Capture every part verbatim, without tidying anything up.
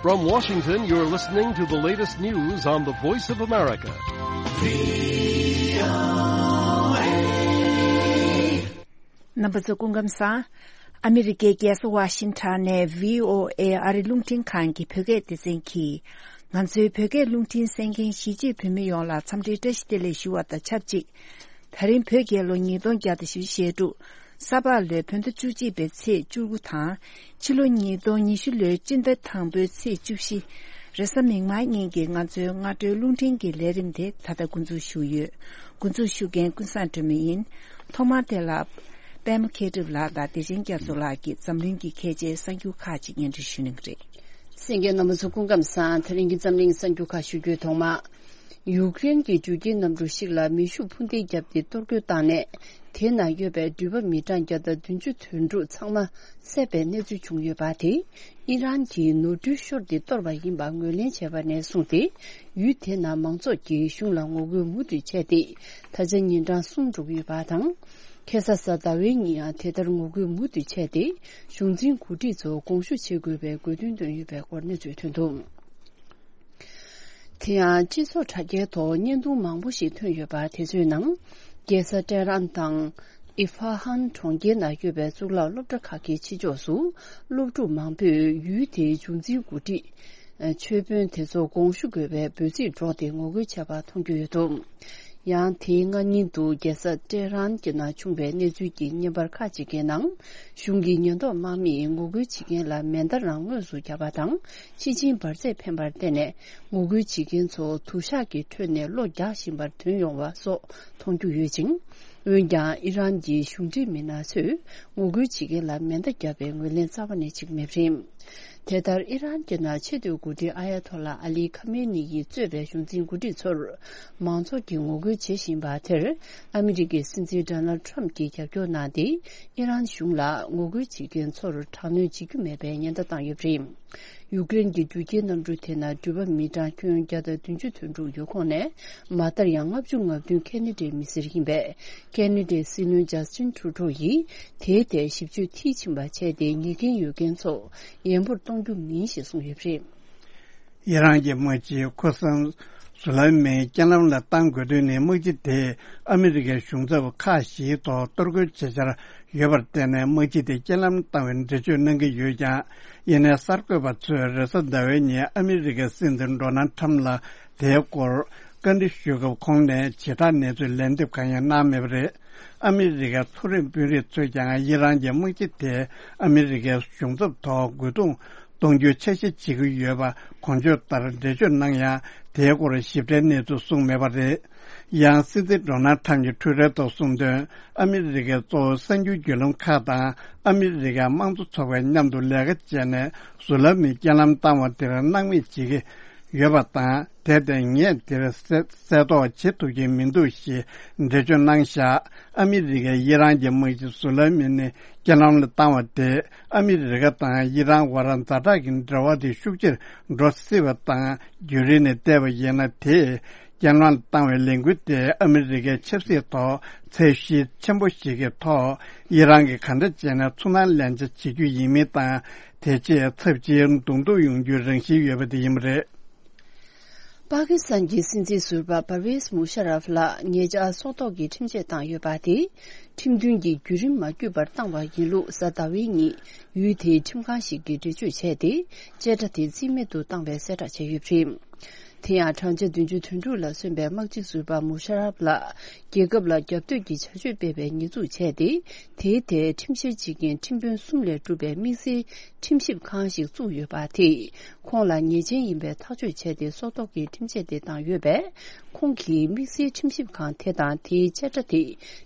From Washington, you're listening to the latest news on the Voice of America. རྣམ་པ་ཚོ་སྐུ་ཁམས་བཟང་། ཨ་མི་རི་ཀའི་རྒྱལ་ས་ཝ་ཤིང་ཊོན་ནས་བྷི་ཨོ་ཨེ་ཨ་རི་རླུང་འཕྲིན་ཁང་གི་བོད་སྐད་སྡེ་ཚན་གྱིས། ང་ཚོའི་བོད་སྐད་རླུང་འཕྲིན་གསན་མཁན་གཞིས་བྱེས་བོད་མི་ཡོངས་ལ་འཚམས་འདྲིའི་བཀྲ་ཤིས་བདེ་ལེགས་ཞུ་བ་དང་ཆབས་ཅིག་ད་རིང་བོད་རྒྱལ་ལོ་ཉིས་སྟོང་བརྒྱ་དང་བཞི་བཅུ་ཞེ་དྲུག་ས་ཕག་ལོའི་བོད་ཟླ་བཅུ་གཅིག་པའི་ཚེས་བཅུ་དགུ་དང་། ཕྱི་ལོ་ཉིས་སྟོང་ཉི་ཤུ་ལོའི་སྤྱི་ཟླ་དང་པོའི་ཚེས་བཅུ་བཞི། རེས་གཟའ་མིག་དམར་ཉིན་གྱི་ང་ཚོའི་སྔ་དྲོའི་རླུང་འཕྲིན་གྱི་ལས་རིམ་དེ་ད་ལྟ་འགོ་འཛུགས་ཞུ་ཡོད། འགོ་འཛུགས་ཞུ་མཁན་ཀུན་བཟང་སྒྲོལ་མ་ཡིན། ཐོག་མར་དེ་ལ། པད་མ་མཁས་གྲུབ་ལགས་དང་བདེ་ཆེན་རྒྱ་མཚོ་ལགས་ཀྱིས་འཛམ་གླིང་གི་ཁྱད་ཆའི་གསར་འགྱུར་ཁག་ཅིག་སྙན་སྒྲོན་ཞུ་གནང་གི་རེད། གསན་མཁན་རྣམ་པ་ཚོ་སྐུ་ཁམས་བཟང་། ད་རིང་གི་འཛམ་གླིང་གསར་འགྱུར་ཁག་ཞུ་རྒྱུའི་ཐོག་མ། ཡུཀ་རེན་གྱི་འགྲུལ་སྐྱེལ་གནམ་གྲུ་ཞིག་ལ་མེ་ཤུགས་འཕུར་མདེལ་བརྒྱབ་སྟེ་གཏོར་རྒོལ་བཏང་ནས། དེ་ནང་ཡོད་པའི་འགྲུལ་པ་མི་གྲངས་བརྒྱ་དང་བདུན་ཅུ་དོན་དྲུག་ཚང་མ་བསད་པའི་གནས་ཚུལ་བྱུང་ཡོད་པ་དེ། ཨི་རན་གྱི་ནོར་འཁྲུལ་ཤོར་ཏེ་གཏོར་བ་ཡིན་པ་ངོས་ལེན་བྱས་པ་ནས་བཟུང་སྟེ། ཡུལ་དེ་ནང་མང་ཚོགས་ཀྱིས་གཞུང་ལ་ངོ་རྒོལ་མུ་མཐུད་བྱས་ཏེ། ད་ཆ་ཉིན་གྲངས་གསུམ་འགྲོ་གི་ཡོད་པ་དང་། ཁ་སང་གཟའ་ཟླ་བའི་ཉིན་ཡང་དེ་ལྟར་ངོ་རྒོལ་མུ་མཐུད་བྱས་ཏེ། གཞུང་འཛིན་འགོ་ཁྲིད་ཚོ་དགོངས་ཞུ་བྱེད་དགོས་པའི་དགོས་འདུན་བཏོན་ཡོད་པའི་སྐོར་གནས་ཚུལ་ཐོན་འདུག་དེ་ཡང་སྤྱི་ཚོགས་དྲ་རྒྱའི་ཐོག་བརྙན་ཐུང་མང་པོ་ཞིག་ཐོན་ཡོད་པ་དེ་ཚོའི་ནང་། རྒྱལ་ས་ཏེ་རན་དང་། ཨི་ཧྥ་ཧན་གྲོང་ཁྱེར་ནང་ཡོད་པའི་གཙུག་ལག་སློབ་གྲྭ་ཁག་གི་ཕྱི་ཕྱོགས་སུ། སློབ་ཕྲུག་མང་པོས་ཡུལ་དེའི་གཞུང་འཛིན་འགོ་ཁྲིད། ཆོས་དཔོན་དེ་ཚོ་དགོངས་ཞུ་དགོས་པའི་འབོད་ཚིག་སྒྲོག་སྟེ་ངོ་རྒོལ་བྱས་པ་མཐོང་རྒྱུ་ཡོད་འདུག་ཡང་དེའི་སྔ་ཉིན་དུ་རྒྱལ་ས་ཏེ་རན་གྱི་ནང་བྱུང་བའི་གནས་ཚུལ་གྱི་བརྙན་པར་ཁག་ཅིག་གི་ནང་། གཞུང་གི་ཉེན་རྟོག་དམག་མིས་ངོ་རྒོལ་བྱེད་མཁན་ལ་མེ་མདའ་རང་ངོས་སུ་བརྒྱབ་པ་དང་། ཤི་ཆིན་འབར་རྫས་འཕེན་པར་བརྟེན་ནས། ངོ་རྒོལ་བྱེད་མཁན་ཚོ་དུ་ཞག་གི་ཁྲོད་ནས་གློ་རྒྱག་བཞིན་པར་ཐོན་ཡོང་བ་སོགས་མཐོང་རྒྱུ་ཡོད་ཅིང་། འོན་ཀྱང་ཨི་རན་གྱི་གཞུང་འབྲེལ་མི་སྣ་ཚོས་ངོ་རྒོལ་བྱེད་མཁན་ལ་མེ་མདའ་བརྒྱབ་པའི་ངོས་ལེན་རྩ་བ་ནས་བྱེད་ཀྱི་མེད་པ་རེད། དེ་ལྟར་ཨི་རན་གྱི་ནང་ཆེས་མཐོའི་འགོ་ཁྲིད་ཨ་ཡ་ཐོ་ལ་ཨ་ལི་ཁ་མེ་ནི་ཡིས་གཙོས་པའི་གཞུང་འཛིན་འགོ་ཁྲིད་ཚོར་མང་ཚོགས་ཀྱིས་ངོ་རྒོལ་བྱེད་བཞིན་པ་དེར། ཨ་མི་རི་ཀའི་སྲིད་འཛིན་ཌོ་ནལ་ཌི་ཊརམ་ཕི་གྱིས་རྒྱབ་སྐྱོར་གནང་སྟེ། ཨི་རན་གཞུང་ལ་ངོ་རྒོལ་བྱེད་མཁན་ཚོར་དྲག་གནོན་བྱེད་རྒྱུ་མེད་པའི་ཉེན་བརྡ་བཏང་ཡོད་པ་རེད། ཡུཀ་རེན་གྱི་འགྲུལ་སྐྱེལ་གནམ་གྲུ་དེ་ནང་འགྲུལ་པ་མི་གྲངས་ཁྱོན་བརྒྱ་དང་བདུན་ཅུ་དོན་དྲུག་ཡོད་ཁོངས་ནས། མ་མཐར་ཡང་ལྔ་བཅུ་ང་བདུན་ཁེ་ན་ཌའི་མི་སེར་ཡིན་པས། ཁེ་ན་ཌའི་སྲིད་བློན་ཇ་སི་ཊིན་ཊུ་རུ་ཌོ་ཡིས་དེའི་ཐད་ཞིབ་དཔྱོད་མཐིལ་ཕྱིན་པ་བྱས་ཏེ། ཉེས་འགན་ཡོད་མཁན་ཚོ་ཡན་པོར་གཏོང་རྒྱུ་མིན་ཞེས་གསུངས་ཡོད་པ་རེད། ཨི་རན་གྱི་དམག་སྤྱི་ཁོ་སམ་སུ་ལེ་མན་རྐྱེན་ལམ་ལ་གཏང་དགོས་དོན་ནི། དམག་སྤྱི་དེས་ཨ་མི་རི་ཀའི་གཞུང་ཚབ་ཁག་བཞིའི་ཐོག་གཏོར་རྒོལ་བྱེད་འཆར་ཡོད་པར་བརྟེན་ནས། དམག་སྤྱི་དེ་རྐྱེན་ལམ་བཏང་བའི་འགྲེལ་བརྗོད་གནང་གི་ཡོད་ཀྱང་། ཡིན་ནའི་གསར་འགོད་པ་ཚོས་རེས་གཟའ་ཟླ་བའི་ཉིན་ཨ་མི་རི་ཀའི་སྲིད་འཛིན་ཌོ་ནལ་ཌི་ཊརམ་ཕི་ལ་དེའི་སྐོར་བཀའ་འདྲི་ཞུས་སྐབས། ཁོང་ནས་བྱེ་བྲག་གནས་ཚུལ་ལན་འདེབས་གང་ཡང་གནང་མེད་པ་རེད། ཨ་མི་རི་ཀའི་མཐོ་རིམ་དཔོན་རིགས་ཚོས་ཀྱང་ཨི་རན་གྱི་དམག་སྤྱི་དེ་ཨ་མི་རི་ཀའི་གཞུང་ཚབ་ཐོག་རྒོལ་རྡུང་གཏོང་རྒྱུའི་འཆར་གཞི་བྱེད་ཀྱི་ཡོད་པ་གོང་བརྗོད་ལྟར་འགྲེལ་བརྗོད་གནང་ཡང་། དེའི་སྐོར་ཞིབ་ཕྲའི་གནས་ཚུལ་གསུངས་མེད་པ་རེད། ཡང་སྲིད་འཛིན་ཌོ་ནལ་ཌི་ཊརམ་ཕི་གྱིས་ཊུའི་ཊར་ཐོག་གསུངས་དོན། ཨ་མི་རི་ཀའི་གཙོ་བོ་གསར་འགྱུར་བརྒྱུད་ལམ་ཁག་དང་ཨ་མི་རི་ཀའི་དམངས་གཙོ་ཚོགས་པས་མཉམ་དུ་ལས་ཀ་བྱས་ནས། སུ་ལེ་མན་རྐྱེན་ལམ་བཏང་བ་དེར་སྣང་མེད་བྱེད་ཀྱི་ཡོད་པ་དང་། དེར་བརྟེན་ངས་དེར་གསལ་གསལ་རྟོགས་བྱེད་ཐུབ་ཀྱི་མི་འདུག་ཞེས་འགྲེལ་བརྗོད་གནང་བཞག་ཨ་མི་རི་ཀས་ཨི་རན་གྱི་དམག་སྤྱི་སུ་ལེ་མན་ནི་རྐྱེན་ལམ་ལ་བཏང་བ་དེས། ཨ་མི་རི་ཀ་དང་ཨི་རན་བར་ཛ་དྲག་གི་འབྲེལ་བ་དེ་ཤུགས་ཆེར་འགྲོ་སྲིད་པ་དང་། རྒྱུན་རིང་ནས་བལྟས་པ་ཡིན་ན། དེས་རྐྱེན་ལམ་ལ་བཏང་བའི་ལས་འགུལ་དེ་ཨ་མི་རི་ཀའི་ཆབ་སྲིད་ཐོག་ཚད་གཞི་ཆེན་པོ་ཞིག་གི་ཐོག་ཨི་རན་གྱིས་ག་འདྲ་བྱས་ནས་ཚུར་སྣང་ལན་ཆ་བྱེད་རྒྱུ་ཡིན་མིན་དང་། དེ་རྗེས་ཚབས་ཆེའི་གདོང་ཐུག་ཡོང་རྒྱུའི་རང་བཞིན་ཡོད་པ་དེ་ཡིན་པ་རེད། པ་ཀི་སི་ཐན་གྱི་སྲིད་འཛིན་ཟུར་པ་པར་ཝེས་མུ་ཤ་རབ་ལ་ཉེ་ཆར་སྲོག་ཐོག་གི་ཁྲིམས་ཆད་བཏང་ཡོད་པ་དེ། ཁྲིམས་མཐུན་གྱི་བརྒྱུད་རིམ་མ་བརྒྱུད་པར་བཏང་བ་ཡིན་ལུགས། གཟའ་ཟླ་བའི་ཉིན་ཡུལ་དེའི་ཁྲིམས་ཁང་ཞིག་གིས་འགྲེལ་བརྗོད་བྱས་ཏེ། བཅད་ཁྲ་དེ་རྩིས་མེད་དུ་བཏང་བའི་གསལ་བསྒྲགས་བྱས་ཡོད་པ་རེད། དེ་ཡང་བགྲང་བྱ་བདུན་ཅུ་དོན་དྲུག་ལ་སོན་པའི་དམག་སྤྱི་ཟུར་པ་མུ་ཤ་རབ་ལ། རྒྱལ་ཁབ་ལ་རྒྱབ་གཏོད་ཀྱི་བྱ་སྤྱོད་སྤེལ་བའི་ཉེས་འཛུགས་བྱས་ཏེ། དེའི་ཐད་ཁྲིམས་བཤེར་བྱེད་མཁན་ཁྲིམས་དཔོན་གསུམ་ལས་གྲུབ་པའི་དམིགས་བསལ་ཁྲིམས་ཞིབ་ཁང་ཞིག་བཙུགས་ཡོད་པ་དེས། ཁོང་ལ་ཉེས་ཅན་ཡིན་པའི་ཐག་གཅོད་བྱས་ཏེ། སྲོག་ཐོག་གི་ཁྲིམས་ཆད་དེ་བཏང་ཡོད་པས། ཁོང་གིས་དམིགས་བསལ་ཁྲིམས་ཞིབ་ཁང་དེ་དང་དེའི་བཅད་ཁྲ་དེ་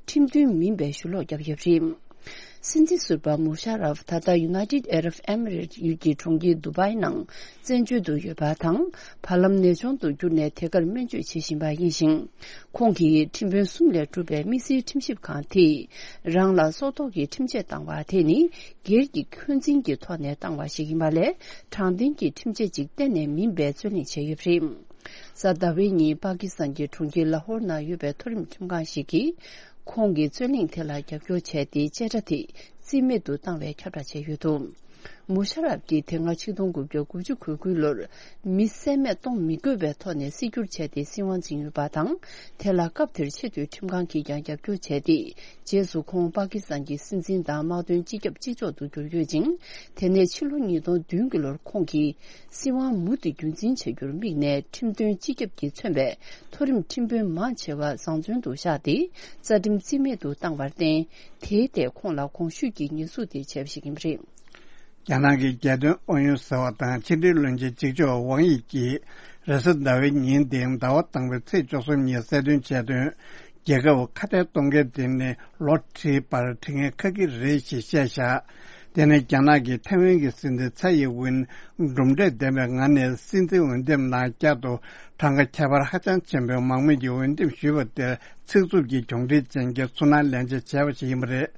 ཁྲིམས་མཐུན་མིན་པའི་ཞུ་ལོག་བརྒྱབ་ཡོད་པ་རེད། སྲིད་འཛིན་ཟུར་པ་མུ་ཤ་རབ་ད་ལྟ་ཡུ་ནའི་ཊེཌ་ཨ་རབ་ཨེ་མི་རེཊ་ཡུལ་གྱི་གྲོང་ཁྱེར་དུ་བྷའི་ནང་བཙན་བྱོལ་དུ་ཡོད་པ་དང་། བར་ལམ་ནད་གཅོང་དུ་གྱུར་ནས་དེ་གར་སྨན་བཅོས་བྱེད་བཞིན་པ་ཡིན་ཞིང་། ཁོང་གིས་ཁྲིམས་དཔོན་གསུམ་ལས་གྲུབ་པའི་དམིགས་བསལ་ཁྲིམས་ཞིབ་ཁང་དེས་རང་ལ་སྲོག་ཐོག་གི་ཁྲིམས་ཆད་བཏང་བ་དེ་ནི། སྒེར་གྱི་འཁོན་འཛིན་གྱི་ཐོག་ནས་བཏང་བ་ཞིག་ཡིན་པ་ལས། དྲང་བདེན་གྱི་ཁྲིམས་ཆད་ཅིག་གཏན་ནས་མིན་པའི་རྩོད་གླེང་བྱས་ཡོད་པ་རེད། གཟའ་ཟླ་བའི་ཉིན་པ་ཀི་སི་ཐན་གྱི་གྲོང་ཁྱེར་ལ་ཧོར་ནང་ཡོད་པའི་མཐོ་རིམ་ཁྲིམས་ཁང་ཞིག་གིས། ཁོང་གི་རྩོད་གླེང་དེ་ལ་རྒྱབ་སྐྱོར་བྱས་ཏེ། བཅད་ཁྲ་དེ་རྩིས་མེད་དུ་བཏང་བའི་ཁྱབ་བསྒྲགས་བྱས་ཡོད་འདུག་མུ་ཤ་རབ་ཀྱིས་དེ་སྔ་ཆིག་སྟོང་དགུ་བརྒྱ་དགུ་བཅུ་གོ་དགུ་ལོར་མི་བསད་རྨས་གཏོང་མི་དགོས་པའི་ཐོག་ནས་སྲིད་སྐྱོང་བྱས་ཏེ་སྲིད་དབང་འཛིན་ཡོད་པ་དང་། དེ་ལ་སྐབས་དེར་ཆེས་མཐོའི་ཁྲིམས་ཁང་གིས་ཀྱང་རྒྱབ་སྐྱོར་བྱས་ཏེ། རྗེས་སུ་ཁོང་པ་ཀི་སི་ཐན་གྱི་སྲིད་འཛིན་དང་དམག་དོན་སྤྱི་ཁྱབ་སྤྱི་ཚོགས་སུ་གྱུར་ཡོད་ཅིང་། དེ་ནས་ཕྱི་ལོ་ཉིས་སྟོང་བདུན་གྱི་ལོར་ཁོང་གིས་སྲིད་དབང་མུ་མཐུད་རྒྱུན་འཛིན་བྱ་རྒྱུར་དམིགས་ནས་ཁྲིམས་དོན་སྤྱི་ཁྱབ་ཀྱིས་མཚོན་པའི་མཐོ་རིམ་ཁྲིམས་དཔོན་མང་ཆེ་བ་བཟང་བཙོན་དུ་བཞག་སྟེ་རྩ་ཁྲིམས་རྩིས་མེད་དུ་བཏང་བར་བརྟེན། དེའི་ཐད་ཁོང་ལ་གོང་ཞུས་ཀྱི་ཉེས་འཛུགས་དེ་བྱས་པ་ཞིག་ཡིན་པ་རེད། རྒྱ་ནག་གི་རྒྱལ་དོན་ཨུ་ཡོན་ཟེར་བ་དང་ཕྱི་འབྲེལ་བློན་ཆེན་གཅིག་ལྕོགས་ཝང་ཡི་ཀྱིས་རེས་གཟའ་ཟླ་བའི་ཉིན་དེ་ཟླ་བ་དང་པོའི་ཚེས་བཅུ་གསུམ་ཉིན་གསལ་སྟོན་བྱས་དོན། རྒྱལ་ཁབ་ཁ་གཏད་གཏོང་མཁན་དེ་ནི་ལོ་ཁྲིའི་བར་ཁྲི་འགན་འཁུར་གྱི་རེད་ཞེས་བཤད་བཞག་དེ་ནི་རྒྱ་ནག་གིས་ཐའེ་ཝན་གྱི་སྲིད་འཛིན་ཚའེ་ཡིན་ཝིན་གྲུབ་འབྲས་ལྡན་པའི་ངང་ནས་སྲིད་འཛིན་འོས་འདེམས་ནང་བསྐྱར་དུ་གྲངས་ཀ་ཁྱད་པར་ཧ་ཅང་ཆེན་པོས་མང་མོས་ཀྱིས་འོས་འདེམས་ཞུས་པ་དེར་ཚིག་རྩུབ་ཀྱི་གྱོང་ཁྲིད་ཅན་གྱི་ཚུར་སྣང་ལན་འཇལ་བྱས་པ་ཞིག་ཡིན་པ་རེད།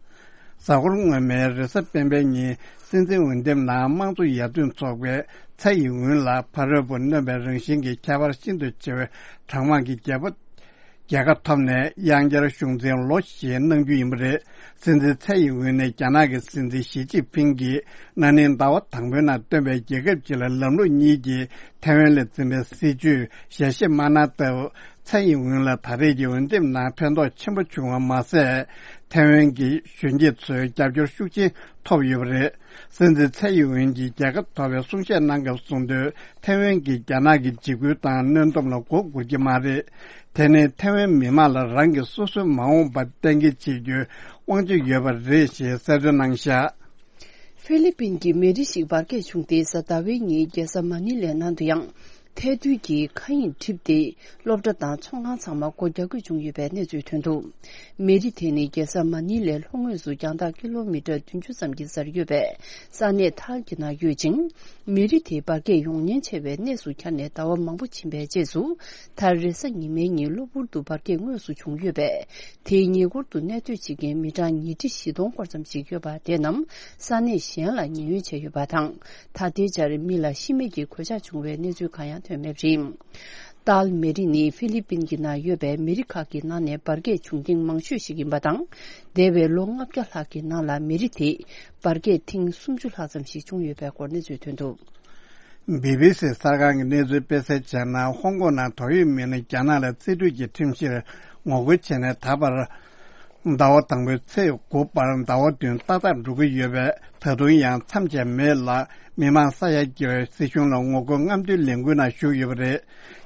གཟའ་འཁོར་སྔོན་མའི་རེས་གཟའ་སྤེན་པའི་ཉིན་སྲིད་འཛིན་འོས་འདེམས་ནང་དམངས་གཙོ་ཡར་ཐོན་ཚོགས་པས་ཚའེ་ཡིན་ཝིན་ལ་ཕ་རོལ་པོ་གནོན་པའི་རང་བཞིན་གྱི་ཁྱད་པར་ཤིན་ཏུ་ཆེ་བའི་གྲངས་མང་གི་རྒྱལ་པོ། རྒྱལ་ཁ་ཐོབ་ནས་དབྱང་རྒྱལ་གཞུང་འཛིན་ལོ་བཞི་གནང་རྒྱུ་ཡིན་པ་རེད། སྲིད་འཛིན་ཚའེ་ཡིན་ཝིན་ནས་རྒྱ་ནག་གི་སྲིད་འཛིན་ཞི་ཅིན་ཕིང་གིས་ན་ནིང་ཟླ་བ་དང་པོའི་ནང་བཏོན་པའི་རྒྱལ་ཁབ་ཅིག་ལ་ལམ་ལུགས་གཉིས་ཀྱི་ཐའེ་ཝན་ལ་འཛིན་པའི་སྲིད་བྱུས་ཞལ་བཞེས་མ་གནང་སྟབས། ཚའེ་ཡིན་ཝིན་ལ་ད་རེས་ཀྱི་འོས་འདེམས་ནང་ཕན་ཐོགས་ཆེན་པོ་བྱུང་བ་མ་ཟད། ཐའེ་ཝན་གྱི་གཞོན་སྐྱེས་ཚོའི་རྒྱབ་སྐྱོར་ཤུགས་ཆེན་ཐོབ་ཡོད་པ་རེད། སྲིད་འཛིན་ཚའེ་ཡིན་ཝིན་གྱིས་རྒྱལ་ཁ་ཐོབ་པའི་གསུང་བཤད་གནང་སྐབས་གསུངས་དོན། ཐའེ་ཝན་གྱིས་རྒྱ་ནག་གི་འཇིགས་སྐུལ་དང་གནོན་སྡོམ་ལ་མགོ་སྒུར་གྱི་མ་རེད། དེ་ནི་ཐའེ་ཝན་མི་མང་ལ་རང་གི་སོ་སོའི་མ་འོངས་པ་གཏན་འཁེལ་བྱེད་རྒྱུའི་དབང་ཆ་ཡོད་པ་རེད་ཞེས་གསལ་སྟོན་གནང་བཞག་ཧྥི་ལི་པིན་གྱི་མི་རིགས་ཤིག་འབར་གས་བྱུང་སྟེ་གཟའ་ཟླ་བའི་ཉིན་རྒྱལ་ས་མ་ནི་ལའི་ནང་དུ་ཡང་ཐལ་རྡུལ་གྱི་མཁའ་དབྱིངས་འགྲིབ་སྟེ། སློབ་གྲྭ་དང་ཚོང་ཁང་ཚང་མ་སྒོ་རྒྱག་དགོས་བྱུང་ཡོད་པའི་གནས་ཚུལ་ཐོན་འདུག་མི་རིགས་དེ་ནི་རྒྱལ་ས་མ་ནི་ལའི་ལྷོ་ངོས་སུ་རྒྱང་ཐག་ཀི་ལོ་མི་ཊར་བདུན་ཅུ་ཙམ་གྱི་སར་ཡོད་པའི་ས་གནས་ཐལ་གྱི་ནང་ཡོད་ཅིང་། མི་རིགས་དེ་འབར་གས་ཡོང་ཉེན་ཆེ་བའི་གནས་སུ་གྱར་ནས་ཟླ་བ་མང་པོ་ཕྱིན་པའི་རྗེས་སུ། མཐར་རེས་གཟའ་ཉི་མའི་ཉིན་གློ་བུར་དུ་འབར་གས་དངོས་སུ་བྱུང་ཡོད་པས། དེའི་ཉེ་འཁོར་དུ་གནས་སྡོད་བྱེད་མཁན་མི་གྲངས་ཉིས་ཁྲི་བཞི་སྟོང་སྐོར་ཙམ་ཞིག་ཡོད་པ་དེ་རྣམས་ས་གནས་གཞན་ལ་ཉེན་གཡོལ་བྱས་ཡོད་པ་དང་། ད་ལྟའི་ཆར་མི་ལ་ཤི་རྨས་ཀྱི་གོད་ཆག་བྱུང་བའི་གནས་ཚུལ་གང་ཡང་ཐོན་མེད་པ་རེད། ཏཱལ་མི་རིགས་ནི་ཧྥི་ལི་པིན་གྱི་ནང་ཡོད་པའི་མི་རིགས་ཁག་གི་ནང་ནས་འབར་གས་བྱུང་ཐེངས་མང་ཤོས་ཤིག་ཡིན་པ་དང་། འདས་པའི་ལོ་ལྔ་བརྒྱ་ལྷག་གི་ནང་ལ་མི་རིགས་དེས་འབར་གས་ཐེངས་སུམ་ཅུ་ལྷག་ཙམ་ཞིག་བྱུང་ཡོད་པའི་སྐོར་གནས་ཚུལ་ཐོན་འདུག་བི་བི་སི་གསར་ཁང་གིས་གནས་ཚུལ་སྤེལ་གསལ་བྱས་ན། ཧོང་ཀོང་ནང་ཏོག་དབྱིབས་མི་སྣ་རྒྱ་ནག་ལ་རྩིས་སྤྲོད་ཀྱི་ཁྲིམས་གཞིར་ངོ་རྒོལ་བྱས་ནས་ད་བར་ཟླ་བ་དང་པོའི་ཚེས་དགུ་བར་ཟླ་བ་བདུན་ཏག་ཏག་འགྲོ་གི་ཡོད་པས། ད་དུང་ཡང་མཚམས་ཆད་མེད་ལ་མི་མང་ས་ཡ་བརྒལ་བའི་སྲིད་གཞུང་ལ་ངོ་རྒོལ་རྔམ་སྟོན་ལས་འགུལ་ནང་ཞུགས་ཡོད་པ་རེད།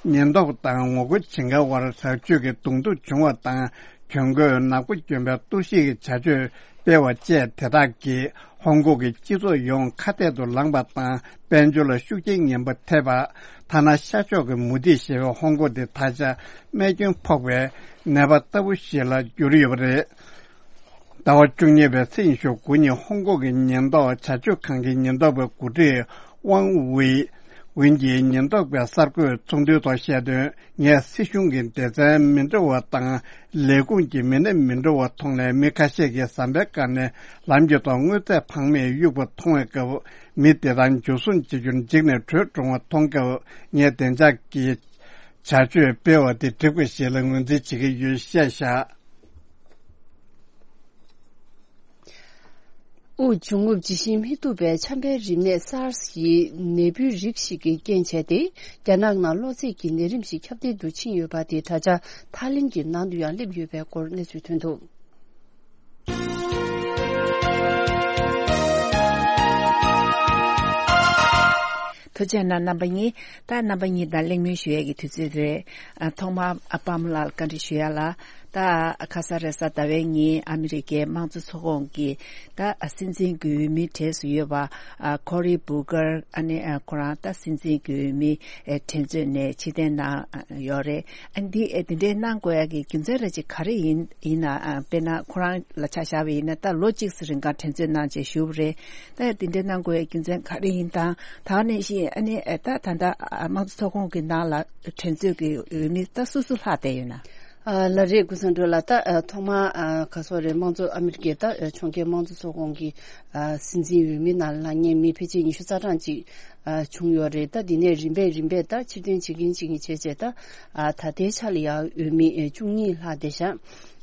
ཉེན་རྟོག་དང་ངོ་རྒོལ་བྱེད་མཁན་དབར་དྲག་སྤྱོད་ཀྱི་གདོང་ཐུག་བྱུང་བ་དང་། གྱོན་གོས་ནག་པོ་གྱོན་པའི་གཏོར་བཤིག་གི་བྱ་སྤྱོད་སྤེལ་བ་བཅས་དེ་དག་གིས་ཧོང་ཀོང་གི་སྤྱི་ཚོགས་ཡོངས་ཁ་གཏད་དུ་ལངས་པ་དང་། དཔལ་འབྱོར་ལ་ཤུགས་རྐྱེན་ངན་པ་ཐེབས་པ། ཐ་ན་ཤར་ཕྱོགས་ཀྱི་མུ་ཏིག་ཞེས་པའི་ཧོང་ཀོང་དེ་ད་ཆ་རྨས་སྐྱོན་ཕོག་པའི་ནད་པ་ལྟ་བུ་ཞིག་ལ་གྱུར་ཡོད་པ་རེད། ཟླ་བ་བཅུ་གཉིས་པའི་ཚེས་ཉི་ཤུ་དགུ་ཉིན་ཧོང་ཀོང་གི་ཉེན་རྟོག་བྱ་སྤྱོད་ཁང་གི་ཉེན་རྟོག་པའི་འགོ་ཁྲིད་ཝང་ཝེ་ཝིན་གྱིས་ཉེན་རྟོག་པའི་གསར་འགོད་ཚོགས་འདུའི་ཐོག་བཤད་དོན། ངས་སྲིད་གཞུང་གི་སྡེ་ཚན་མི་འདྲ་བ་དང་ལས་ཁུངས་ཀྱི་མི་སྣ་མི་འདྲ་བ་མཐོང་ནས། མི་ཁ་ཤས་ཀྱིས་ཟམ་པའི་སྒང་ནས་ལམ་གྱི་ཐོག་དངོས་རྫས་ཕངས་མེད་གཡུགས་པ་མཐོང་བའི་སྐབས། མི་དེ་དག་འཇུ་བཟུང་བྱེད་རྒྱུར་འཇིགས་ནས་བྲོས་འགྲོ་བ་མཐོང་སྐབས། ངས་བདེ་འཇགས་ཀྱི་བྱ་སྤྱོད་སྤེལ་བ་དེ་འགྲིག་པ་ཞིག་ལ་ངོས་འཛིན་བྱེད་ཀྱི་ཡོད་བཤད་བཞག་དབུགས་འབྱུང་རྔུབ་ཇི་བཞིན་མི་ཐུབ་པའི་ཆམ་པའི་རིམས་ནད་སཱར་སི་ཡི་ནད་འབུའི་རིགས་ཤིག་གིས་རྐྱེན་བྱས་ཏེ། རྒྱ་ནག་ནང་གློ་ཚད་ཀྱི་ནད་རིམས་ཤིག་ཁྱབ་གདལ་དུ་ཕྱིན་ཡོད་པ་དེ་ད་ཆ་ཐའི་ལེན་གྱི་ནང་དུ་ཡང་སླེབས་ཡོད་པའི་སྐོར་གནས་ཚུལ་ཐོན་འདུག་ཐུགས་རྗེ་གནང་རྣམ་པ་གཉིས། ད་རྣམ་པ་གཉིས་དང་གླེང་མོལ་ཞུ་ཡས་ཀྱི་དུས་ཚོད་རེད། ཨ། ཐོག་མར་ཨ་པ་མོ་ལགས་ལ་བཀའ་འདྲི་ཞུ་ཡ་ལ། ད་ཁ་ས་རེས་གཟའ་ཟླ་བའི་ཉིན་ཨ་མི་རི་ཀའི་དམངས་གཙོ་ཚོགས་ཁོངས་ཀྱི་ད་སྲིད་འཛིན་གྱི་འོས་མིའི་གྲས་སུ་ཡོད་པ། ཨ། ཁོ་རི་བུ་ཀར། ཨ་ནི། ཨ། ཁོ་རང་ད་སྲིད་འཛིན་གྱི་འོས་མི་འགྲན་རྩོད་ནས་ཕྱིར་འཐེན་གནང་ཡོད་རེད། ཨ། འདི། ཨ། འདི་འདྲའི་གནང་དགོས་ཡ་གི་རྒྱུ་མཚན་ར་ཅིག་ག་རེ་ཡིན། ཡིན་ན། ཨ། དཔེར་ན་ཁོ་རང་ལ་ཆ་བཞག་པ་ཡིན་ན། ད་ལོ་གཅིག་ཙམ་རིང་ག་འགྲན་རྩོད་གནང་བྱས་བཞུགས་པ་རེད། ད་འདི་འདྲའི་གནང་དགོས་ཡ་རྒྱུ་མཚན་ག་རེ་ཡིན་དང་། ད་ནས་བཞིན། ཨ་ནི། ཨ། ད་ད་ལྟ་དམངས་གཙོ་ཚོགས་ཁོངས་ཀྱི་ནང་ལ་འགྲན་རྩོད་ཀྱི་འོས་མི་ད་སུ་སུ་ལྷག་བསྡད་ཡོད་ན། ཨ། ལགས་རེད། ཀུན་བཟང་སྒྲོལ་ལགས། ད། ཨ། ཐོག་མར། ཨ། ག་སོགས་རེད། དམངས་གཙོ། ཨ་མི་རི་ཀའི་ད། ཨ། ཕྱོགས་འགལ་དམངས་གཙོ་ཚོགས་ཁོངས་ཀྱི། ཨ། སྲིད་འཛིན་འོས་མི་ནང་ལ་ལངས་མཁན་མི་ཕལ་ཆེར་ཉི་ཤུ་རྩ་གྲངས་ཅིག་ཨ། བྱུང་ཡོད་རེད། ད་འདི་ནས་རིམ་པས་རིམ་པས་ད་ཕྱིར་འཐེན་བྱེད་ཀྱིན་བྱེད་ཀྱིན་བྱས་བྱས་ད། ཨ། ད་ལྟའི་ཆ་ལ་ཡང་འོས་མི། ཨ། བཅུ་གཉིས་ལྷག་བསྡད་ཤག་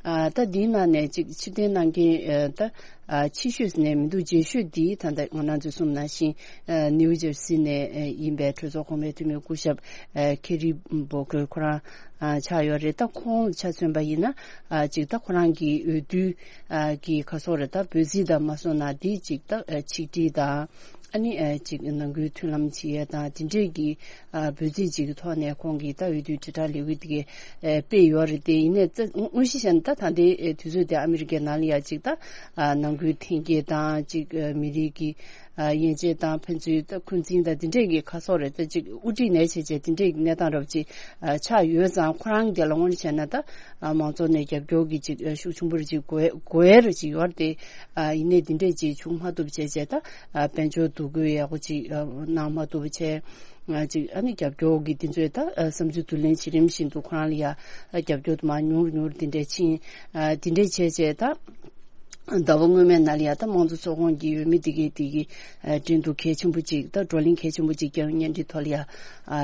ཨ་ད་འདིའི་ནང་ནས་ཅིག་ཕྱིར་འཐེན་གནང་མཁན་ཨ་ད་ཨ་ཆེ་ཤོས་ནས་མི་འདུག་རྗེས་ཤོས་འདི་ད་ལྟ་ང་རང་ཚོས་གསུངས་ནང་བཞིན་ཨ་ནིའུ་ཇར་སི་ནས་ཨ་ཡིན་པའི་གྲོས་ཚོགས་གོང་མའི་འཐུས་མི་སྐུ་ཞབས་ཨ་ཁེ་རི་བོ་ཁེར་ཁོ་རང་ཨ་ཆགས་ཡོད་རེད། ད་ཁོང་ཆ་མཚོན་པ་ཡིན་ན་ཨ་ཅིག་ད་ཁོ་རང་གི་འོས་བསྡུ་ཨ་གི་ག་སོགས་རེད། ད་འབོད་ཚིག་དང་མ་སོང་ན་འདི་ཅིག་ད་ཨ་ཆིག་སྒྲིལ་དང་ཨ་ནི་ཨ་ཅིག་ནང་ཁུལ་མཐུན་ལམ་བྱེད་ཡས་དང་དེ་འདྲས་ཀྱི་ཨ་འབོད་ཚིག་ཅིག་གི་ཐོག་ནས་ཁོང་གིས་ད་འོས་བསྡུའི་དྲིལ་བསྒྲགས་ལས་འགུལ་དེ་གས་ཨ་སྤེལ་ཡོད་རེད། དེ་ཡིན་ནའི་ད་དངོས་གཞི་བཤད་ན་ད་ད་ལྟའི་ཨ་དུས་ཚོད་དེ་ཨ་མི་རི་ཀའི་ནང་ལ་ཡ་ཅིག་ད་ཨ་ནང་ཁུལ་འཐེན་འཁྱེར་དང་ཅིག་ཨ་མི་རིགས་ཀྱི་ཨ་དབྱེ་འབྱེད་དང་ཕན་ཚུན་ད་འཁོན་འཛིན་དང་དེ་འདྲས་ཀྱི་ཁ་སོགས་རེད། ད་ཅིག་དབུ་ཁྲིད་ནས་བྱས་བྱས་དེ་འདྲས་ཀྱི་གནས་སྟངས་རབ་ཅིག་ཨ་ཆགས་ཡོད་ཙང་ཁོ་རང་དེ་ལ་དངོས་གནས་བྱས་ན་ད་ཨ་མང་ཚོགས་ནས་རྒྱབ་སྐྱོར་གྱི་ཅིག་ཨ་ཤུགས་ཆེན་པོ་རེ་ཅིག་དགོས་དགོས་ཡ་རེ་ཅིག་ཡོད་རེད། དེ་ཨ་ཡིན་ནའི་དེ་འདྲས་ཅིག་བྱུང་མ་ཐུབ་བྱས་བྱས་ད་ཨ་དཔལ་འབྱོར་འདུ་འགོད་ཡག་པོ་ཅིག་ཨ་གནང་མ་ཐུབ་བྱས་ཨ་ཅིག་ཨ་ནི་རྒྱབ་སྐྱོར་གྱི་དེ་ཚོས་ད་ཨ་བསམ་ཚུལ་བསྡུ་ལེན་བྱེད་རིམ་བཞིན་དུ་ཁོ་རང་ལ་ཡ་ཨ་རྒྱབ་སྐྱོར་དུ་མར་ཉུང་རུ་ཉུང་རུ་དེ་འདྲས་ཕྱིན་ཨ་དེ་འདྲས་བྱས་བྱས་ད། ཟླ་བ་སྔོན་མའི་ནང་ལ་ཡ་ད་དམངས་གཙོ་ཚོགས་ཁོངས་ཀྱི་འོས་མི་དེ་གའི་དེ་གི་ཨ་འགྲན་བསྡུར་གལ་ཆེན་པོ་ཅིག་ད་བགྲོ་གླེང་གལ་ཆེན་པོ་ཅིག་རྒྱལ་ཡོངས་བརྙན་འཕྲིན་ཐོག་ལ་ཡ་ཨ་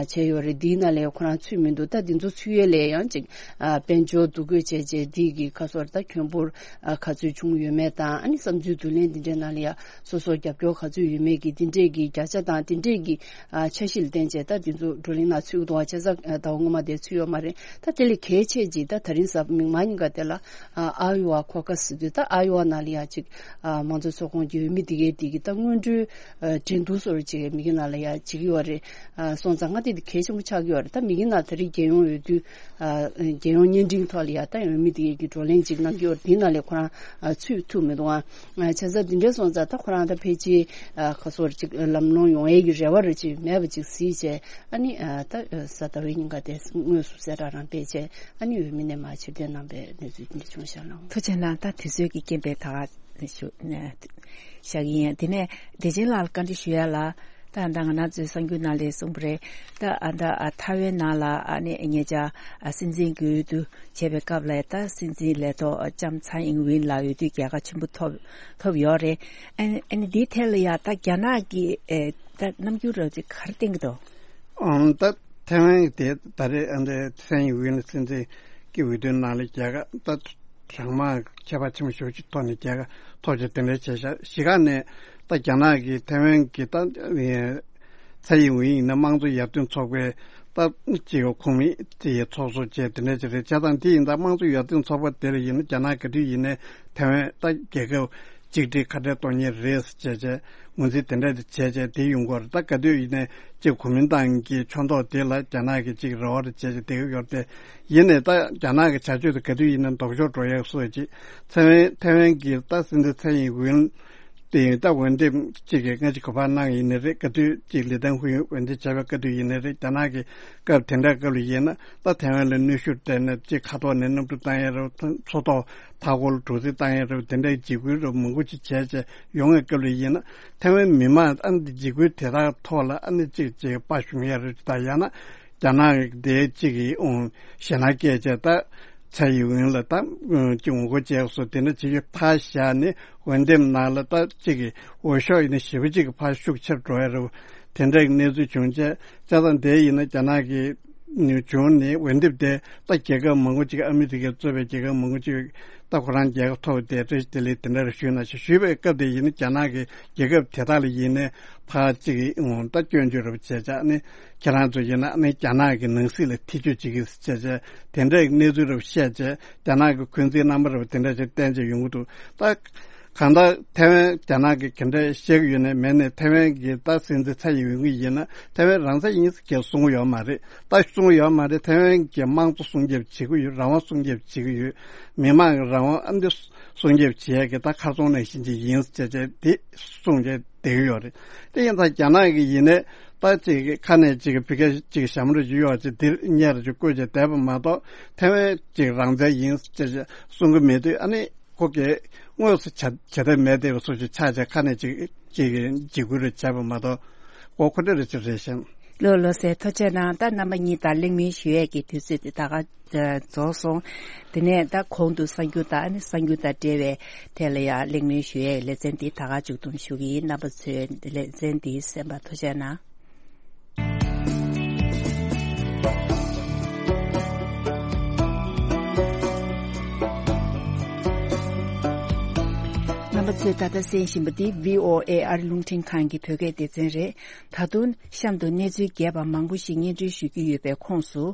བྱས་ཡོད་རེད། འདིའི་ནང་ལ་ཡ་ཁོ་རང་ཚུད་མི་འདུག་ད་འདི་ཚོ་ཚུད་ཡས་ལ་ཡང་ཅིག་ཨ་དཔལ་འབྱོར་འདུ་འགོད་བྱས་བྱས་འདི་གི་ཁ་སོར་ད་ཁྱོན་འབོར་ཨ་ག་ཚོད་བྱུང་ཡོད་མེད་དང་ཨ་ནི་བསམ་ཚུལ་བསྡུ་ལེན་འདི་འདྲའི་ནང་ལ་ཡ་སོ་སོར་རྒྱབ་སྐྱོར་ག་ཚོད་ཡོད་མེད་ཀྱི་འདི་འདྲས་ཀྱི་བརྒྱ་ཆ་དང་འདི་འདྲས་ཀྱི་ཨ་འཆར་གཞི་ལ་བརྟེན་བྱས་ད་འདི་ཚོ་བགྲོ་གླེང་ནང་ཚུད་ཀྱི་འདུག་ཨ་བྱས་ཙང་ཨ་ཟླ་བ་སྔོན་མ་དེ་ཚུད་ཡོད་མ་རེད། ད་དེ་ལས་གལ་ཆེ་ཅིག་ད་ད་རིང་གཟའ་མིག་དམར་ཉིན་ག་དེ་ལ་ཨ་ཨ་ཡོ་ཝ་ཁོ་ཁ་སི་དུས་ད་ཨ་ཡོ་ཝ་ནང་ལ་ཡ་ཅིག་ཨ་མང་གཙོ་ཚོགས་ཁོངས་ཀྱི་འོས་མི་དེ་གའི་དེ་གི་ད་སྔོན་འགྲོའི་ཨ་འགྲན་བསྡུར་སོར་ཅིག་མི་གི་ནང་ལ་ཡ་བྱེད་ཀྱི་ཡོད་རེད། ཨ་སོང་ཙང་ང་དེ་དེ་གལ་ཆེན་པོ་ཆགས་ཀྱི་ཡོད་རེད། ད་མི་གི་ནང་ད་རིང་རྒྱལ་ཡོངས་འོས་བསྡུ་ཨ་རྒྱལ་ཡོངས་བརྙན་འཕྲིན་ཐོག་ལ་ཡ་ད་འོས་མི་དེ་གའི་གི་བགྲོ་གླེང་ཅིག་གནང་གི་ཡོད་རེད། དེ་ནང་ལ་ཁོ་རང་ཨ་ཚུད་ཐུབ་མི་འདུག་ཨ་བྱས་ཙང་དེ་འདྲའི་སོང་ཙང་ད་ཁོ་རང་ད་ཕལ་ཆེར་ཨ་ཁ་སོར་ཅིག་ལམ་ལྷོང་ཡོང་ཡས་ཀྱི་རེ་བ་རེ་ཅིག་མེད་པ་ཅིག་གཟིགས་བྱས། ཨ་ནི་ཨ་ད་གཟའ་ཟླ་བའི་ཉིན་ཀ་དེ་དངོས་སུ་གསལ་བསྒྲགས་རང་སྤེལ་བྱས་ཨ་ནི་འོས་མི་ནས་མར་ཕྱིར་འཐེན་གནང་པའི་གནས་ཚུལ་དེ་འདྲ་བྱུང་ཤག་ལགས། ཐུགས་རྗེ་གནང་། ད་དུས་ཚོད་ཀྱི་རྐྱེན་པས་ད་ག་ཞུ་བཞག་གི་ཡིན། དེ་ནས་བདེ་ཆེན་ལགས་ལ་བཀའ་འདྲི་ཞུ་ཡ་ལ། ད་ཨ་ད་ང་རང་ཚོའི་གསར་འགྱུར་ནང་ལ་གསུངས་པ་རེད། ད་ཨ་ད་ཨ་ཐའེ་ཝན་ནང་ལ་ཨ་ནི་ཉེ་ཆར་ཨ་སྲིད་འཛིན་གྱི་འོས་བསྡུ་བྱས་པའི་སྐབས་ལ་ད་སྲིད་འཛིན་ལས་ཐོག་ལྕམ་ཚའེ་ཨིན་ཝིན་ལ་འོས་བསྡུ་རྒྱལ་ཁ་ཆེན་པོ་ཐོབ་ཐོབ་ཡོད་རེད། ཨ་ནི་ཨ་ནི་འདིའི་ཐད་ལ་ཡ་ད་རྒྱ་ནག་གི་ཨེ་ད་རྣམ་འགྱུར་རོབ་ཅིག་ག་རེ་བསྟན་གྱི་འདུག་ཨང་། ད་ཐའེ་ཝན་དེ་ད་རེས་ཨ་འདྲའི་ཚན་ཡི་ཝིན་སྲིད་འཛིན་གྱི་འོས་བསྡུའི་ནང་ལ་རྒྱལ་ཁ་ད་གྲངས་མང་ཁྱད་པར་ཆེན་པོ་ཞེ་པོ་ཅིག་ཐོག་ནས་རྒྱལ་ཁ་ཐོབ་ཅིག་དེ་འདྲའི་བྱས་ཤག་གཞི་ག་ནས་ད་རྒྱ་ནག་གིས་ཐའེ་ཝན་གྱི་ད་ཚན་ཡི་ཝིན་ཡིན་ན་དམངས་གཙོ་ཡར་ཐོན་ཚོགས་པའི་ད་ཅིག་ཁོངས་མི་ཅིག་ཚོགས་གཙོ་བྱས་དེ་འདྲ་ཅིག་རེད། བྱས་ཙང་དེ་ཡིན་ད་དམངས་གཙོ་ཡར་ཐོན་ཚོགས་པ་དེ་ལ་ཡིན་ན་རྒྱ་ནག་ག་དུས་ཡིན་ནའི་ཐའེ་ཝན་ད་རྒྱལ་ཁབ་གཅིག་སྒྲིལ་ཁ་བྲལ་གཏོང་མཁན་རེད་ཟེར་བྱས་བྱས་ངོས་འཛིན་དེ་འདྲ་དེ་བྱས་བྱས་དེ་ཡོང་གི་ཡོད་རེད། ད་ག་དུས་ཡིན་ནའི་ཅིག་གོ་མིན་ཏང་གི་ཕྱོགས་གཏོགས་དེ་ལ་རྒྱ་ནག་གི་ཅིག་རེ་བ་རེ་བྱས་བྱས་བསྡད་ཀྱི་ཡོད་རེད། དེ་ཡིན་ནའི་ད་རྒྱ་ནག་གི་བྱ་སྤྱོད་དེ་ག་དུས་ཡིན་ནའི་ལྡོག་ཕྱོགས་འགྲོ་ཡག་བཟོ་ཅིག་ཚན་ཐའེ་ཝན་གྱི་ད་སྲིད་འཛིན་ཚན་ཡིན་ཝིན་དེ་ཡིན་ད་འོས་འདེམས་གཅིག་གི་སྔ་ཕྱི་ག་པར་གནང་ཡིན་ནའི་རེད། ག་དུས་གཅིག་ལི་ཐན་ཧུའེ་འོས་འདེམས་བྱས་པའི་ག་དུས་ཡིན་ནའི་རེད། རྒྱ་ནག་གི་སྐབས་དེ་འདྲ་སྐབས་ལ་ཡིན་ན་ད་ཐའེ་ཝན་ལ་གནོན་ཤུགས་སྤྲད་ནས་གཅིག་ཁ་ཐོག་ནས་གནམ་གྲུ་བཏང་ཡས་རེད། མཚོ་ཐོག་མཐའ་འཁོར་ལ་གྲུ་གཟིངས་བཏང་ཡས་རེད། དེ་འདྲའི་འཇིགས་སྐུལ་རེད་མང་པོ་ཅིག་བྱས་བྱས་ཡོང་བའི་སྐབས་ལ་ཡིན་ན་ཐའེ་ཝན་མི་མང་ཨ་ནི་འཇིགས་སྐུལ་དེ་དག་ཐོག་ལ་ཨ་ནི་གཅིག་གཅིག་དཔའ་ཞུམ་ཡས་རེད། ད་ཡང་ན་རྒྱ་ནག་དེ་གཅིག་གི་ཨུང་ཞེད་སྣང་སྐྱེས་བྱས་ད། ཚའེ་ཡིན་ཝིན་ལ་ད་ཅིག་ངོ་རྒོལ་བྱས་སོ་དེ་འདྲ་བྱེད་རྒྱུ་ཕར་བཞག་ནས་འོས་འདེམས་ནང་ལ་ད་ཅིག་གི་འོས་ཤོག་ཡིན་ན་ཞེ་པོ་ཅིག་གི་ཕར་ཤུགས་ཆེར་འགྲོ་ཡ་རེད། དེ་འདྲ་གི་གནས་ཚུལ་བྱུང་བྱས་བྱས་ཙང་དེ་ཡིན་ན་རྒྱ་ནག་གི་བྱུང་ནས་འོས་འདེམས་དེ་ད་རྒྱལ་ཁབ་མང་པོ་ཅིག་ཨ་མི་རི་ཀས་གཙོས་པའི་རྒྱལ་ཁབ་མང་པོ་ཅིག་ད་ཁོ་རང་རྒྱལ་ཁ་ཐོབ་དེ་བཀྲ་ཤིས་བདེ་ལེགས་དེ་འདྲ་རེ་ཞུས་ན་ཞེས་ཞུས་པའི་སྐབས་དེ་ཡིན་ན་རྒྱ་ནག་གི་རྒྱལ་ཁབ་དེ་དག་ལ་ཡིན་ནས་ཕར་ཅིག་གི་ད་སྐྱོན་བརྗོད་རེ་བྱས་བྱས་ནས། ཁྱེད་རང་ཚོ་ཡིན་ན་ནི་རྒྱ་ནག་གི་ནང་སྲིད་ལ་ཐེ་ཇུས་བྱེད་ཀྱི་བྱས་བྱས་དེ་འདྲའི་གནས་ཚུལ་རབ་བཤད་བྱས་རྒྱ་ནག་གི་འཁོན་འཛིན་རྣམ་པ་རབ་དེ་འདྲ་ཞིག་བསྟན་བྱས་ཡོང་གི་འདུག་ད་གང་ལྟར་ཐའེ་ཝན་རྒྱ་ནག་གི་ག་འདྲ་བཤད་ཀྱི་ཡོད་ནའི་མེད་ནའི་ཐའེ་ཝན་གྱི་ད་སྲིད་འཛིན་ཚའེ་ཡིན་ཝིན་ཡིན་ན་ཐའེ་ཝན་རང་བཙན་ཡིན་ཟེར་གྱི་གསུང་གི་ཡོད་མ་རེད། ད་གསུང་གི་ཡོད་མ་རེད། ཐའེ་ཝན་གྱི་དམངས་གཙོ་སྲུང་སྐྱོབ་བྱེད་ཀྱི་ཡོད། རང་དབང་སྲུང་སྐྱོབ་བྱེད་ཀྱི་ཡོད། མི་མང་གི་རང་དབང་ཨ་འདི་སྲུང་སྐྱོབ་བྱེད་ཡས་ཀྱི་ད་ཁ་སང་ནང་བཞིན་ཅིག་ཡིན་ཟེར་བྱས་དེ་གསུང་བྱས། བསྡད་ཀྱི་ཡོད་རེད། དེ་ཡིན་ཙང་རྒྱ་ནག་གི་ཡིན་ནའི་ད་ཅིག་ཁ་ནས་ཅིག་ཕི་ཀ་ཅིག་ཞྭ་མོ་རེ་ཅིག་གཡོག་ཅིག་འདིར་གཉེར་ཅིག་བཀོད་ཅིག་བསྡད་པ་མ་གཏོགས་ཐའེ་ཝན་ཅིག་རང་བཙན་ཡིན་ཅེས་གསུང་གི་མེད་དུས་ཨ་ནི་ཁོ་གིས་དངོས་སུ་བྱ་བྱ་ཐབས་མེད་བསྡད་པ་སོགས་ཅིག་ཆགས་བྱས་ཁ་ནས་ཅིག་ཅིག་འཇིགས་སྐུལ་རེ་བྱས་པ་མ་གཏོགས་ཁོ་ཁོ་འདྲ་རེ་ཅིག་རེད་ཤག་ལོ་ལོ་ཟེར་ཐུགས་རྗེ་གནང་། ད་རྣམ་པ་གཉིས་དང་གླེང་མོལ་ཞུ་ཡས་ཀྱི་དུས་ཚོད་དེ་ད་ག་རྫོགས་སོང་། དེ་ནས་ད་གོང་དུ་གསར་འགྱུར་དང་ཨ་ནི་གསར་འགྱུར་དང་འབྲེལ་བའི་ཐད་ལ་ཡང་གླེང་མོལ་ཞུ་ཡས་ལེ་ཚན་འདི་ད་ག་མཇུག་བསྡོམས་ཞུ་གི་ཡིན། རྣམ་པ་ཚོས་ལེ་ཚན་འདི་གསན་པར་ཐུགས་རྗེ་གནང་། ཚོས་ད་ལྟ་གསན་བཞིན་པ་འདི་བྷི་ཨོ་ཨེ་ཨ་རི་རླུང་འཕྲིན་ཁང་གི་བོད་སྐད་སྡེ་ཚན་རེད། ད་དུང་གཤམ་དུ་གནས་ཚུལ་རྒྱས་པ་མང་པོ་ཞིག་སྙན་སྒྲོན་ཞུ་རྒྱུ་ཡོད་པའི་ཁོངས་སུ།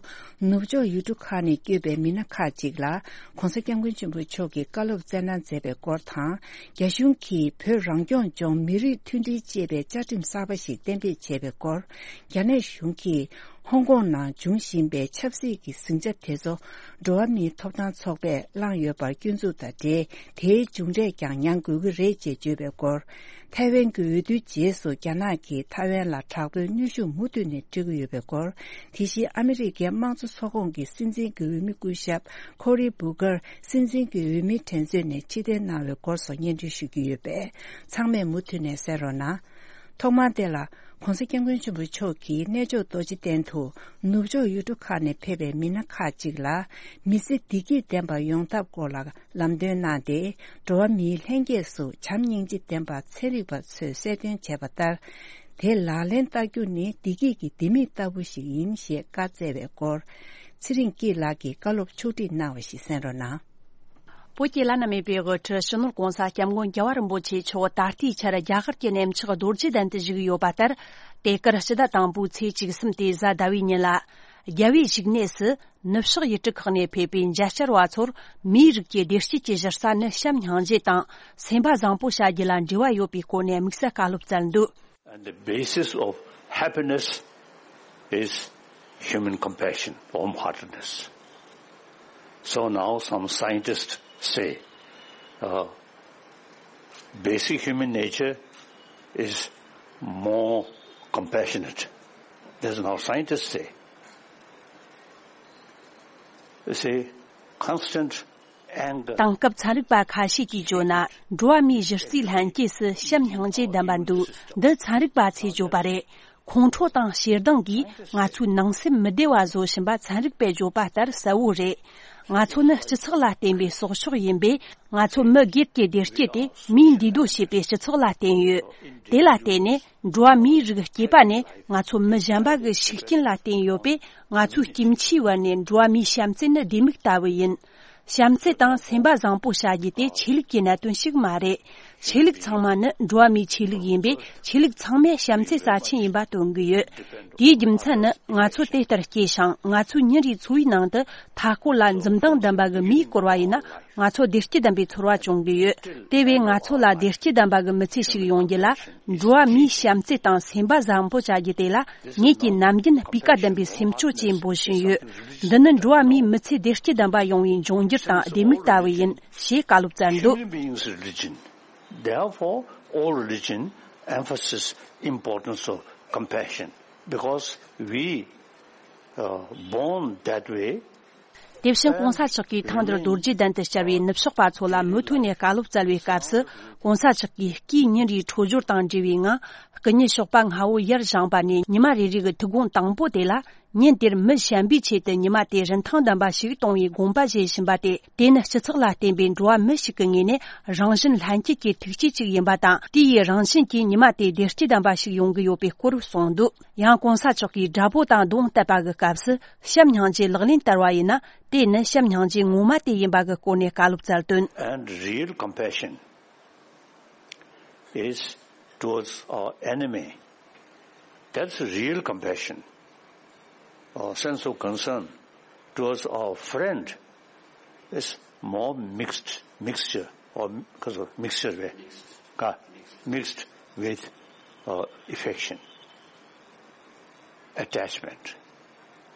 ནུབ་ཕྱོགས་ཡུལ་གྲུ་ཁག་ནས་བསྐྱོད་པའི་མི་སྣ་ཁག་ཅིག་ལ་༸གོང་ས་༸སྐྱབས་མགོན་ཆེན་པོ་མཆོག་གིས་བཀའ་སློབ་སྩལ་གནང་མཛད་པའི་སྐོར་དང་། རྒྱ་གཞུང་གིས་བོད་རང་སྐྱོང་ལྗོངས་མི་རིགས་མཐུན་སྒྲིལ་ཅེས་པའི་བཅའ་ཁྲིམས་གསར་པ་ཞིག་གཏན་འབེབས་བྱས་པའི་སྐོར། རྒྱ་ནག་གཞུང་གིས་ཧོང་ཀོང་ནང་འབྱུང་བཞིན་པའི་ཆབ་སྲིད་ཀྱི་ཟིང་ཆ་དེ་ཚོ་འགྲོ་བ་མིའི་ཐོབ་ཐང་ཚོགས་པས་བསླངས་ཡོད་པར་སྐྱོན་འཛུགས་དང་འབྲེལ། དེའི་མཇུག་འབྲས་ཀྱང་མྱངས་དགོས་ཀྱི་རེད་ཅེས་བརྗོད་པའི་སྐོར། ཐའེ་ཝན་གྱི་འོས་བསྡུའི་རྗེས་སུ་རྒྱ་ནག་གིས་ཐའེ་ཝན་ལ་དྲག་པོའི་གནོན་ཤུགས་མུ་མཐུད་ནས་སྤྲོད་ཀྱི་ཡོད་པའི་སྐོར། དེ་བཞིན་ཨ་མི་རི་ཀའི་དམངས་གཙོ་ཚོགས་ཁོངས་ཀྱི་སྲིད་འཛིན་གྱི་འོས་མི་སྐུ་ཞབས་ཁོ་རི་བུ་གར་སྲིད་འཛིན་གྱི་འོས་མིའི་དྲན་གསོ་ནས་ཕྱིར་འཐེན་གནང་བའི་སྐོར་སོགས་སྙན་སྒྲོན་ཞུ་རྒྱུ་ཡོད་པས། ཚང་མས་མུ་མཐུད་ནས་གསན་རོགས་གནང་། ཐོག་མར་དེ་ལ་༸གོང་ས་༸སྐྱབས་མགོན་ཆེན་པོ་མཆོག་གིས་གནས་མཆོག་རྡོ་རྗེ་གདན་དུ་ནུབ་ཕྱོགས་ཡུལ་གྲུ་ཁག་ནས་ཕེབས་པའི་མི་སྣ་ཁག་ཅིག་ལ་མི་ཚེ་བདེ་སྐྱིད་ལྡན་པ་ཡོང་ཐབས་སྐོར་ལ་ལམ་སྟོན་གནང་སྟེ། འགྲོ་བ་མིའི་ལྷན་སྐྱེས་སུ་བྱམས་སྙིང་རྗེ་ལྡན་པ་ཚན་རིག་པ་ཚོས་གསལ་སྟོན་བྱས་པ་ལྟར། དེ་ལག་ལེན་བསྟར་རྒྱུ་ནི་བདེ་སྐྱིད་ཀྱི་ལྡེ་མིག་ལྟ་བུ་ཞིག་ཡིན་ཞེས་བཀའ་སྩལ་བའི་སྐོར། ཚེ་རིང་སྐྱིད་ལགས་ཀྱིས་བཀའ་སློབ་ཕྱོགས་སྒྲིག་གནང་བ་ཞིག་གསན་རོགས་གནང་། བོད་ཀྱི་བླ་ན་མེད་པའི་དབུ་ཁྲིད་སྤྱི་ནོར་༸གོང་ས་༸སྐྱབས་མགོན་རྒྱལ་བ་རིན་པོ་ཆེ་མཆོག་ད་ལྟའི་ཆར་རྒྱ་གར་གྱི་གནས་མཆོག་རྡོ་རྗེ་གདན་དུ་བཞུགས་ཡོད་པ་ལྟར། དེ་གར་སྤྱི་ཟླ་དང་པོའི་ཚེས་བཅུ་གསུམ་སྟེ་གཟའ་ཟླ་བའི་ཉིན་ལ། རྒྱལ་བའི་བཞུགས་གནས་སུ་ནུབ་ཕྱོགས་ཡུལ་གྲུ་ཁག་ནས་ཕེབས་པའི་མཇལ་བཅར་བ་ཚོར་མིའི་རིགས་ཀྱི་བདེ་སྐྱིད་ཀྱི་གཞི་རྩ་ནི་བྱམས་སྙིང་རྗེ་དང་སེམས་པ་བཟང་པོ་བྱ་རྒྱུ་ལ་འབྲེལ་བ་ཡོད་པའི་སྐོར་ནས་དམིགས་བསལ་བཀའ་སློབ་སྩལ་འདུག And the basis of happiness is human compassion, warm heartedness. So now some scientists say uh, basic human nature is more compassionate. That's now scientists say. You see, constant དེང་སྐབས་ཚན་རིག་པ་ཁ་ཤས་ཀྱིས་བརྗོད་ན། འགྲོ་བ་མིའི་གཞི་རྩའི་ལྷན་སྐྱེས་སུ་བྱམས་སྙིང་རྗེ་ལྡན་པ་འདུག་འདི་ཚན་རིག་པ་ཚོས་བརྗོད་པ་རེད། ཁོང་ཁྲོ་དང་ཞེ་སྡང་གིས་ང་ཚོའི་ནང་སེམས་མི་བདེ་བ་བཟོ་བཞིན་པ་ཚན་རིག་པས་བརྗོད་པ་ལྟར་གསལ་བོ་རེད། ང་ཚོ་ནི་སྤྱི་ཚོགས་ལ་བརྟེན་པའི་སྲོག་ཆགས་ཡིན་པས། ང་ཚོ་མི་སྒེར་གྱི་བདེ་སྐྱིད་དེ་མིའི་འདུས་སྡོད་བྱེད་པའི་སྤྱི་ཚོགས་ལ་བརྟེན་ཡོད། དེ་ལ་བརྟེན་ནས་འགྲོ་བ་མིའི་རིགས་སྐྱེས་པ་ནས་ང་ཚོ་མི་གཞན་པ་གི་ཤུགས་རྐྱེན་ལ་བརྟེན་ཡོད་པས། ང་ཚོའི་སྐྱེ་འཆིའི་བར་ནས་འགྲོ་བ་མིའི་བྱམས་བརྩེ་ནི་ལྡེ་མིག་ལྟ་བུ་ཡིན། བྱམས་བརྩེ་དང་སེམས་པ་བཟང་པོ་བྱ་རྒྱུ་དེ་ཆོས་ལུགས་ཀྱི་གནད་དོན་ཞིག་མ་རེད། ཆོས་ལུགས་ཚང་མ་ནི་འགྲོ་བ་མིའི་ཆོས་ལུགས་ཡིན་པས། ཆོས་ལུགས་ཚང་མས་བྱམས་བརྩེ་རྩ་ཆེན་ཡིན་པ་སྟོན་གྱི་ཡོད། དེའི་རྒྱུ་མཚན་ནི་ང་ཚོ་དེ་ལྟར་སྐྱེས་ཤིང་། ང་ཚོའི་ཉིན་རེའི་འཚོ་བའི་ནང་དུ་མཐའ་སྐོར་ལ་འཛུམ་མདངས་ལྡན་པ་གི་མིས་བསྐོར་བ་ཡིན་ན། ང་ཚོ་བདེ་སྐྱིད་ལྡན་པའི་ཚོར་བ་བྱུང་གི་ཡོད། དེ་བས་ང་ཚོ་ལ་བདེ་སྐྱིད་ལྡན་པ་གི་མི་ཚེ་ཞིག་ཡོང་རྒྱུ་ལ། འགྲོ་བ་མིའི་བྱམས་བརྩེ་དང་སེམས་པ་བཟང་པོ་བྱ་རྒྱུ་དེ་ལ། ངེད་ཀྱིས་ནམ་རྒྱུན་སྤུས་ཀ་ལྡན་པའི་སེམས་སྐྱོ་ཅེས་འབོད་བཞིན་ཡོད། འདི་ནི་འགྲོ་བ་མིའི་མི་ཚེ་བདེ་སྐྱིད་ལྡན་པ་ཡོང་བའི་འབྱུང་འགྱུར་དང་ལྡེ་མིག་ལྟ་བུ་ཡིན། ཞེས་བཀའ་སློབ་སྩལ་འདུག Human beings' religion. Therefore, all religion emphasizes importance of compassion because we uh, born that way. དེ་བཞིན་༸གོང་ས་མཆོག་གིས་ཐེངས་འདིར་རྡོ་རྗེ་གདན་དུ་བཅར་བའི་ནུབ་ཕྱོགས་པ་ཚོ་ལ་མུ་མཐུད་ནས་བཀའ་སློབ་སྩལ་བའི་སྐབས་སུ། ༸གོང་ས་མཆོག་གིས་སྐུའི་ཉིན་རེའི་འཕྲོད་སྦྱོར་དང་འབྲེལ་བའི་ངང་། སྐུ་ཉིད་ཞོགས་པ་སྔ་བོ་ཡར་བཞེངས་པ་ནས་ཉི་མ་རེ་རེ་གི་ཐུགས་དགོངས་དང་པོ་དེ་ལ། ཉིན་དེར་མི་གཞན་པའི་ཆེད་དུ་ཉི་མ་དེ་རིན་ཐང་ལྡན་པ་ཞིག་གཏོང་བའི་དགོངས་པ་བཞེས་བཞིན་པ་སྟེ། དེ་ནི་སྤྱི་ཚོགས་ལ་བརྟེན་པའི་འགྲོ་བ་མི་ཞིག་གི་ངོས་ནས་རང་བཞིན་ལྷན་སྐྱེས་ཀྱི་ཐུགས་བསྐྱེད་ཅིག་ཡིན་པ་དང་། དེ་ཡི་རང་བཞིན་གྱིས་ཉི་མ་དེ་བདེ་སྐྱིད་ལྡན་པ་ཞིག་ཡོང་གི་ཡོད་པའི་སྐོར་གསུངས་འདུག་ཡང་༸གོང་ས་མཆོག་གིས་དགྲ་བོ་དང་གདོང་གཏད་པ་གི་སྐབས་སུ་བྱམས་སྙིང་རྗེ་ལག་ལེན་བསྟར་བ་ཡིན་ན། དེ་ནི་བྱམས་སྙིང་རྗེ་ངོ་མ་དེ་ཡིན་པ་གི་སྐོར་ནས་བཀའ་སློབ་སྩལ་དོན། And real compassion is towards our enemy. That's real compassion. Our sense of concern towards our friend is more mixed, mixture, or because of mixture, uh, mixed with uh, affection, attachment.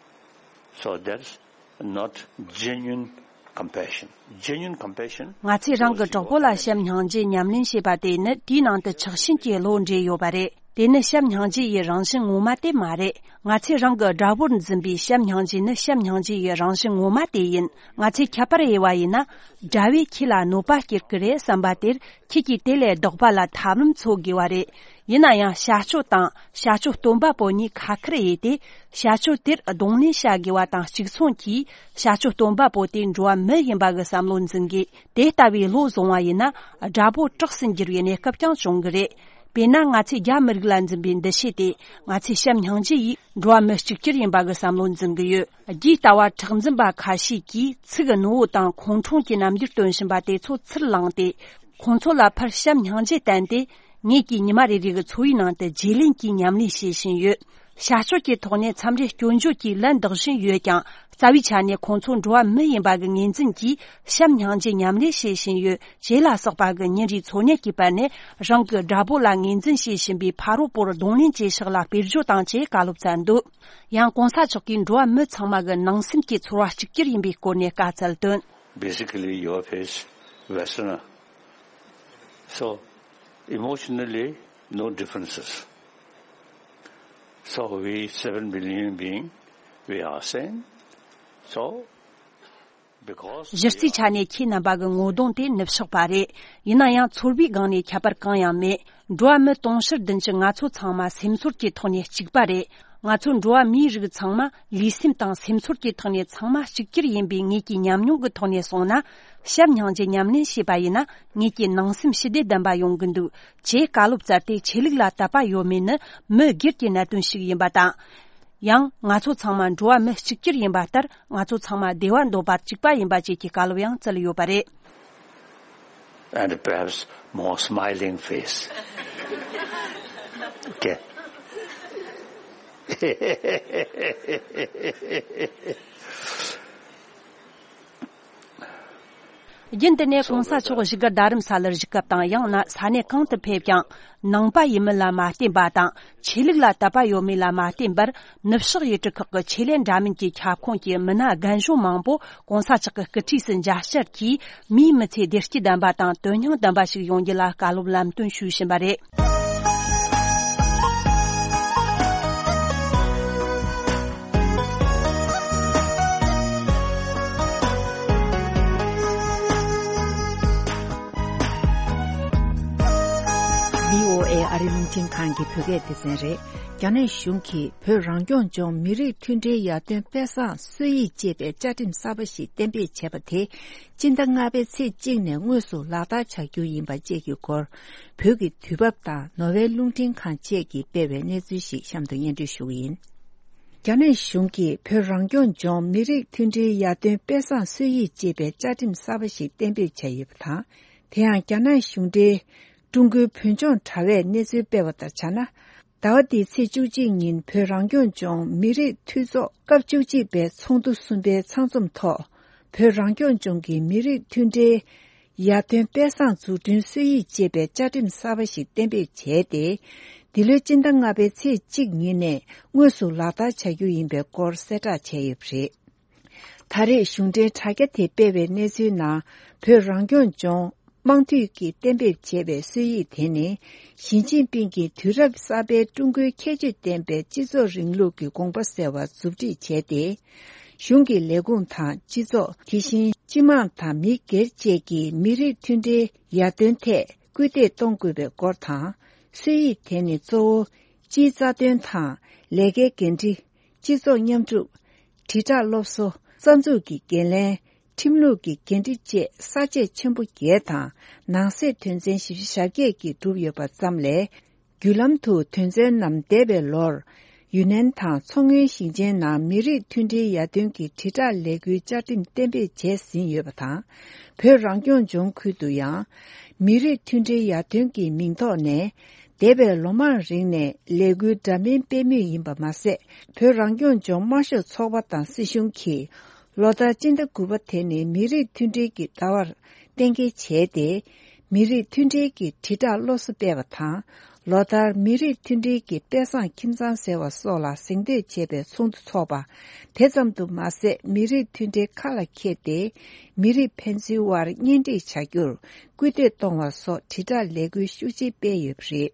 So that's not genuine compassion. Genuine compassion. ང་ཚོས་རང་གི་གྲོགས་པོ་ལ་བྱམས་སྙིང་རྗེ་ཉམས་ལེན་བྱེད་པ་དེ་ནི་དེའི་ནང་དུ་ཆགས་ཞེན་གྱི་བློ་འདྲེས་ཡོད་པ་རེད། དེ་ནི་བྱམས་སྙིང་རྗེ་ཡི་རང་བཞིན་ངོ་མ་དེ་མ་རེད། ང་ཚོས་རང་གི་དགྲ་བོར་འཛིན་པའི་བྱམས་སྙིང་རྗེ་ནི་བྱམས་སྙིང་རྗེ་ཡི་རང་བཞིན་ངོ་མ་དེ་ཡིན། ང་ཚོས་ཁྱད་པར་དབྱེ་བ་ཡིན་ན། དགྲ་བོས་ཁྱེད་ལ་གནོད་པ་སྐྱེལ་གི་རེད་བསམ་པ་དེར། ཁྱེད་ཀྱིས་དེ་ལས་ལྡོག་པ་ལ་ཐབས་ལམ་འཚོལ་དགོས་པ་རེད། ཡིན་ན་ཡང་བྱ་སྤྱོད་དང་བྱ་སྤྱོད་སྟོན་པ་པོ་གཉིས་ཁ་ཁར་དབྱེ་སྟེ། བྱ་སྤྱོད་དེར་གདོང་ལེན་བྱ་དགོས་པ་དང་གཅིག་མཚུངས་ཀྱིས། བྱ་སྤྱོད་སྟོན་པ་པོ་དེ་འགྲོ་བ་མི་ཡིན་པ་གི་བསམ་བློ་འཛིན་དགོས། དེ་ལྟ་བུའི་བློ་བཟུང་བ་ཡིན་ན། དགྲ་བོ་སྐྲག་སུ་འགྱུར་བའི་གནས་སྐབས་ཀྱང་བྱུང་གི་རེད། དཔེར་ན། ང་ཚོས་རྒྱ་མི་རིགས་ལ་འཛིན་པའི་འདུ་ཤེས་དེ། ང་ཚོས་བྱམས་སྙིང་རྗེ་ཡིས་འགྲོ་བ་མི་གཅིག་གྱུར་ཡིན་པ་གི་བསམ་བློ་འཛིན་གི་ཡོད། རྒྱའི་ལྟ་བ་གྲགས་འཛིན་པ་ཁ་ཤས་ཀྱིས་ཚིག་གི་ནུ་བོ་དང་ཁོང་ཁྲོ་གི་རྣམ་འགྱུར་སྟོན་བཞིན་པ་དེ་ཚོ་ཚུར་བླངས་ཏེ། ཁོང་ཚོ་ལ་ཕར་བྱམས་སྙིང་རྗེ་བསྟན་ཏེ། ངེད་ཀྱིས་ཉི་མ་རེ་རེ་གི་འཚོ་བའི་ནང་དུ་བརྗེ་ལེན་གྱིས་ཉམས་ལེན་བྱེད་བཞིན་ཡོད། བྱ་སྤྱོད་ཀྱི་ཐོག་ནས་མཚམས་རེ་སྐྱོན་བརྗོད་ཀྱིས་ལན་འདེབས་བཞིན་ཡོད་ཀྱང་། རྩ་བའི་ཆ་ནས་ཁོང་ཚོ་འགྲོ་བ་མི་ཡིན་པ་གི་ངོས་འཛིན་གྱིས་བྱམས་སྙིང་རྗེ་ཉམས་ལེན་བྱེད་བཞིན་ཡོད། ཅེས་ལ་སོགས་པ་གི་ཉིན་རེའི་འཚོ་གནས་ཀྱི་བར་ནས། རང་གི་དགྲ་བོ་ལ་ངོས་འཛིན་བྱེད་བཞིན་པའི་ཕ་རོལ་པོར་གདོང་ལེན་བྱེད་ཕྱོགས་ལ་དཔེར་བརྗོད་དང་བཅས་བཀའ་སློབ་སྩལ་འདུག། ཡང་གོང་ས་མཆོག་གིས་འགྲོ་བ་མི་ཚང་མ་གི་ནང་སེམས་ཀྱི་ཚོར་བ་གཅིག་གྱུར་ཡིན་པའི་སྐོར་ནས་བཀའ་སྩལ་དོན། Basically, you are faced Westerner. So, emotionally, no differences. So, we seven billion being, we are same. So, because གཞི་རྩའི་ཆ་ནས་ཁྱེད་རྣམ་པ་གི་ངོ་གདོང་དེ་ནུབ་ཕྱོགས་པ་རེད། ཡིན་ན་ཡང་ཚོར་བའི་སྒང་ནས་ཁྱད་པར་གང་ཡང་མེད། འགྲོ་བ་མི་དུང་ཕྱུར་བདུན་ཅུ་ང་ཚོ་ཚང་མ་སེམས་ཚོར་གྱི་ཐོག་ནས་གཅིག་པ་རེད། ང་ཚོ་འགྲོ་བ་མིའི་རིགས་ཚང་མ་ལུས་སེམས་དང་སེམས་ཚོར་གྱི་ཐོག་ནས་ཚང་མ་གཅིག་གྱུར་ཡིན་པའི་ངེད་ཀྱི་ཉམས་མྱོང་གི་ཐོག་ནས་སོང་ན། བྱམས་སྙིང་རྗེ་ཉམས་ལེན་བྱས་པ་ཡིན་ན། ངེད་ཀྱི་ནང་སེམས་ཞི་བདེ་ལྡན་པ་ཡོང་གི་འདུག། ཅེས་བཀའ་སློབ་སྩལ་ཏེ། ཆོས་ལུགས་ལ་དད་པ་ཡོད་མེད་ནི་མི་སྒེར་གྱི་གནད་དོན་ཞིག་ཡིན་པ་དང་། ཡང་ང་ཚོ་ཚང་མ་འགྲོ་བ་མི་གཅིག་གྱུར་ཡིན་པ་ལྟར། ང་ཚོ་ཚང་མ་བདེ་བ་འདོད་པ་གཅིག་པ་ཡིན་པ་བཅས་ཀྱི་བཀའ་སློབ་ཡང་སྩལ་ཡོད་པ་རེད། And perhaps more smiling face. Okay. རྒྱུན་དུ་ནས་གོང་ས་མཆོག་བཞུགས་སྒར་རྡ་རམ་ས་ལར་བཞུགས་སྐབས་དང་། ཡང་ན་ས་གནས་གང་དུ་ཕེབས་ཀྱང་། ནང་པ་ཡིན་མིན་ལ་མ་བརྟེན་པ་དང་། ཆོས་ལུགས་ལ་དད་པ་ཡོད་མེད་ལ་མ་བརྟེན་པར། ནུབ་ཕྱོགས་ཡུལ་གྲུ་ཁག་གི་ཆོས་ལས་འདྲ་མིན་གྱི་ཁྱབ་ཁོངས་ཀྱི་མི་སྣ་རྒན་གཞོན་མང་པོ་གོང་ས་མཆོག་གི་སྐུ་འཁྲིས་སུ་མཇལ་བཅར་གྱིས། མིའི་མི་ཚེ་བདེ་སྐྱིད་ལྡན་པ་དང་དོན་སྙིང་ལྡན་པ་ཞིག་ཡོང་རྒྱུ་ལ་བཀའ་སློབ་ལམ་སྟོན་ཞུས་བཞིན་པ་རེད། བྷི་ཨོ་ཨེ་ཨ་རི་རླུང་འཕྲིན་ཁང་གི་བོད་སྐད་སྡེ་ཚན་རེད། རྒྱ་ནག་གཞུང་གིས་བོད་རང་སྐྱོང་ལྗོངས་མི་རིགས་མཐུན་སྒྲིལ་ཡར་ཐོན་དཔེ་བཟང་སྲོལ་ཡིག་ཅེས་པའི་བཅའ་ཁྲིམས་གསར་པ་ཞིག་གཏན་འབེབས་བྱས་པ་དེ། སྤྱི་ཟླ་ལྔ་པའི་ཚེས་གཅིག་ནས་དངོས་སུ་ལག་བསྟར་བྱ་རྒྱུ་ཡིན་པ་བཅས་ཀྱི་སྐོར། བོད་ཀྱི་དུས་བབ་དང་ནོར་ཝེ་རླུང་འཕྲིན་ཁང་བཅས་ཀྱིས་སྤེལ་བའི་གནས་ཚུལ་ཞིག་གཤམ་དུ་སྙན་སྒྲོན་ཞུ་གི་ཡིན། རྒྱ་ནག་གཞུང་གིས་བོད་རང་སྐྱོང་ལྗོངས་མི་རིགས་མཐུན་སྒྲིལ་ཡར་ཐོན་དཔེ་བཟང་སྲོལ་ཡིག་ཅེས་པའི་བཅའ་ཁྲིམས་གསར་པ་ཞིག་གཏན་འབེབས་བྱས་ཡོད་པ་དང་། དེ་ཡང་རྒྱ་ནག་གཞུང་འབྲེལ་ཀྲུང་གོའི་བོད་ལྗོངས་དྲ་བས་གནས་ཚུལ་སྤེལ་བ་ལྟར་བྱས་ན། ཟླ་བ་འདིའི་ཚེས་བཅུ་གཅིག་ཉིན་བོད་རང་སྐྱོང་ལྗོངས་མི་རིགས་འཐུས་ཚོགས་སྐབས་བཅུ་གཅིག་པའི་ཚོགས་འདུ་གསུམ་པའི་ཚང་འཛོམས་ཐོག། བོད་རང་སྐྱོང་ལྗོངས་ཀྱི་མི་རིགས་མཐུན་སྒྲིལ་ཡར་ཐོན་དཔེ་བཟང་འཛུགས་སྐྲུན་སྲོལ་ཡིག་ཅེས་པའི་བཅའ་ཁྲིམས་གསར་པ་ཞིག་གཏན་འབེབས་བྱས་ཏེ། འདི་ལོའི་སྤྱི་ཟླ་ལྔ་པའི་ཚེས་གཅིག་ཉིན་ནས་དངོས་སུ་ལག་བསྟར་བྱ་རྒྱུ་ཡིན་པའི་སྐོར་གསལ་བསྒྲགས་བྱས་ཡོད་པ་རེད། ད་རེས་གཞུང་འབྲེལ་དྲ་རྒྱ་དེ་སྤེལ་བའི་གནས་ཚུལ་ནང་། བོད་རང་སྐྱོང་ལྗོངས་དམངས་འཐུས་ཀྱིས་གཏན་འབེབས་བྱས་པའི་སྲོལ་ཡིག་དེ་ནི། ཞི་ཅིན་ཕིང་གིས་དུས་རབས་གསར་པའི་ཀྲུང་གོའི་ཁྱད་ཆོས་ལྡན་པའི་སྤྱི་ཚོགས་རིང་ལུགས་ཀྱི་དགོངས་པ་གསལ་བར་མཛུབ་ཁྲིད་བྱས་ཏེ། གཞུང་གི་ལས་ཁུངས་དང་སྤྱི་ཚོགས། དེ་བཞིན་སྤྱི་དམངས་དང་མི་སྒེར་བཅས་ཀྱིས་མི་རིགས་མཐུན་སྒྲིལ་ཡར་ཐོན་ཐད་སྐུལ་འདེད་གཏོང་དགོས་པའི་སྐོར་དང་། སྲོལ་ཡིག་དེ་ནི་གཙོ་བོ་སྤྱིའི་རྩ་དོན་དང་། ལས་ཀའི་འགན་འཁྲི། སྤྱི་ཚོགས་མཉམ་སྒྲུབ། དྲིལ་བསྒྲགས་སློབ་གསོ། རྩ་འཛུགས་ཀྱི་འགན་ལེན། ཁྲིམས་ལུགས་ཀྱི་འགན་འཁྲི་བཅས་ས་བཅད་ཆེན་པོ་བརྒྱད་དང་ནང་གསེས་དོན་ཚན་བཞི་བཅུ་ཞེ་བརྒྱད་ཀྱིས་གྲུབ་ཡོད་པ་ཙམ་ལས། བརྒྱུད་ལམ་དུ་དོན་ཚན་རྣམས་འདས་པའི་ལོར། ཡུན་ནན་དང་མཚོ་སྔོན་ཞིང་ཆེན་ནང་མི་རིགས་མཐུན་སྒྲིལ་ཡར་ཐོན་གྱི་དྲིལ་བསྒྲགས་ལས་འགུལ་བཅའ་ཁྲིམས་གཏན་འབེབས་བྱས་ཟིན་ཡོད་པ་དང་། བོད་རང་སྐྱོང་ལྗོངས་ཁུལ་དུ་ཡང་། མི་རིགས་མཐུན་སྒྲིལ་ཡར་ཐོན་གྱི་མིང་ཐོག་ནས། འདས་པའི་ལོ་མང་རིང་ནས་ལས་འགུལ་འདྲ་མིན་སྤེལ་མུས་ཡིན་པ་མ་ཟད། བོད་རང་སྐྱོང་ལྗོངས་དམར་ཤོག་ཚོགས་པ་དང་སྲིད་གཞུང་གིས། ལོ་ལྟར་སྤྱི་ཟླ་དགུ་པ་དེ་ནི་མི་རིགས་མཐུན་སྒྲིལ་གྱི་ཟླ་བར་གཏན་འཁེལ་བྱས་ཏེ། མི་རིགས་མཐུན་སྒྲིལ་གྱི་དྲིལ་བསྒྲགས་སློབ་གསོ་སྤེལ་བ་དང་། ལོ་ལྟར་མི་རིགས་མཐུན་སྒྲིལ་གྱི་དཔེ་བཟང་ཁྱིམ་ཚང་ཟེར་བ་སོགས་ལ་གཟེངས་བསྟོད་བྱེད་པའི་ཚོགས་འདུ་འཚོགས་པ། དེ་ཙམ་དུ་མ་ཟད། མི་རིགས་མཐུན་སྒྲིལ་ཁ་ལ་འཁྱེར་ཏེ། མི་རིགས་ཕན་ཚུན་དབར་གཉེན་སྒྲིག་བྱ་རྒྱུར་སྐུལ་འདེད་གཏོང་བ་སོགས་དྲིལ་བསྒྲགས་ལས་འགུལ་ཤུགས་ཆེ་སྤེལ་ཡོད་པ་རེད།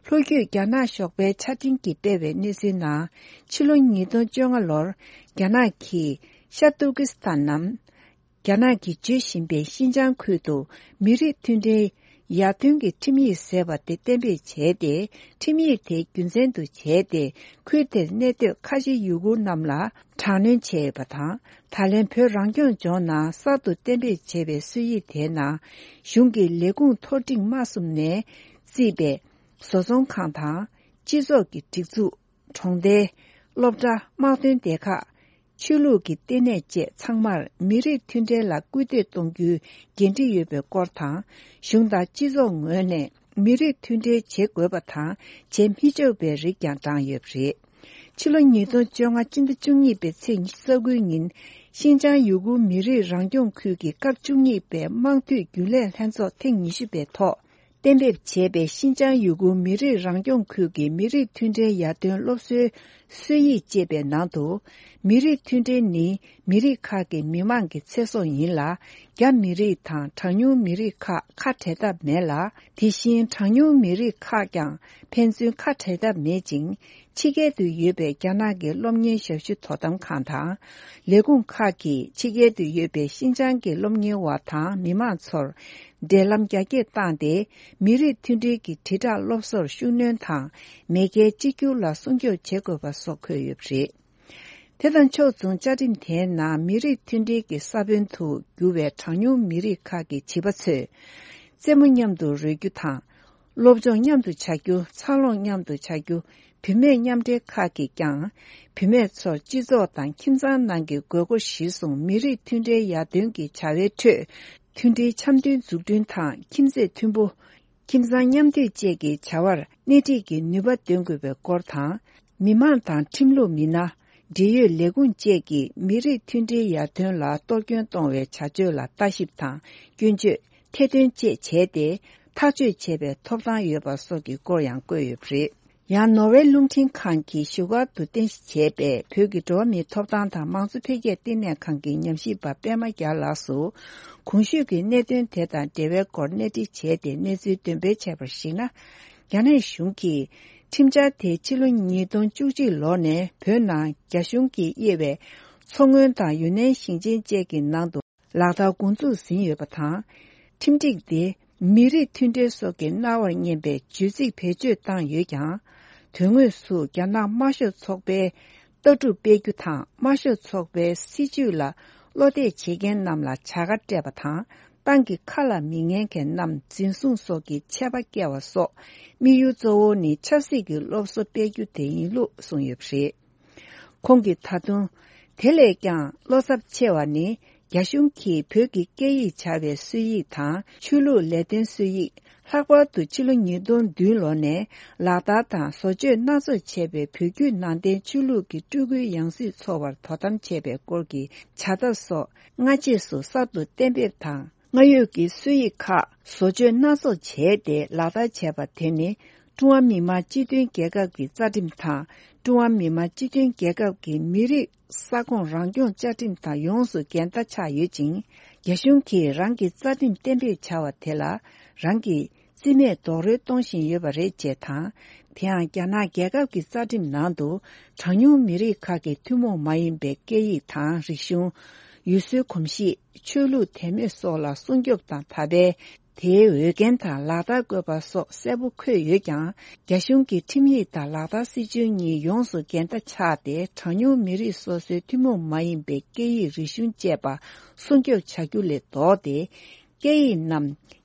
ལྷོ་རྒྱུད་རྒྱ་ནག་ཞོགས་པའི་ཆ་འཕྲིན་གྱིས་སྤེལ་བའི་གནས་ཚུལ་ནང་། ཕྱི་ལོ་ཉིས་སྟོང་བཅོ་ལྔ་ལོར་རྒྱ་ནག་གིས་ཤར་ཏུར་ཀི་སི་ཐན་ནམ། རྒྱ་ནག་གིས་བརྗོད་བཞིན་པའི་ཤིན་ཅང་ཁུལ་དུ་མི་རིགས་མཐུན་སྒྲིལ་ཡར་ཐོན་གྱི་ཁྲིམས་ཡིག་ཟེར་བ་དེ་གཏན་འབེབས་བྱས་ཏེ། ཁྲིམས་ཡིག་དེ་རྒྱུ་མཚན་དུ་བྱས་ཏེ། ཁུལ་དེར་གནས་སྡོད་ཁ་ཆེ་ཡུ་གུར་རྣམས་ལ་དྲག་གནོན་བྱས་ཡོད་པ་དང་། ད་ལན་བོད་རང་སྐྱོང་ལྗོངས་ནང་གསར་དུ་གཏན་འབེབས་བྱས་པའི་སྲོལ་ཡིག་དེའི་ནང་། གཞུང་གི་ལས་ཁུངས་མཐོ་འབྲིང་དམའ་གསུམ་ནས་བརྩིས་པའི་བཟོ་ཚོང་ཁང་དང་། སྤྱི་ཚོགས་ཀྱི་སྒྲིག་འཛུགས། གྲོང་རྡལ། སློབ་གྲྭ། དམག་དོན་སྡེ་ཁག། ཆོས་ལུགས་ཀྱི་ལྟེ་གནས་བཅས་ཚང་མར་མི་རིགས་མཐུན་སྒྲིལ་ལ་སྐུལ་འདེད་གཏོང་རྒྱུའི་འགན་འཁྲི་ཡོད་པའི་སྐོར་དང་། གཞུང་དང་སྤྱི་ཚོགས་ངོས་ནས་མི་རིགས་མཐུན་སྒྲིལ་བྱེད་དགོས་པ་དང་། བྱེད་མི་ཆོག་པའི་རིགས་ཀྱང་བགྲངས་ཡོད་པ་རེད། ཕྱི་ལོ་ཉིས་སྟོང་བཅོ་ལྔ་སྤྱི་ཟླ་བཅུ་གཉིས་པའི་ཚེས་ཉི་ཤུ་རྩ་དགུའི་ཉིན། ཤིན་ཅང་ཡུ་གུར་མི་རིགས་རང་སྐྱོང་ཁུལ་གྱི་སྐབས་བཅུ་གཉིས་པའི་དམངས་འཐུས་རྒྱུན་ལས་ལྷན་ཚོགས་ཐེངས་ཉི་ཤུ་པའི་ཐོག་གཏན་འབེབས་བྱས་པའི་ཤིན་ཅང་ཡུ་གུར་མི་རིགས་རང་སྐྱོང་ཁུལ་གྱི་མི་རིགས་མཐུན་སྒྲིལ་ཡར་ཐོན་སློབ་གསོའི་སྲོལ་ཡིག་ཅེས་པའི་ནང་དུ། མི་རིགས་མཐུན་སྒྲིལ་ནི་མི་རིགས་ཁག་གི་མི་དམངས་ཀྱི་ཚེ་སྲོག་ཡིན་ལ། རྒྱ་མི་རིགས་དང་གྲངས་ཉུང་མི་རིགས་ཁག་ཁ་བྲལ་ཐབས་མེད་ལ། དེ་བཞིན་གྲངས་ཉུང་མི་རིགས་ཁག་ཀྱང་ཕན་ཚུན་ཁ་བྲལ་ཐབས་མེད་ཅིང་། ཕྱི་རྒྱལ་དུ་ཡོད་པའི་རྒྱ་ནག་གི་སློབ་གཉེར་ཞབས་ཞུ་དོ་དམ་ཁང་དང་། ལས་ཁུངས་ཁག་གིས་ཕྱི་རྒྱལ་དུ་ཡོད་པའི་ཤིན་ཅང་གི་སློབ་གཉེར་བ་དང་མི་མང་ཚོར་འབྲེལ་ལམ་རྒྱ་སྐྱེད་བཏང་སྟེ། མི་རིགས་མཐུན་སྒྲིལ་གྱི་དྲིལ་བསྒྲགས་སློབ་གསོར་ཤུགས་སྣོན་དང་། མེས་རྒྱལ་གཅིག་གྱུར་ལ་སྲུང་སྐྱོབ་བྱེད་དགོས་པ་སོགས་འཁོད་ཡོད་པ་རེད། དེ་དང་ཕྱོགས་མཚུངས། བཅའ་ཁྲིམས་དེའི་ནང་མི་རིགས་མཐུན་སྒྲིལ་གྱི་ས་བོན་དུ་གྱུར་བའི་གྲངས་ཉུང་མི་རིགས་ཁག་གི་བྱིས་པ་ཚོས་རྩེད་མོ་མཉམ་དུ་རོལ་རྒྱུ་དང་། སློབ་སྦྱོང་མཉམ་དུ་བྱ་རྒྱུ། འཚར་ལོངས་མཉམ་དུ་བྱ་རྒྱུ། བུད་མེད་མཉམ་འབྲེལ་ཁག་གིས་ཀྱང་། བུད་མེད་ཚོར་སྤྱི་ཚོགས་དང་ཁྱིམ་ཚང་ནང་གི་དགོས་མཁོ་གཞིར་བཟུང་མི་རིགས་མཐུན་སྒྲིལ་ཡར་ཐོན་གྱི་བྱ་བའི་ཁྲོད། མཐུན་སྒྲིལ་འཆམ་མཐུན་འཛུགས་སྐྲུན་དང་། ཁྱིམ་མཚེས་མཐུན་པོ། ཁྱིམ་ཚང་མཉམ་འདུས་བཅས་ཀྱི་བྱ་བར་སྣེ་ཁྲིད་ཀྱི་ནུས་པ་འདོན་དགོས་པའི་སྐོར་དང་། མི་དམངས་དང་ཁྲིམས་ལུགས་མི་སྣ། འབྲེལ་ཡོད་ལས་ཁུངས་བཅས་ཀྱིས་མི་རིགས་མཐུན་སྒྲིལ་ཡར་ཐོན་ལ་གཏོར་སྐྱོན་གཏོང་བའི་བྱ་སྤྱོད་ལ་ལྟ་ཞིབ་དང་སྐྱོན་བརྗོད། ཐེར་འདོན་བཅས་བྱས་ཏེ། ཐག་གཅོད་བྱེད་པའི་ཐོབ་ཐང་ཡོད་པ་སོགས་ཀྱི་སྐོར་ཡང་བཀོད་ཡོད་པ་རེད། ཡང་ནོར་ཝེ་རླུང་འཕྲིན་ཁང་གིས་བཞུགས་སྒར་དུ་རྟེན་གཞི་བྱས་པའི་བོད་ཀྱི་འགྲོ་བ་མིའི་ཐོབ་ཐང་དང་མང་གཙོ་འཕེལ་རྒྱས་ལྟེ་གནས་ཁང་གི་ཉམས་ཞིབ་པ་པད་མ་རྒྱལ་ལགས་སུ། གོང་ཞུས་ཀྱི་གནད་དོན་དེ་དང་འབྲེལ་བའི་སྐོར་གནས་འདྲི་བྱས་ཏེ་གནས་ཚུལ་འདོན་སྤེལ་བྱས་པར་གཞིགས་ན། རྒྱ་ནག་གཞུང་གིས་ཁྲིམས་འཆར་དེ་ཕྱི་ལོ་ཉིས་སྟོང་བཅུ་གཅིག་ལོ་ནས་བོད་ནང་རྒྱ་གཞུང་གིས་དབྱེ་བའི་མཚོ་སྔོན་དང་ཡུན་ནན་ཞིང་ཆེན་བཅས་ཀྱི་ནང་དུ། ལག་བསྟར་འགོ་འཛུགས་ཟིན་ཡོད་པ་དང་། ཁྲིམས་སྒྲིག་དེ་མི་རིགས་མཐུན་སྒྲིལ་སོགས་ཀྱི་རྣ་བར་སྙན་པའི་བརྗོད་ཚིག་བེད་སྤྱོད་བཏང་ཡོད་ཀྱང་། དོན་དངོས་སུ་རྒྱ་ནག་དམར་ཤོག་ཚོགས་པའི་ལྟ་གྲུབ་སྤེལ་རྒྱུ་དང་། དམར་ཤོག་ཚོགས་པའི་སྲིད་བྱུས་ལ་བློ་གཏད་བྱེད་མཁན་རྣམས་ལ་བྱ་དགའ་སྤྲད་པ་དང་། ཏང་གི་ཁ་ལ་མི་ཉན་མཁན་རྣམས་འཛིན་བཟུང་སོགས་ཀྱི་ཆད་པ་བཀལ་བ་སོགས། དམིགས་ཡུལ་གཙོ་བོ་ནི་ཆབ་སྲིད་ཀྱི་སློབ་གསོ་སྤེལ་རྒྱུ་དེ་ཡིན་ལུགས་གསུངས་ཡོད་པ་རེད། ཁོང་གིས་ད་དུང་། དེ་ལས་ཀྱང་བློ་འཚབ་ཆེ་བ་ནི། རྒྱ་གཞུང་གིས་བོད་ཀྱི་སྐད་ཡིག་བྱ་བའི་སྲོལ་ཡིག་དང་ཆོས་ལུགས་ལས་དོན་སྲོལ་ཡིག། ལྷག་པར་དུ་ཕྱི་ལོ་ཉིས་སྟོང་བདུན་ལོ་ནས་ལག་བསྟར་དང་བཟོ་བཅོས་སྣ་ཚོགས་བྱས་པའི་བོད་བརྒྱུད་ནང་བསྟན་ཆོས་ལུགས་ཀྱི་སྤྲུལ་སྐུའི་ཡང་སྲིད་འཚོལ་བར་དོ་དམ་བྱས་པའི་སྐོར་གྱི་བྱ་ཐབས་སོགས་སྔ་རྗེས་སུ་གསར་དུ་གཏན་འབེབས་དང་། སྔ་ཡོད་ཀྱི་སྲོལ་ཡིག་ཁག་བཟོ་བཅོས་སྣ་ཚོགས་བྱས་ཏེ་ལག་བསྟར་བྱས་པ་དེ་ནི། ཀྲུང་ཧྭ་མི་དམངས་སྤྱི་མཐུན་རྒྱལ་ཁབ་ཀྱི་རྩ་ཁྲིམས་དང་། ཀྲུང་ཧྭ་མི་དམངས་སྤྱི་མཐུན་རྒྱལ་ཁབ་ཀྱི་མི་རིགས་ས་ཁོངས་རང་སྐྱོང་བཅའ་ཁྲིམས་དང་ཡོངས་སུ་འགལ་ཟླ་ཆགས་ཡོད་ཅིང་། རྒྱ་གཞུང་གིས་རང་གི་རྩ་ཁྲིམས་གཏན་འབེབས་བྱ་བ་དེ་ལ་རང་གིས་རྩིས་མེད་རྡོག་རོལ་གཏོང་བཞིན་ཡོད་པ་རེད་ཅེས་དང་། དེ་ཡང་རྒྱ་ནག་རྒྱལ་ཁབ་ཀྱི་རྩ་ཁྲིམས་ནང་དུ་གྲངས་ཉུང་མི་རིགས་ཁག་གི་ཐུན་མོང་མ་ཡིན་པའི་སྐད་ཡིག་དང་རིག་གཞུང་། ཡུལ་སྲོལ་གོམས་གཤིས། ཆོས་ལུགས་དད་མོས་སོགས་ལ་སྲུང་སྐྱོབ་དང་ད་ཕན། དེའི་འོས་འགན་དང་ལག་བསྟར་དགོས་པ་སོགས་གསལ་པོ་འཁོད་ཡོད་ཀྱང་། རྒྱ་གཞུང་གི་ཁྲིམས་ཡིག་དང་ལག་བསྟར་སྲིད་བྱུས་གཉིས་ཡོངས་སུ་འགལ་ཟླ་ཆགས་ཏེ། གྲངས་ཉུང་མི་རིགས་སོ་སོའི་ཐུན་མོང་མ་ཡིན་པའི་སྐད་ཡིག་རིག་གཞུང་བཅས་པ་སྲུང་སྐྱོབ་བྱ་རྒྱུ་ལས་ལྡོག་སྟེ། སྐད་ཡིག་རྣམས་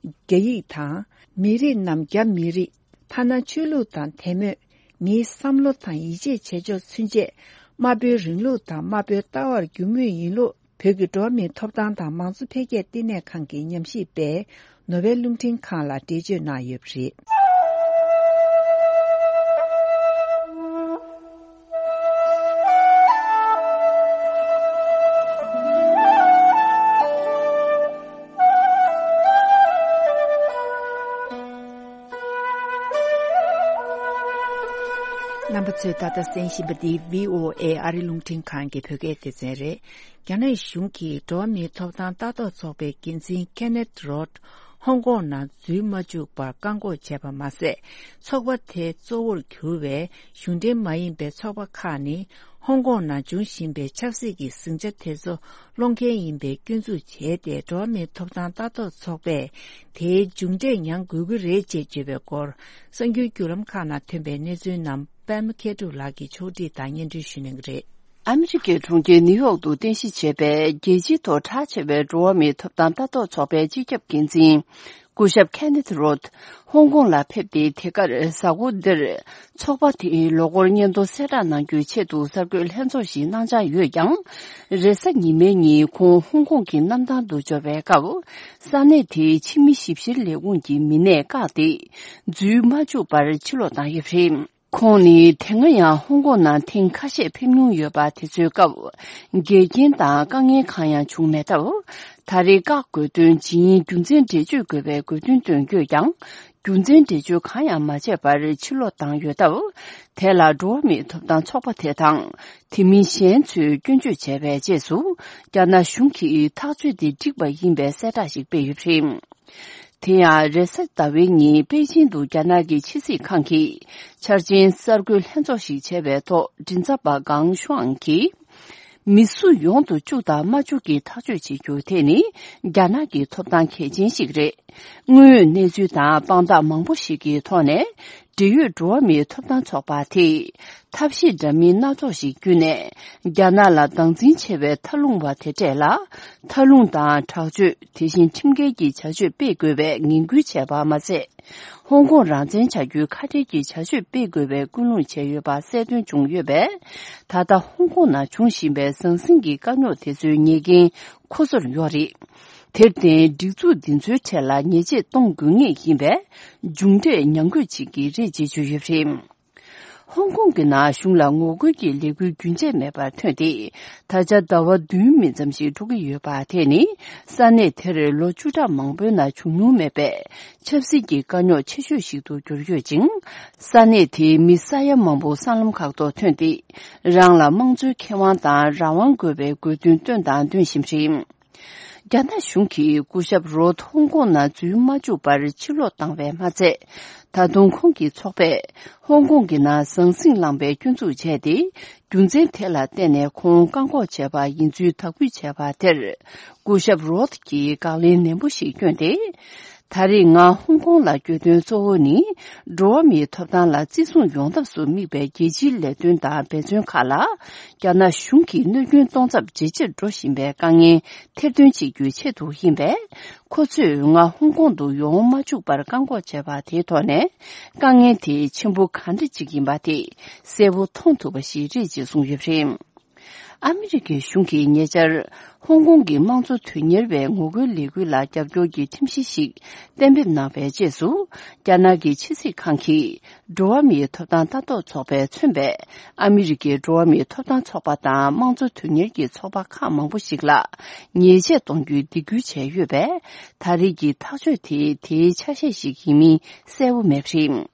རྒྱ་ཡིག་དང་། མི་རིགས་རྣམས་རྒྱ་མི་རིགས། ཐ་ན་ཆོས་ལུགས་དང་དད་མོས། མིའི་བསམ་བློ་དང་ཡིད་ཆེས་བྱེད་ཕྱོགས་ཚུན་ཆད། དམར་པོའི་རིང་ལུགས་དང་དམར་པོའི་ལྟ་བར་འགྱུར་མུས་ཡིན་ལུགས། བོད་ཀྱི་འགྲོ་བ་མིའི་ཐོབ་ཐང་དང་མང་གཙོ་འཕེལ་རྒྱས་ལྟེ་གནས་ཁང་གི་ཉམས་ཞིབ་པས་ནོར་ཝེ་རླུང་འཕྲིན་ཁང་ལ་འགྲེལ་བརྗོད་གནང་ཡོད་པ་རེད། རྣམ་པ་ཚོས་ད་ལྟ་གསན་བཞིན་པ་འདི་བྷི་ཨོ་ཨེ་ཨ་རི་རླུང་འཕྲིན་ཁང་གི་བོད་སྐད་སྡེ་ཚན་རེད། རྒྱ་ནག་གཞུང་གིས་འགྲོ་བ་མིའི་ཐོབ་ཐང་ལྟ་རྟོག་ཚོགས་པའི་འགན་འཛིན་ཁེ་ནེད་རོད་ཧོང་ཀོང་ནང་འཛུལ་མ་བཅུག་པར་བཀག་འགོག་བྱས་པ་མ་ཟད། ཚོགས་པ་དེ་གཙོ་བོར་གྱུར་བའི་གཞུང་འབྲེལ་མ་ཡིན་པའི་ཚོགས་པ་ཁག་ནི། ཧོང་ཀོང་ནང་འབྱུང་བཞིན་པའི་ཆབ་སྲིད་ཀྱི་ཟིང་ཆ་དེ་ཚོ་སློང་མཁན་ཡིན་པའི་སྐྱོན་འཛུགས་བྱས་ཏེ། འགྲོ་བ་མིའི་ཐོབ་ཐང་ལྟ་རྟོག་ཚོགས་པས་དེའི་མཇུག་འབྲས་མྱངས་དགོས་ཀྱི་རེད་ཅེས་བརྗོད་པའི་སྐོར། གསར་འགྱུར་བརྒྱུད་ལམ་ཁག་ནང་ཐོན་པའི་གནས་ཚུལ་རྣམས་པད་མ་མཁས་གྲུབ་ལགས་ཀྱིས་ཕྱོགས་སྒྲིག་དང་སྙན་སྒྲོན་ཞུ་གནང་གི་རེད། ཨ་མི་རི་ཀའི་གྲོང་ཁྱེར་ནིའུ་ཡོག་ཏུ་རྟེན་གཞི་བྱས་པའི་རྒྱལ་སྤྱིའི་ཐོག་གྲགས་ཆེ་བའི་འགྲོ་བ་མིའི་ཐོབ་ཐང་ལྟ་རྟོག་ཚོགས་པའི་སྤྱི་ཁྱབ་འགན་འཛིན། སྐུ་ཞབས་ཁེ་ནེཐ་རོད་ཧོང་ཀོང་ལ་ཕེབས་ཏེ། དེ་གར་གཟའ་འཁོར་འདིར་ཚོགས་པ་དེའི་ལོ་འཁོར་སྙན་ཐོ་གསལ་བསྒྲགས་གནང་རྒྱུའི་ཆེད་དུ་གསར་འགོད་ལྷན་ཚོགས་ཤིག་གནང་འཆར་ཡོད་ཀྱང་། རེས་གཟའ་ཉི་མའི་ཉིན་ཁོང་ཧོང་ཀོང་གི་གནམ་ཐང་དུ་འབྱོར་བའི་སྐབས། ས་གནས་དེའི་ཕྱི་མི་ཞིབ་བཤེར་ལས་ཁུངས་ཀྱི་མི་སྣས་བཀག་སྟེ། འཛུལ་མ་བཅུག་པར་ཕྱིར་ལོག་བཏང་ཡོད་པ་རེད། ཁོང་ནི་དེ་སྔ་ཡང་ཧོང་ཀོང་ནང་ཐེངས་ཁ་ཤས་ཕེབས་མྱོང་ཡོད་པ། དེ་ཚོའི་སྐབས་འགལ་རྐྱེན་དང་དཀའ་ངལ་གང་ཡང་བྱུང་མེད་སྟབས། ད་རེས་བཀག་དགོས་དོན་ཇི་ཡིན་རྒྱུ་མཚན་འགྲེལ་བརྗོད་དགོས་པའི་དགོས་འདུན་བཏོན་ཡོད་ཀྱང་། རྒྱུ་མཚན་འགྲེལ་བརྗོད་གང་ཡང་མ་བྱས་པར་ཕྱིར་ལོག་བཏང་ཡོད་སྟབས། དེ་ལ་འགྲོ་བ་མིའི་ཐོབ་ཐང་ཚོགས་པ་དེ་དང་། དེ་མིན་གཞན་ཚོས་སྐྱོན་བརྗོད་བྱས་པའི་རྗེས་སུ། རྒྱ་ནག་གཞུང་གིས་ཐག་གཅོད་དེ་འགྲིག་པ་ཡིན་པའི་གསལ་བསྒྲགས་ཤིག་སྤེལ་ཡོད་པ་རེད། དེ་ཡང་རེས་གཟའ་ཟླ་བའི་ཉིན་པེ་ཅིང་དུ་རྒྱ་ནག་གི་ཕྱི་སྲིད་ཁང་གི་འཆར་ཅན་གསར་འགོད་ལྷན་ཚོགས་ཤིག་བྱས་པའི་ཐོག་མགྲིན་ཚབ་པ་ཀང་ཤུའང་གིས། མི་སུ་ཡོང་དུ་བཅུག་དང་མ་བཅུག་གི་ཐག་གཅོད་བྱེད་རྒྱུ་དེ་ནི་རྒྱ་ནག་གི་ཐོབ་ཐང་གལ་ཆེན་ཞིག་རེད། དངོས་ཡོད་གནས་ཚུལ་དང་དཔང་རྟགས་མང་པོ་ཞིག་གི་ཐོག་ནས། འབྲེལ་ཡོད་འགྲོ་བ་མིའི་ཐོབ་ཐང་ཚོགས་པ་དེས་ཐབས་ཤེས་འདྲ་མིན་སྣ་ཚོགས་ཤིག་བརྒྱུད་ནས། རྒྱ་ནག་ལ་སྡང་འཛིན་ཆེ་བའི་མཐའ་ལྷུང་བ་དེ་གྲས་ལ། མཐའ་ལྷུང་དང་དྲག་སྤྱོད། དེ་བཞིན་ཁྲིམས་འགལ་གྱི་བྱ་སྤྱོད་སྤེལ་དགོས་པའི་ངན་སྐུལ་བྱས་པ་མ་ཟད། ཧོང་ཀོང་རང་བཙན་བྱ་རྒྱུའི་ཁ་བྲལ་གྱི་བྱ་སྤྱོད་སྤེལ་དགོས་པའི་སྐུལ་སློང་བྱས་ཡོད་པ་གསལ་སྟོན་བྱུང་ཡོད་པས། ད་ལྟ་ཧོང་ཀོང་ནང་འབྱུང་བཞིན་པའི་ཟང་ཟིང་གི་དཀའ་རྙོག་དེ་ཚོའི་ཉེས་འགན་ཁོ་ཚོར་ཡོད་རེད། དེར་བརྟེན། སྒྲིག་འཛུགས་འདི་ཚོའི་གྲས་ལ་ཉེས་ཆད་གཏོང་དགོས་ངེས་ཡིན་པས། མཇུག་འབྲས་ཉམས་རྒུད་ཅིག་གི་རེད་ཅེས་བརྗོད་ཡོད་པ་རེད། ཧོང་ཀོང་གི་ནང་གཞུང་ལ་ངོ་རྒོལ་གྱི་ལས་འགུལ་རྒྱུན་ཆད་མེད་པར་ཐོན་ཏེ། ད་ཆ་ཟླ་བ་བདུན་མིན་ཙམ་ཞིག་འགྲོ་གི་ཡོད་པ། དེ་ནི་ས་གནས་དེར་ལོ་བཅུ་ཕྲག་མང་པོའི་ནང་བྱུང་མྱོང་མེད་པའི་ཆབ་སྲིད་ཀྱི་དཀའ་རྙོག་ཆེ་ཤོས་ཤིག་ཏུ་གྱུར་ཡོད་ཅིང་། ས་གནས་དེའི་མི་ས་ཡ་མང་པོ་སྲང་ལམ་ཁག་ཏུ་ཐོན་ཏེ། རང་ལ་དམངས་གཙོའི་ཁེ་དབང་དང་རང་དབང་དགོས་པའི་དགོས་འདུན་བཏོན་དང་འདོན་བཞིན་པ་རེད། རྒྱ་ནག་གཞུང་གིས་སྐུ་ཞབས་རོད་ཧོང་ཀོང་ནང་འཛུལ་མ་བཅུག་པར་ཕྱིར་ལོག་བཏང་བས་མ་ཚད། ད་དུང་ཁོང་གི་ཚོགས་པས་ཧོང་ཀོང་གི་ནང་ཟང་ཟིང་བསླངས་པའི་སྐྱོན་འཛུགས་བྱས་ཏེ། རྒྱུ་མཚན་དེ་ལ་བརྟེན་ནས་ཁོང་བཀག་འགོག་བྱས་པ་ཡིན་ཚུལ་དག་འབུལ་བྱས་པ་དེར། སྐུ་ཞབས་རོད་ཀྱིས་དགག་ལན་ནན་པོ་ཞིག་བསྐྱོན་ཏེ། ད་རེས་ང་ཧོང་ཀོང་ལ་བསྐྱོད་དོན་གཙོ་བོ་ནི། འགྲོ་བ་མིའི་ཐོབ་ཐང་ལ་བརྩི་སྲུང་ཡོང་ཐབས་སུ་དམིགས་པའི་རྒྱལ་སྤྱིའི་ལས་དོན་དང་འབད་བརྩོན་ཁག་ལ། རྒྱ་ནག་གཞུང་གིས་གནོད་སྐྱོན་གཏོང་ཚབས་ཇེ་ཆེར་འགྲོ་བཞིན་པའི་དཀའ་ངལ་ཐེར་འདོན་བྱེད་རྒྱུའི་ཆེད་དུ་ཡིན་པས། ཁོ་ཚོས་ང་ཧོང་ཀོང་དུ་ཡོང་མ་བཅུག་པར་བཀག་འགོག་བྱས་པ་དེའི་ཐོག་ནས། དཀའ་ངལ་དེ་ཆེན་པོ་ག་འདྲ་ཅིག་ཡིན་པ་དེ་གསལ་པོ་མཐོང་ཐུབ་པ་ཞིག་རེད་ཅེས་གསུངས་ཡོད་པ་རེད། ཨ་མི་རི་ཀའི་གཞུང་གིས་ཉེ་ཆར། ཧོང་ཀོང་གི་དམངས་གཙོ་དོན་གཉེར་བའི་ངོ་རྒོལ་ལས་འགུལ་ལ་རྒྱབ་སྐྱོར་གྱི་ཁྲིམས་གཞི་ཞིག་གཏན་འབེབས་གནང་བའི་རྗེས་སུ། རྒྱ་ནག་གི་ཕྱི་སྲིད་ཁང་གིས། འགྲོ་བ་མིའི་ཐོབ་ཐང་ལྟ་རྟོག་ཚོགས་པས་མཚོན་པའི། ཨ་མི་རི་ཀའི་འགྲོ་བ་མིའི་ཐོབ་ཐང་ཚོགས་པ་དང་དམངས་གཙོ་དོན་གཉེར་གྱི་ཚོགས་པ་ཁག་མང་པོ་ཞིག་ལ། ཉེས་ཆད་གཏོང་རྒྱུའི་སྡིགས་སྐུལ་བྱས་ཡོད་པས། ད་རེས་ཀྱི་ཐག་གཅོད་དེ་དེའི་ཆ་ཤས་ཤིག་ཡིན་མིན་གསལ་པོ་མེད་པ་རེད།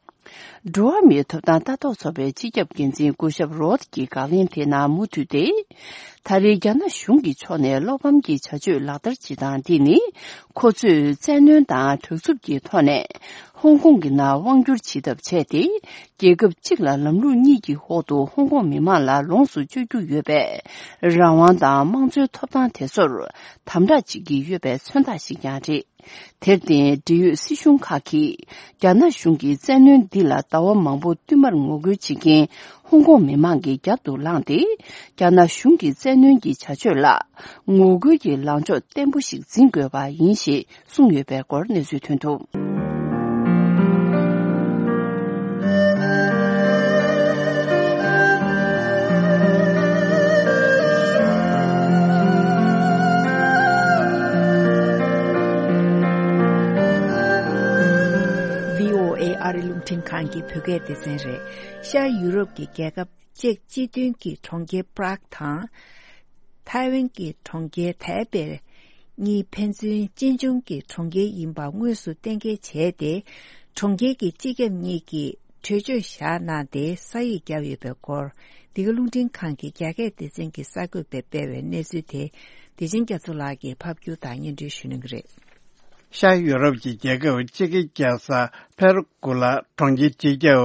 འགྲོ་བ་མིའི་ཐོབ་ཐང་ལྟ་རྟོག་ཚོགས་པའི་སྤྱི་ཁྱབ་འགན་འཛིན་སྐུ་ཞབས་རོད་ཀྱི་དགག་ལན་དེ་ནང་མུ་མཐུད་དེ། ད་རེས་རྒྱ་ནག་གཞུང་གི་ཕྱོགས་ནས་བློ་ཕམ་གྱི་བྱ་སྤྱོད་ལག་བསྟར་བྱེད་སྟངས་འདི་ནི། ཁོ་ཚོས་བཙན་གནོན་དང་གདུག་རྩུབ་ཀྱི་ཐོག་ནས། ཧོང་ཀོང་གི་ནང་དབང་བསྒྱུར་བྱེད་ཐབས་བྱས་ཏེ། རྒྱལ་ཁབ་གཅིག་ལ་ལམ་ལུགས་གཉིས་ཀྱི་འོག་ཏུ་ཧོང་ཀོང་མི་མང་ལ་ལོངས་སུ་སྤྱོད་རྒྱུ་ཡོད་པའི། རང་དབང་དང་དམངས་གཙོའི་ཐོབ་ཐང་དེ་ཚོར། དམ་དྲག་བྱེད་ཀྱི་ཡོད་པའི་མཚོན་རྟགས་ཤིག་ཀྱང་རེད། དེར་བརྟེན། འབྲེལ་ཡོད་སྲིད་གཞུང་ཁག་གིས། རྒྱ་ནག་གཞུང་གི་བཙན་གནོན་འདི་ལ་ཟླ་བ་མང་པོ་བསྟུད་མར་ངོ་རྒོལ་བྱེད་མཁན་ཧོང་ཀོང་མི་མང་གི་རྒྱབ་ཏུ་ལངས་ཏེ། རྒྱ་ནག་གཞུང་གི་བཙན་གནོན་གྱི་བྱ་སྤྱོད་ལ། ངོ་རྒོལ་གྱི་ལངས་ཕྱོགས་བརྟན་པོ་ཞིག་འཛིན་དགོས་པ་ཡིན་ཞེས་གསུངས་ཡོད་པའི་སྐོར་གནས་ཚུལ་ཐོན་འདུག་བྷི་ཨོ་ཨེ་ཨ་རི་རླུང་འཕྲིན་ཁང་གི་བོད་སྐད་སྡེ་ཚན་རེད། ཤར་ཡུ་རོབ་ཀྱི་རྒྱལ་ཁབ་ཅེཀ་སྤྱི་མཐུན་གྱི་གྲོང་ཁྱེར་པ་རག་དང་། ཐའེ་ཝན་གྱི་གྲོང་ཁྱེར་ཐའེ་པེ་གཉིས་ཕན་ཚུན་གཅེན་གཅུང་གི་གྲོང་ཁྱེར་ཡིན་པ་དངོས་སུ་གཏན་འཁེལ་བྱས་ཏེ། གྲོང་ཁྱེར་གྱི་སྤྱི་ཁྱབ་གཉིས་ཀྱིས་གྲོས་ཆོད་བཞག་གནང་སྟེ། ས་ཡིག་བརྒྱབ་ཡོད་པའི་སྐོར། འདི་ག་རླུང་འཕྲིན་ཁང་གི་རྒྱ་སྐད་སྡེ་ཚན་གྱི་གསར་འགོད་པས་སྤེལ་བའི་གནས་ཚུལ་དེ། བདེ་ཆེན་རྒྱ་མཚོ་ལགས་ཀྱིས་ཕབ་སྒྱུར་དང་སྙན་སྒྲོན་ཞུ་གནང་གི་རེད། ཤར་ཡུ་རོབ་ཀྱི་རྒྱལ་ཁབ་ཅེ་ཀི་རྒྱལ་ས་ཕེར་གུ་ལ་གྲོང་ཁྱེར་སྤྱི་ཁྱབ་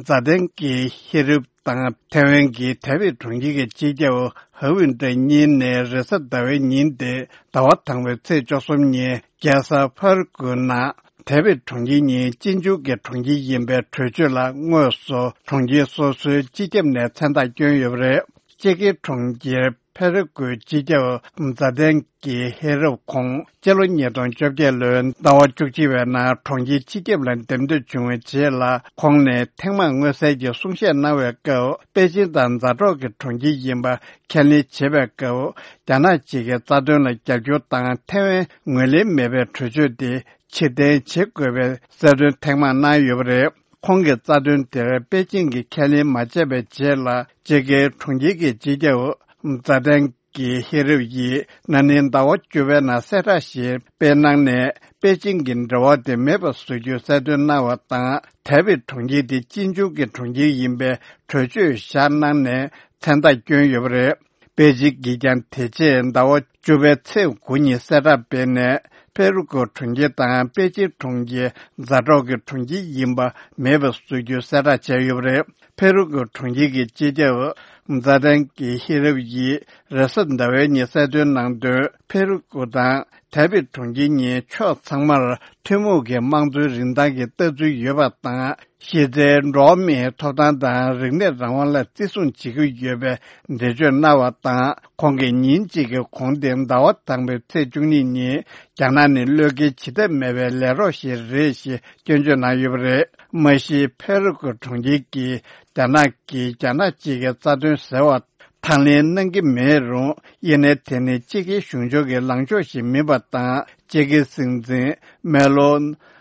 ཛ་ཏན་གྱི་ཧི་རིབ་དང་། ཐའེ་ཝན་གྱི་ཐའེ་པེ་གྲོང་ཁྱེར་གྱི་སྤྱི་ཁྱབ་ཧ་ཝིན་ཏྲེ་གཉིས་ནས་རེས་གཟའ་ཟླ་བའི་ཉིན་ཏེ། ཟླ་བ་དང་པོའི་ཚེས་བཅུ་གསུམ་ཉིན་རྒྱལ་ས་ཕེར་གུ་ནང་ཐའེ་པེ་གྲོང་ཁྱེར་གཉིས་གཅེན་གཅུང་གི་གྲོང་ཁྱེར་ཡིན་པའི་གྲོས་ཆོད་ལ་དངོས་སུ་གྲོང་ཁྱེར་སོ་སོའི་སྤྱི་ཁྱབ་ནས་མཚན་རྟགས་བསྐྱོན་ཡོད་པ་རེད། ཅེ་ཀི་གྲོང་ཁྱེར་ ཕེ་རུ་ཀུའི་སྤྱི་ཁྱབ་མཛའ་ལྡན་གྱི་ཧེ་རབ་ཁོང་སྤྱི་ལོ་ཉིས་སྟོང་བཅོ་བརྒྱད་ལོའི་ཟླ་བ་བཅུ་གཅིག་པའི་ནང་གྲོང་ཁྱེར་སྤྱི་ཁྱབ་ལ་འདེམས་ཐོན་བྱུང་བའི་རྗེས་ལ། ཁོང་ནས་ཐེངས་མང་མངོན་གསལ་གྱི་གསུང་བཤད་གནང་བའི་སྐབས། པེ་ཅིང་དང་མཛའ་གྲོགས་ཀྱི་གྲོང་ཁྱེར་ཡིན་པ་ཁས་ལེན་བྱེད་པའི་སྐབས། རྒྱ་ནག་གཅིག་གི་རྩ་དོན་ལ་རྒྱབ་སྐྱོར་དང་ཐའེ་ཝན་ངོས་ལེན་མེད་པའི་གྲོས་ཆོད་དེ་ཕྱིར་འཐེན་བྱེད་དགོས་པའི་གསལ་སྟོན་ཐེངས་མང་གནང་ཡོད་པ་རེད། ཁོང་གི་རྩ་དོན་དེར་པེ་ཅིང་གིས་ཁས་ལེན་མ་བྱས་པའི་རྗེས་ལ། སྤྱི་ཁྱབ་གྲོང་ཁྱེར་གྱི་སྤྱི་ཁྱབ་མཛའ་ལྡན་གྱི་ཧེ་རབ་ཡིས་ན་ནིང་ཟླ་བ་བཅུ་པའི་ནང་གསལ་བསྒྲགས་ཤིག་སྤེལ་གནང་ནས། པེ་ཅིང་གི་འབྲེལ་བ་དེ་མེད་པ་བཟོ་རྒྱུའི་གསལ་སྟོན་གནང་བ་དང་། ཐའེ་པེ་གྲོང་ཁྱེར་དེ་གཅིག་མཇུག་གི་གྲོང་ཁྱེར་ཡིན་པའི་གྲོས་ཆོད་བཞག་གནང་ནས་མཚན་རྟགས་བསྐྱོན་ཡོད་པ་རེད། པེ་ཅིང་གིས་ཀྱང་དེ་རྗེས་ཟླ་བ་བཅུ་པའི་ཚེས་དགུ་ཉིན་གསལ་བསྒྲགས་སྤེལ་ནས། ཕེ་རུ་ཀུ་གྲོང་ཁྱེར་དང་པེ་ཅིང་གྲོང་ཁྱེར་མཛའ་གྲོགས་ཀྱི་གྲོང་ཁྱེར་ཡིན་པ་མེད་པ་བཟོ་རྒྱུའི་གསལ་བསྒྲགས་བྱས་ཡོད་པ་རེད། ཕེ་རུ་ཀུ་གྲོང་ཁྱེར་གྱི་སྤྱི་ཁྱབ་མཛའ་ལྡན་གྱི་ཧི་རབ་ཡིས་རེས་གཟའ་ཟླ་བའི་ཉིན་གསལ་སྟོན་གནང་དོན། ཕེ་རུ་ཀུ་དང་ཐའེ་པེ་གྲོང་ཁྱེར་གཉིས་ཕྱོགས་ཚང་མར་ཐུན་མོང་གི་དམངས་གཙོའི་རིན་ཐང་གི་ལྟ་ཚུལ་ཡོད་པ་དང་། གཞི་རྩའི་འགྲོ་བ་མིའི་ཐོབ་ཐང་དང་རིག་གནས་རང་དབང་ལ་བརྩི་སྲུང་བྱེད་ཀྱི་ཡོད་པའི་འགྲེལ་བརྗོད་གནང་བ་དང་། ཁོང་གིས་ཉིན་གཅིག་གི་གོང་སྟེང་ཟླ་བ་དང་པོའི་ཚེས་བཅུ་གཉིས་ཉིན། རྒྱ་ནག་ནི་བློས་འགེལ་བྱེད་ཐབས་མེད་པའི་ལས་རོགས་ཤིག་རེད་ཞེས་སྐྱོན་བརྗོད་གནང་ཡོད་པ་རེད། མ་གཞི་ཕེ་རུ་ཀུ་གྲོང་ཁྱེར་གྱིས་རྒྱ་ནག་གིས་རྒྱ་ནག་གཅིག་གི་རྩ་དོན་ཟེར་བ་དང་ལེན་གནང་གི་མེད་རུང་། ཡིན་ནའི་དེ་ནི་སྤྱི་ཁྱབ་གཞུང་ཕྱོགས་ཀྱི་ལངས་ཕྱོགས་ཤིག་མིན་པ་དང་། སྤྱི་ཁྱབ་སྲིད་འཛིན་མེ་ལོ་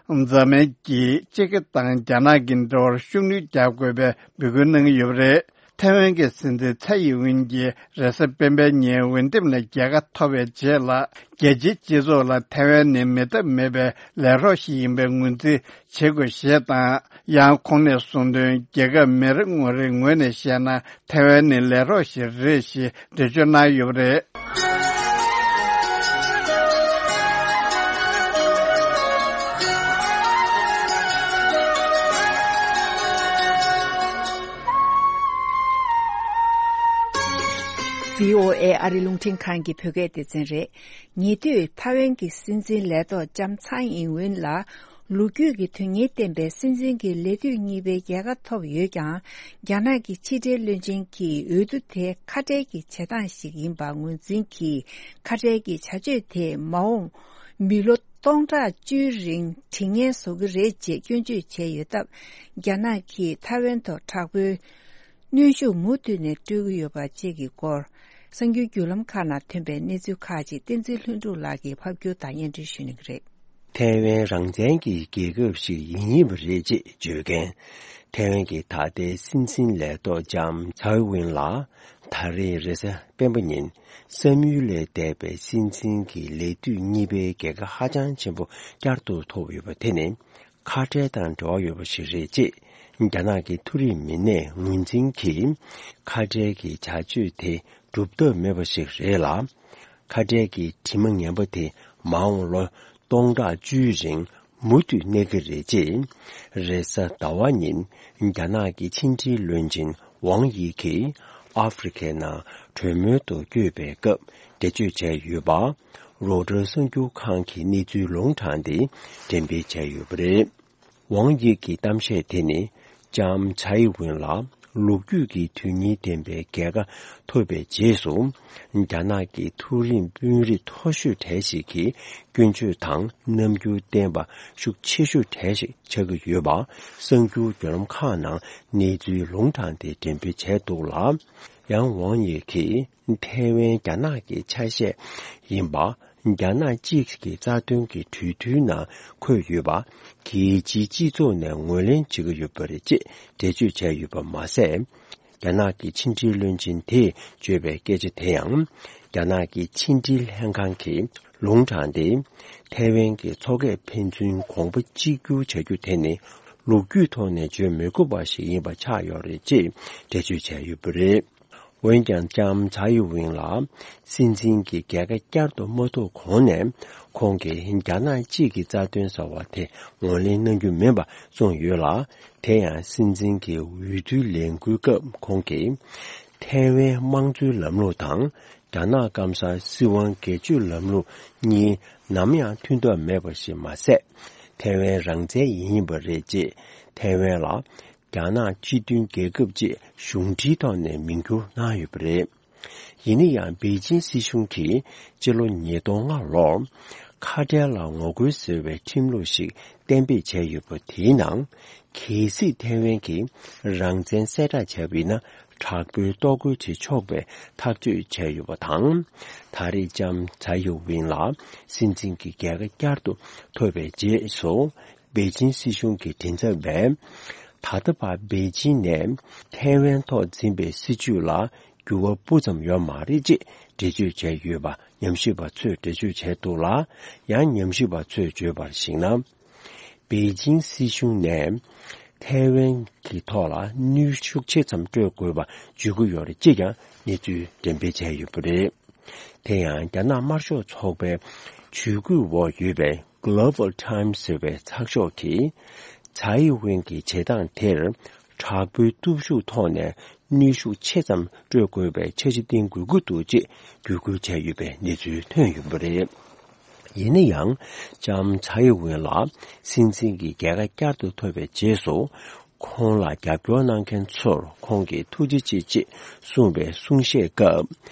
ཛ་མན་གྱིས་སྤྱི་ཁྱབ་དང་རྒྱ་ནག་གི་འབྲེལ་བར་ཤུགས་སྣོན་རྒྱག་དགོས་པའི་འབོད་སྐུལ་གནང་གི་ཡོད་པ་རེད། ཐའེ་ཝན་གྱི་སྲིད་འཛིན་ཚའེ་ཡིན་ཝིན་གྱིས་རེས་གཟའ་སྤེན་པའི་ཉིན་འོས་འདེམས་ལ་རྒྱལ་ཁ་ཐོབ་པའི་རྗེས་ལ། རྒྱལ་སྤྱིའི་སྤྱི་ཚོགས་ལ་ཐའེ་ཝན་ནི་མེད་ཐབས་མེད་པའི་ལས་རོགས་ཤིག་ཡིན་པའི་ངོས་འཛིན་བྱེད་དགོས་ཞེས་དང་། ཡང་ཁོང་ནས་གསུངས་དོན། རྒྱལ་ཁབ་མི་རེ་ངོ་རེའི་ངོས་ནས་བཤད་ན། ཐའེ་ཝན་ནི་ལས་རོགས་ཤིག་རེད་ཞེས་འགྲེལ་བརྗོད་གནང་ཡོད་པ་རེད། བྷི་ཨོ་ཨེ་ཨ་རི་རླུང་འཕྲིན་ཁང་གི་བོད་སྐད་སྡེ་ཚན་རེད། ཉེ་དུས་ཐའེ་ཝན་གྱི་སྲིད་འཛིན་ལས་ཐོག་ལྕམ་ཚའེ་ཡིན་ཝིན་ལ། ལོ་རྒྱུས་ཀྱི་དོན་སྙིང་ལྡན་པའི་སྲིད་འཛིན་གྱི་ལས་དུས་གཉིས་པའི་རྒྱལ་ཁ་ཐོབ་ཡོད་ཀྱང་། རྒྱ་ནག་གི་ཕྱི་འབྲེལ་བློན་ཆེན་གྱིས་འོས་བསྡུ་དེ་ཁ་བྲལ་གྱི་བྱེད་སྟངས་ཤིག་ཡིན་པ་ངོས་འཛིན་གྱིས། ཁ་བྲལ་གྱི་བྱ་སྤྱོད་དེས་མ་འོངས་མི་ལོ་སྟོང་ཕྲག་བཅུའི་རིང་དྲི་ངན་བཟོ་གི་རེད་ཅེས་སྐྱོན་བརྗོད་བྱས་ཡོད་སྟབས། རྒྱ་ནག་གིས་ཐའེ་ཝན་ཐོག་དྲག་པོའི་གནོན་ཤུགས་མུ་མཐུད་ནས་སྤྲོད་ཀྱི་ཡོད་པ་བཅས་ཀྱི་སྐོར། གསར་འགྱུར་བརྒྱུད་ལམ་ཁག་ནང་ཐོན་པའི་གནས་ཚུལ་ཁག་ཅིག་བསྟན་འཛིན་ལྷུན་གྲུབ་ལགས་ཀྱིས་ཕབ་སྒྱུར་དང་སྙན་སྒྲོན་ཞུ་གནང་གི་རེད། ཐའེ་ཝན་རང་བཙན་གྱི་རྒྱལ་ཁབ་ཞིག་ཡིན་ཡིན་པ་རེད་ཅེས་བརྗོད་མཁན། ཐའེ་ཝན་གྱི་ད་ལྟའི་སྲིད་འཛིན་ལས་ཐོག་ལྕམ་ཚའེ་ཝིན་ལགས། ད་རེས་རེས་གཟའ་སྤེན་པ་ཉིན་བསམ་ཡུལ་ལས་འདས་པའི་སྲིད་འཛིན་གྱི་ལས་དུས་གཉིས་པའི་རྒྱལ་ཁ་ཧ་ཅང་ཆེན་པོ་བསྐྱར་དུ་ཐོབ་ཡོད་པ་དེ་ནི། ཁ་བྲལ་དང་འབྲེལ་བ་ཡོད་པ་ཞིག་རེད་ཅེས། རྒྱ་ནག་གི་མཐོ་རིམ་མི་སྣས་ངོས་འཛིན་གྱིས། ཁ་བྲལ་གྱི་བྱ་སྤྱོད་དེ་སྒྲུབ་ཐབས་མེད་པ་ཞིག་རེད་ལ། ཁ་བྲལ་གྱི་དྲི་མ་ངན་པ་དེ་མ་འོངས་ལོ་སྟོང་ཕྲག་བཅུའི་རིང་མུ་མཐུད་གནས་ཀྱི་རེད་ཅེས། རེས་གཟའ་ཟླ་བ་ཉིན་རྒྱ་ནག་གི་ཕྱི་འབྲེལ་བློན་ཆེན་ཝང་དབྱི་གིས་ཨ་ཧྥེ་རི་ཁའི་ནང་གྲོས་མོལ་དུ་བསྐྱོད་པའི་སྐབས་འགྲེལ་བརྗོད་བྱས་ཡོད་པ། རོའི་ཊར་གསར་འགྱུར་ཁང་གི་གནས་ཚུལ་ལུང་དྲངས་ཏེ་འགྲེམས་སྤེལ་བྱས་ཡོད་པ་རེད། ཝང་དབྱི་གི་གཏམ་བཤད་དེ་ནི་ལྕམ་ཚའེ་ཝིན་ལ་ལོ་རྒྱུས་ཀྱི་དོན་སྙིང་ལྡན་པའི་རྒྱལ་ཁ་ཐོབ་པའི་རྗེས་སུ། རྒྱ་ནག་གི་མཐོ་རིམ་དཔོན་རིགས་མཐོ་ཤོས་གྲས་ཤིག་གིས་སྐྱོན་བརྗོད་དང་རྣམ་འགྱུར་བསྟན་པ་ཤུགས་ཆེ་ཤོས་གྲས་ཤིག་ཆགས་ཀྱི་ཡོད་པ། གསར་འགྱུར་བརྒྱུད་ལམ་ཁག་ནང་གནས་ཚུལ་ལུང་དྲངས་ཏེ་འགྲེམས་སྤེལ་བྱས་འདུག་ལ། ཡང་ཝང་དབྱི་གིས། ཐའེ་ཝན་རྒྱ་ནག་གི་ཆ་ཤས་ཡིན་པ། རྒྱ་ནག་གཅིག་གི་རྩ་དོན་གྱི་གྲོས་མཐུན་ནང་འཁོད་ཡོད་པ། རྒྱལ་སྤྱིའི་སྤྱི་ཚོགས་ནས་ངོས་ལེན་བྱེད་ཀྱི་ཡོད་པ་རེད་ཅེས་འགྲེལ་བརྗོད་བྱས་ཡོད་པ་མ་ཟད། རྒྱ་ནག་གི་ཕྱི་འབྲེལ་བློན་ཆེན་དེས་བརྗོད་པའི་སྐད་ཆ་དེ་ཡང་། རྒྱ་ནག་གི་ཕྱི་འབྲེལ་ལྷན་ཁང་གིས་ལུང་དྲངས་ཏེ། ཐའེ་ཝན་གྱི་མཚོ་ཁ་ཕན་ཚུན་གོང་བུ་གཅིག་གྱུར་བྱ་རྒྱུ་དེ་ནི་ལོ་རྒྱུས་ཐོག་ནས་བརྗོད་མི་དགོས་པ་ཞིག་ཡིན་པ་ཆགས་ཡོད་རེད་ཅེས་འགྲེལ་བརྗོད་བྱས་ཡོད་པ་རེད། འོན་ཀྱང་ལྕམ་ཚའེ་ཝིན་ལ་སྲིད་འཛིན་གྱི་རྒྱལ་ཁ་བསྐྱར་དུ་མ་ཐོབ་གོང་ནས། ཁོང་གིས་རྒྱ་ནག་གཅིག་གི་རྩ་དོན་ཟེར་བ་དེ་ངོས་ལེན་གནང་རྒྱུ་མིན་པ་གསུངས་ཡོད་ལ། དེ་ཡང་སྲིད་འཛིན་གྱི་འོས་བསྡུའི་ལས་འགུལ་སྐབས་ཁོང་གིས། ཐའེ་ཝན་དམངས་གཙོའི་ལམ་ལུགས་དང་། རྒྱ་ནག་སྐམ་སར་སྲིད་དབང་སྒེར་གཅོད་ལམ་ལུགས་གཉིས་ནམ་ཡང་མཐུན་ཐབས་མེད་པ་ཞིག་མ་ཟད། ཐའེ་ཝན་རང་བཙན་ཡིན་པ་རེད་ཅེས། ཐའེ་ཝན་ལ། རྒྱ་ནག་སྤྱི་མཐུན་རྒྱལ་ཁབ་ཅེས་གཞུང་འབྲེལ་ཐོག་ནས་མིང་བསྒྱུར་གནང་ཡོད་པ་རེད། ཡིན་ན་ཡང་པེ་ཅིན་སྲིད་གཞུང་གིས་སྤྱི་ལོ་ཉིས་སྟོང་ལྔ་ལོར་ཁ་བྲལ་ལ་ངོ་རྒོལ་ཟེར་བའི་ཁྲིམས་ལུགས་ཤིག་གཏན་འབེབས་བྱས་ཡོད་པ་དེའི་ནང་གལ་སྲིད་ཐའེ་ཝན་གྱིས་རང་བཙན་གསལ་བསྒྲགས་བྱས་པ་ཡིན་ན་དྲག་པོའི་ལྟོ་གོས་བྱེད་ཆོག་པའི་ཐག་གཅོད་བྱས་ཡོད་པ་དང་། ད་རེས་ལྕམ་ཚའེ་ཡིན་ཝེན་ལ་སྲིད་འཛིན་གྱི་རྒྱལ་ཁ་བསྐྱར་དུ་ཐོབ་པའི་རྗེས་སུ། པེ་ཅིན་སྲིད་གཞུང་གི་མགྲིན་ཚབ་པས། ད་ལྟ་བར་པེ་ཅིན་ནས་ཐའེ་ཝན་ཐོག་འཛིན་པའི་སྲིད་བྱུས་ལ་འགྱུར་བ་སྤུ་ཙམ་ཡོད་མ་རེད་ཅེས་འགྲེལ་བརྗོད་བྱས་ཡོད་པ་ཉམས་ཞིབ་པ་ཚོས་འགྲེལ་བརྗོད་བྱས་འདུག་ལ། ཡང་ཉམས་ཞིབ་པ་ཚོས་བརྗོད་པར་གཞིགས་ན། པེ་ཅིན་སྲིད་གཞུང་ནས་ཐའེ་ཝན་གྱི་ཐོག་ལ་གནོན་ཤུགས་ཆེ་ཙམ་སྤྲོད་དགོས་པ་བརྗོད་ཀྱི་ཡོད་རེད་ཅེས་ཀྱང་གནས་ཚུལ་འགྲེམས་སྤེལ་བྱས་ཡོད་པ་རེད། དེ་ཡང་རྒྱ་ནག་དམར་ཤོག་ཚོགས་པའི་ཇུས་འགོད་འོག་ཡོད་པའི་Global Times ཟེར་བའི་ཚགས་ཤོག་གིས། ཚའེ་ཝེན་གྱི་བྱེད་སྟངས་དེར་དྲག་པོའི་སྟོབས་ཤུགས་ཐོག་ནས་གནོན་ཤུགས་ཆེ་ཙམ་སྤྲོད་དགོས་པའི་འཆར་གཞི་བཏིང་དགོས་ཀྱི་འདུག་ཅེས་བརྒྱུད་སྐུལ་བྱས་ཡོད་པའི་གནས་ཚུལ་ཐོན་ཡོད་པ་རེད། ཡིན་ན་ཡང་། ལྕམ་ཚའེ་ཝེན་ལ་སྲིད་འཛིན་གྱི་རྒྱལ་ཁ་བསྐྱར་དུ་ཐོབ་པའི་རྗེས་སུ། ཁོང་ལ་རྒྱབ་སྐྱོར་གནང་མཁན་ཚོར་ཁོང་གིས་ཐུགས་རྗེ་ཆེ་ཅེས་གསུངས་པའི་གསུང་བཤད་སྐབས།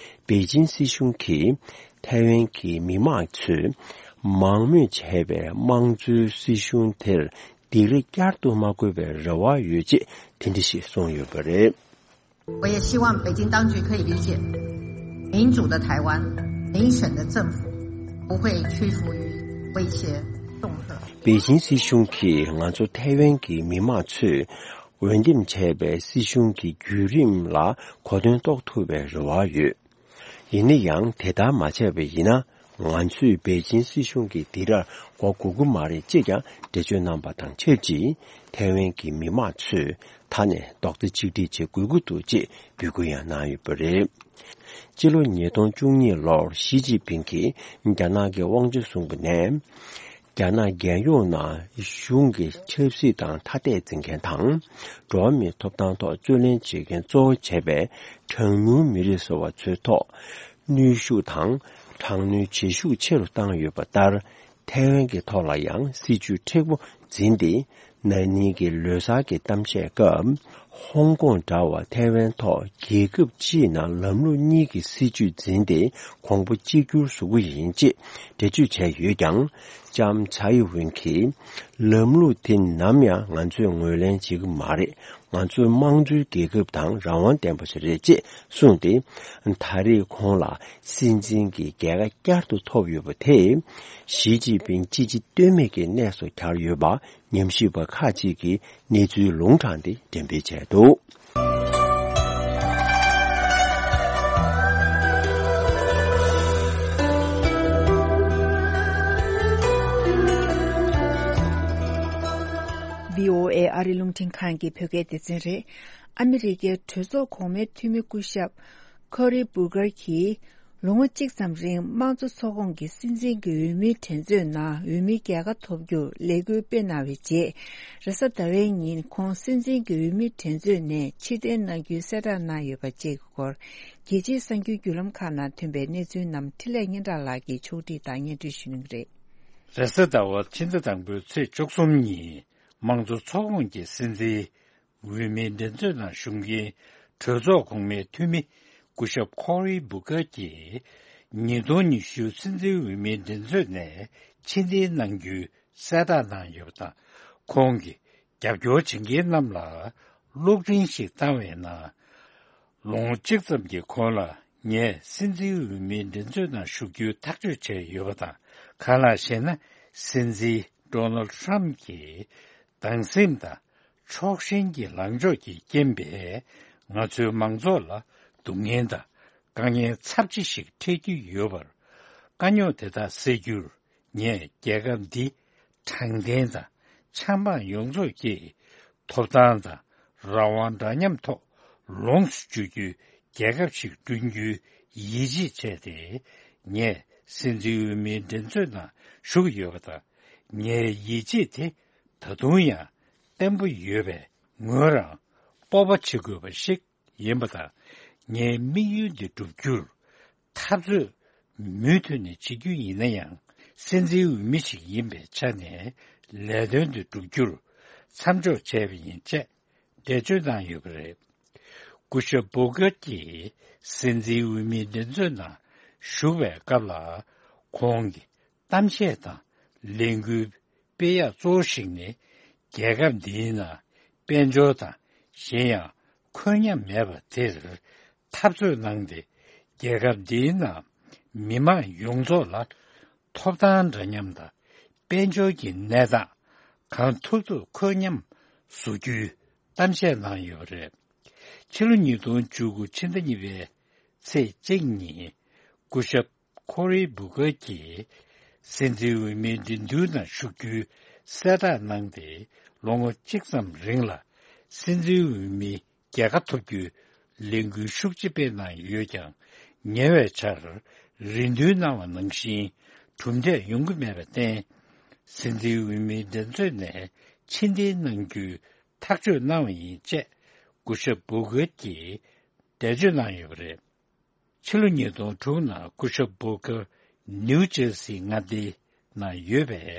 པེ་ཅིན་སྲིད་གཞུང་གིས་ཐའེ་ཝན་གྱི་མི་མང་ཚོས་མང་མོས་བྱས་པའི་དམངས་གཙོའི་སྲིད་གཞུང་དེར་སྡིགས་ར་བསྐྱར་དུ་མ་དགོས་པའི་རེ་བ་ཡོད་ཅེས་དེ་འདྲ་ཞིག་གསུངས་ཡོད་པ་རེད། 我也希望北京当局可以理解，民主的台湾，民选的政府不会屈服于威胁恫吓。 པེ་ཅིན་སྲིད་གཞུང་གིས་ང་ཚོ་ཐའེ་ཝན་གྱི་མི་མང་ཚོས་འོས་འདེམས་བྱས་པའི་སྲིད་གཞུང་གི་བརྒྱུད་རིམ་ལ་གོ་དོན་རྟོགས་ཐུབ་པའི་རེ་བ་ཡོད། ཡིན་ན་ཡང་དེ་ལྟར་མ་བྱས་པ་ཡིན་ན། ང་ཚོས་པེ་ཅིན་སྲིད་གཞུང་གི་སྡིགས་རར་འགྲོ་དགོས་ཀྱི་མ་རེད་ཅེས་ཀྱང་འགྲེལ་བརྗོད་གནང་པ་དང་ཆབས་ཅིག་ཐའེ་ཝན་གྱི་མི་མང་ཚོས་ད་ནས་རྡོག་རྩ་གཅིག་སྒྲིལ་བྱེད་དགོས་ཀྱི་འདུག་ཅེས་འབོད་སྐུལ་ཡང་གནང་ཡོད་པ་རེད། སྤྱི་ལོ་ཉིས་སྟོང་བཅུ་གཉིས་ལོར་ཞི་ཅིན་ཕིང་གིས་རྒྱ་ནག་གི་དབང་ཆ་བཟུང་བ་ནས། རྒྱ་ནག་རྒྱལ་ཡོངས་ནང་གཞུང་གི་ཆབ་སྲིད་དང་ཐ་དད་འཛིན་མཁན་དང་། འགྲོ་བ་མིའི་ཐོབ་ཐང་ཐོག་རྩོད་ལེན་བྱེད་མཁན་གཙོ་བོ་བྱས་པའི་གྲངས་ཉུང་མི་རིགས་ཟེར་བ་ཚོའི་ཐོག་གནོན་ཤུགས་དང་དྲག་གནོན་བྱེད་ཤུགས་ཆེ་རུ་བཏང་ཡོད་པ་ལྟར། ཐའེ་ཝན་གྱི་ཐོག་ལ་ཡང་སྲིད་བྱུས་མཁྲེགས་པོ་འཛིན་ཏེ། ན་ནིང་གི་ལོ་གསར་གྱི་གཏམ་བཤད་སྐབས། ཧོང་ཀོང་འདྲ་བ་ཐའེ་ཝན་ཐོག་རྒྱལ་ཁབ་སྤྱིའི་ནང་ལམ་ལུགས་གཉིས་ཀྱི་སྲིད་བྱུས་འཛིན་ཏེ་གོང་བུ་གཅིག་གྱུར་བཟོ་གི་ཡིན་ཅེས་འགྲེལ་བརྗོད་བྱས་ཡོད་ཀྱང་། ལྕམ་ཚའེ་ཝེན་གྱིས། ལམ་ལུགས་དེ་ནམ་ཡང་ང་ཚོས་ངོས་ལེན་བྱེད་ཀྱི་མ་རེད། ང་ཚོ་དམངས་གཙོའི་རྒྱལ་ཁབ་དང་རང་དབང་ལྡན་པ་ཞིག་རེད་ཅེས་གསུངས་ཏེ། ད་རེས་ཁོང་ལ་སྲིད་འཛིན་གྱི་རྒྱལ་ཁ་བསྐྱར་དུ་ཐོབ་ཡོད་པ་དེས། ཞི་ཅིན་ཕིང་ཅི་བྱེད་གཏོལ་མེད་ཀྱི་གནས་སུ་གྱར་ཡོད་པ། ཉམས་ཞིབ་པ་ཁག་ཅིག་གིས་གནས་ཚུལ་ལུང་དྲངས་ཏེ་འགྲེམས་སྤེལ་བྱས་འདུག། བྷི་ཨོ་ཨེ་ཨ་རི་རླུང་འཕྲིན་ཁང་གི་བོད་སྐད་སྡེ་ཚན་རེད། ཨ་མི་རི་ཀའི་གྲོས་ཚོགས་གོང་མའི་འཐུས་མི་སྐུ་ཞབས་ཁོ་རི་བུ་གར་གྱིས། ལོ་ངོ་གཅིག་ཙམ་རིང་དམངས་གཙོ་ཚོགས་ཁོངས་ཀྱི་སྲིད་འཛིན་གྱི་འོས་མིའི་འགྲན་རྩོད་ནང་འོས་མིའི་རྒྱལ་ཁ་ཐོབ་རྒྱུར་ལས་འགུལ་སྤེལ་གནང་བའི་རྗེས། རེས་གཟའ་ཟླ་བའི་ཉིན་ཁོང་སྲིད་འཛིན་གྱི་འོས་མིའི་འགྲན་རྩོད་ནས་ཕྱིར་འཐེན་གནང་རྒྱུའི་གསལ་བསྒྲགས་གནང་ཡོད་པ་བཅས་ཀྱི་སྐོར། རྒྱལ་སྤྱིའི་གསར་འགྱུར་བརྒྱུད་ལམ་ཁག་ནང་ཐོན་པའི་གནས་ཚུལ་རྣམས་འཕྲིན་ལས་སྙན་གྲགས་ལགས་ཀྱིས་ཕྱོགས་སྒྲིག་དང་སྙན་སྒྲོན་ཞུ་གནང་གི་རེད། རེས་གཟའ་ཟླ་བ་ཕྱི་ཟླ་དང་པོའི་ཚེས་བཅུ་གསུམ་ཉིན་དམངས་གཙོ་ཚོགས་ཁོངས་ཀྱི་སྲིད་འཛིན། འོས་མིའི་འགྲན་རྩོད་ནང་ཞུགས་མཁན་གྲོས་ཚོགས་གོང་མའི་འཐུས་མི་སྐུ་ཞབས་ཁོ་རི་བུ་ཀར་གྱིས་ཉིས་སྟོང་ཉི་ཤུ་སྲིད་འཛིན་འོས་མིའི་འགྲན་རྩོད་ནས་ཕྱིར་འཐེན་གནང་རྒྱུའི་གསལ་བསྒྲགས་གནང་ཡོད་པ་དང་། ཁོང་གིས་རྒྱབ་སྐྱོར་བྱེད་མཁན་རྣམས་ལ་གློག་འཕྲིན་ཞིག་བཏང་བའི་ནང་། ལོ་ངོ་གཅིག་ཙམ་གྱི་གོང་ལ་ངས་སྲིད་འཛིན་འོས་མིའི་འགྲན་རྩོད་ནང་ཞུགས་རྒྱུའི་ཐག་གཅོད་བྱས་ཡོད་པ་དང་། གང་ལགས་ཤེ་ན། སྲིད་འཛིན་ཌོ་ནལ་ཌི་ཊརམ་གྱི་སྡང་སེམས་དང་ཕྱོགས་ཞེན་གྱི་ལངས་ཕྱོགས་ཀྱི་རྐྱེན་པས། ང་ཚོའི་མང་ཚོགས་ལ་སྡུག་བསྔལ་དང་དཀའ་ངལ་ཚབས་ཆེ་ཞིག་འཕྲད་ཀྱི་ཡོད་པར། དཀའ་རྙོག་དེ་དག་སེལ་རྒྱུར་ངས་རྒྱལ་ཁབ་འདི་དྲང་བདེན་དང་ཆབ་འབངས་ཡོངས་རྫོགས་ཀྱི་ཐོབ་ཐང་དང་རང་དབང་འདྲ་མཉམ་ཐོག་ལོངས་སུ་སྤྱོད་རྒྱུའི་རྒྱལ་ཁབ་ཞིག་བསྐྲུན་རྒྱུའི་ཡིད་ཆེས་བྱས་ཏེ། ངས་སྲིད་འཛིན་འོས་མིའི་འགྲན་རྩོད་ནང་ཞུགས་ཡོད་པ་དང་། ངའི་ཡིད་ཆེས་དེ་ད་དུང་ཡང་བརྟན་པོ་ཡོད་པས། ངོས་རང་སྤོབས་པ་བྱེད་དགོས་པ་ཞིག་ཡིན་པ་དང་། ངའི་དམིགས་ཡུལ་འདི་བསྒྲུབ་རྒྱུར་འཐབ་རྩོད་མུ་མཐུད་ནས་བྱེད་རྒྱུ་ཡིན་ན་ཡང་། སྲིད་འཛིན་འོས་མི་ཞིག་ཡིན་པའི་ཆ་ནས་ལས་དོན་འདི་བསྒྲུབ་རྒྱུར་མཚམས་འཇོག་བྱས་པ་ཡིན་ཅེས་འགྲེལ་བརྗོད་གནང་ཡོད་པ་རེད། སྐུ་ཞབས་བྷོ་གྷལ་གྱིས་སྲིད་འཛིན་འོས་མིའི་འགྲན་རྩོད་ནང་ཞུགས་པའི་སྐབས་ལ། ཁོང་གི་གཏམ་བཤད་དང་ལས་འགུལ་སྤེལ་ཡག་གཙོ་བོ་ཞིག་ནི། རྒྱལ་ཁབ་འདིའི་ནང་དཔལ་འབྱོར་དང་གཞན་ཡང་འཁོད་མཉམ་མེད་པ་དེར་འཐབ་རྩོད་གནང་སྟེ། རྒྱལ་ཁབ་འདིའི་ནང་མི་མང་ཡོངས་རྫོགས་ལ་ཐོབ་ཐང་འདྲ་མཉམ་དང་དཔལ་འབྱོར་གྱི་གནས་སྟངས་གང་ཐུབ་ཐུབ་འཁོད་མཉམ་བཟོ་རྒྱུའི་གཏམ་བཤད་གནང་ཡོད་པ་རེད། ཕྱི་ལོ་ཉིས་སྟོང་བཅུ་དགུ་ཕྱི་ཟླ་གཉིས་པའི་ཚེས་གཅིག་ཉིན། སྐུ་ཞབས་ཁོ་རི་བྷོ་གྷལ་གྱིས་སྲིད་འཛིན་འོས་མིའི་འགྲན་བསྡུར་ནང་ཞུགས་རྒྱུའི་གསལ་བསྒྲགས་གནང་སྟེ། ལོ་ངོ་གཅིག་ཙམ་རིང་ལ་སྲིད་འཛིན་འོས་མིའི་རྒྱལ་ཁ་ཐོབ་རྒྱུའི་ལས་འགུལ་ཤུགས་ཆེ་སྤེལ་གནང་ཡོད་ཀྱང་། ཉེ་བའི་ཆར་རེ་འདུན་གནང་བ་ནང་བཞིན་གྲུབ་འབྲས་ཡོང་གི་མེད་པར་བརྟེན། སྲིད་འཛིན་འོས་མིའི་འགྲན་རྩོད་ནས་ཕྱིར་འཐེན་གནང་རྒྱུའི་ཐག་གཅོད་གནང་བ་ཡིན་ཅེས། སྐུ་ཞབས་བྷོ་གྷལ་གྱིས་འགྲེལ་བརྗོད་གནང་ཡོད་པ་རེད། ཕྱི་ལོ་ཉིས་སྟོང་དྲུག་ནང་སྐུ་ཞབས་བྷོ་གྷལ་ནིའུ་ཇར་སི་མངའ་སྡེའི་ནང་ཡོད་པའི་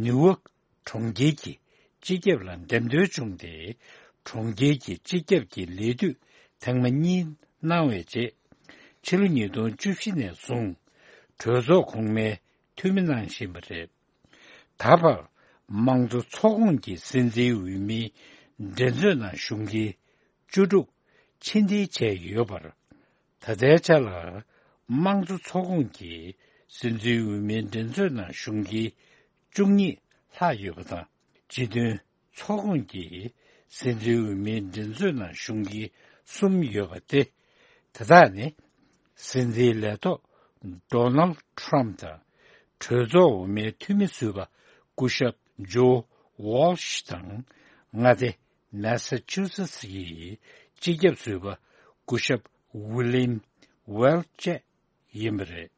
ནིའུ་ཝོག་གྲོང་ཁྱེར་གྱི་སྤྱི་ཁྱབ་ལ་འདེམས་ཐོན་བྱུང་སྟེ། གྲོང་ཁྱེར་གྱི་སྤྱི་ཁྱབ་ཀྱི་ལས་དུས་ཐེངས་མ་གཉིས་གནང་བའི་རྗེས། ཕྱི་ལོ་ཉིས་སྟོང་བཅུ་བཞི་ནས་བཟུང་གྲོས་ཚོགས་གོང་མའི་འཐུས་མི་གནང་བཞིན་པ་རེད། ད་བར་དམངས་གཙོ་ཚོགས་ཁོངས་ཀྱི་སྲིད་འཛིན་འོས་མིའི་འགྲན་རྩོད་ནང་ཞུགས་མཁན་བཅུ་དྲུག་ཕྱིར་འཐེན་བྱས་ཡོད་པར། ད་ལྟའི་ཆ་ལ་དམངས་གཙོ་ཚོགས་ཁོངས་ཀྱི་སྲིད་འཛིན་འོས་མིའི་འགྲན་རྩོད་ནང་ཞུགས་མཁན་བཅུ་གཉིས་ལྷག་ཡོད་པ་དང་། སྤྱི་མཐུན་ཚོགས་ཁོངས་ཀྱི་སྲིད་འཛིན་འོས་མིའི་འགྲན་རྩོད་ནང་ཞུགས་མཁན་གསུམ་ཡོད་པ་སྟེ། དེ་དག་ནི། སྲིད་འཛིན་ལས་ཐོག་ཌོ་ནལ་ཊམ་དང་། གྲོས་ཚོགས་འོག་མའི་འཐུས་མི་ཟུར་པ་སྐུ་ཞབས་ཇོ་ཝོལ་ཤི་དང་། མངའ་སྡེ་མེ་ས་ཆུ་སེ་ཊི་ཡི་སྤྱི་ཁྱབ་ཟུར་པ་སྐུ་ཞབས་ཝི་ལིམ་ཝེལ་བཅས་ཡིན་པ་རེད།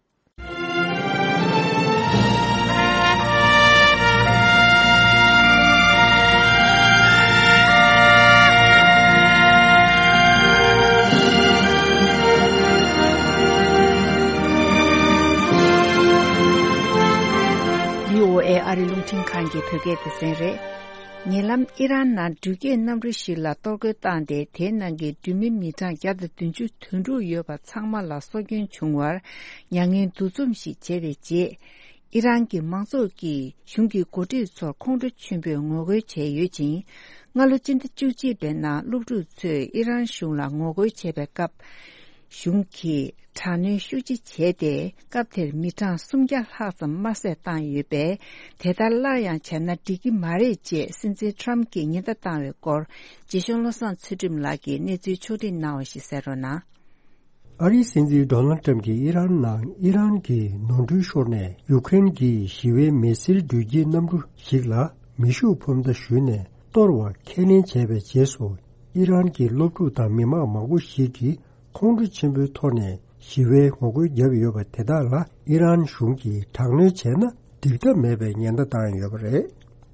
བྷི་ཨོ་ཨེ་ཨ་རི་རླུང་འཕྲིན་ཁང་གི་བོད་སྐད་སྡེ་ཚན་རེད། ཉེ་ལམ་ཨི་རན་ནང་འགྲུལ་སྐྱེལ་གནམ་གྲུ་ཞིག་ལ་གཏོར་རྒོལ་བཏང་སྟེ། དེའི་ནང་གི་འགྲུལ་མི་མི་གྲངས་བརྒྱ་དང་བདུན་ཅུ་དོན་དྲུག་ཡོད་པ་ཚང་མ་ལ་སྲོག་སྐྱོན་བྱུང་བར་མྱ་ངན་འདུ་འཛོམས་ཤིག་བྱས་པའི་རྗེས། ཨི་རན་གྱི་མང་ཚོགས་ཀྱིས་གཞུང་གི་འགོ་ཁྲིད་ཚོར་ཁོང་ཁྲོ་ཆེན་པོས་ངོ་རྒོལ་བྱས་ཡོད་ཅིང་། སྔ་ལོ་སྤྱི་ཟླ་བཅུ་གཅིག་པའི་ནང་སློབ་ཕྲུག་ཚོས་ཨི་རན་གཞུང་ལ་ངོ་རྒོལ་བྱས་པའི་སྐབས། གཞུང་གིས་དྲག་གནོན་ཤུགས་ཆེ་བྱས་ཏེ། སྐབས་དེར་མི་གྲངས་སུམ་བརྒྱ་ལྷག་ཙམ་དམར་གསོད་བཏང་ཡོད་པས། དེ་ལྟར་སླར་ཡང་བྱས་ན་འགྲིག་གི་མ་རེད་ཅེས་སྲིད་འཛིན་ཊམ་གྱིས་ཉེན་བརྡ་བཏང་བའི་སྐོར། རྗེ་གཞུང་བློ་བཟང་ཚུལ་ཁྲིམས་ལགས་ཀྱིས་གནས་ཚུལ་ཕྱོགས་སྒྲིག་གནང་བ་ཞིག་གསན་རོགས་གནང་། ཨ་རིའི་སྲིད་འཛིན་ཌོ་ནལ་ཊམ་གྱིས་ཨི་རན་ནང་ཨི་རན་གྱི་ནོར་འཁྲུལ་ཤོར་ནས་ཡུ་ཀེ་རེན་གྱི་ཞི་བའི་མི་སེར་འགྲུལ་སྐྱེལ་གནམ་གྲུ་ཞིག་ལ་མེ་ཤུགས་འཕུར་མདའ་གཞུས་ནས་གཏོར་བ་ཁས་ལེན་བྱས་པའི་རྗེས་སུ། ཨི་རན་གྱི་སློབ་ཕྲུག་དང་མི་མང་མང་པོ་ཞིག་གིས་ཁོང་ཁྲོ་ཆེན་པོའི་ཐོག་ནས་ཞི་བའི་ངོ་རྒོལ་བརྒྱབ་ཡོད་པ་དེ་དག་ལ་ཨི་རན་གཞུང་གིས་དྲག་གནོན་བྱས་ན་འགྲིག་ཐབས་མེད་པའི་ཉེན་བརྡ་བཏང་ཡོད་པ་རེད།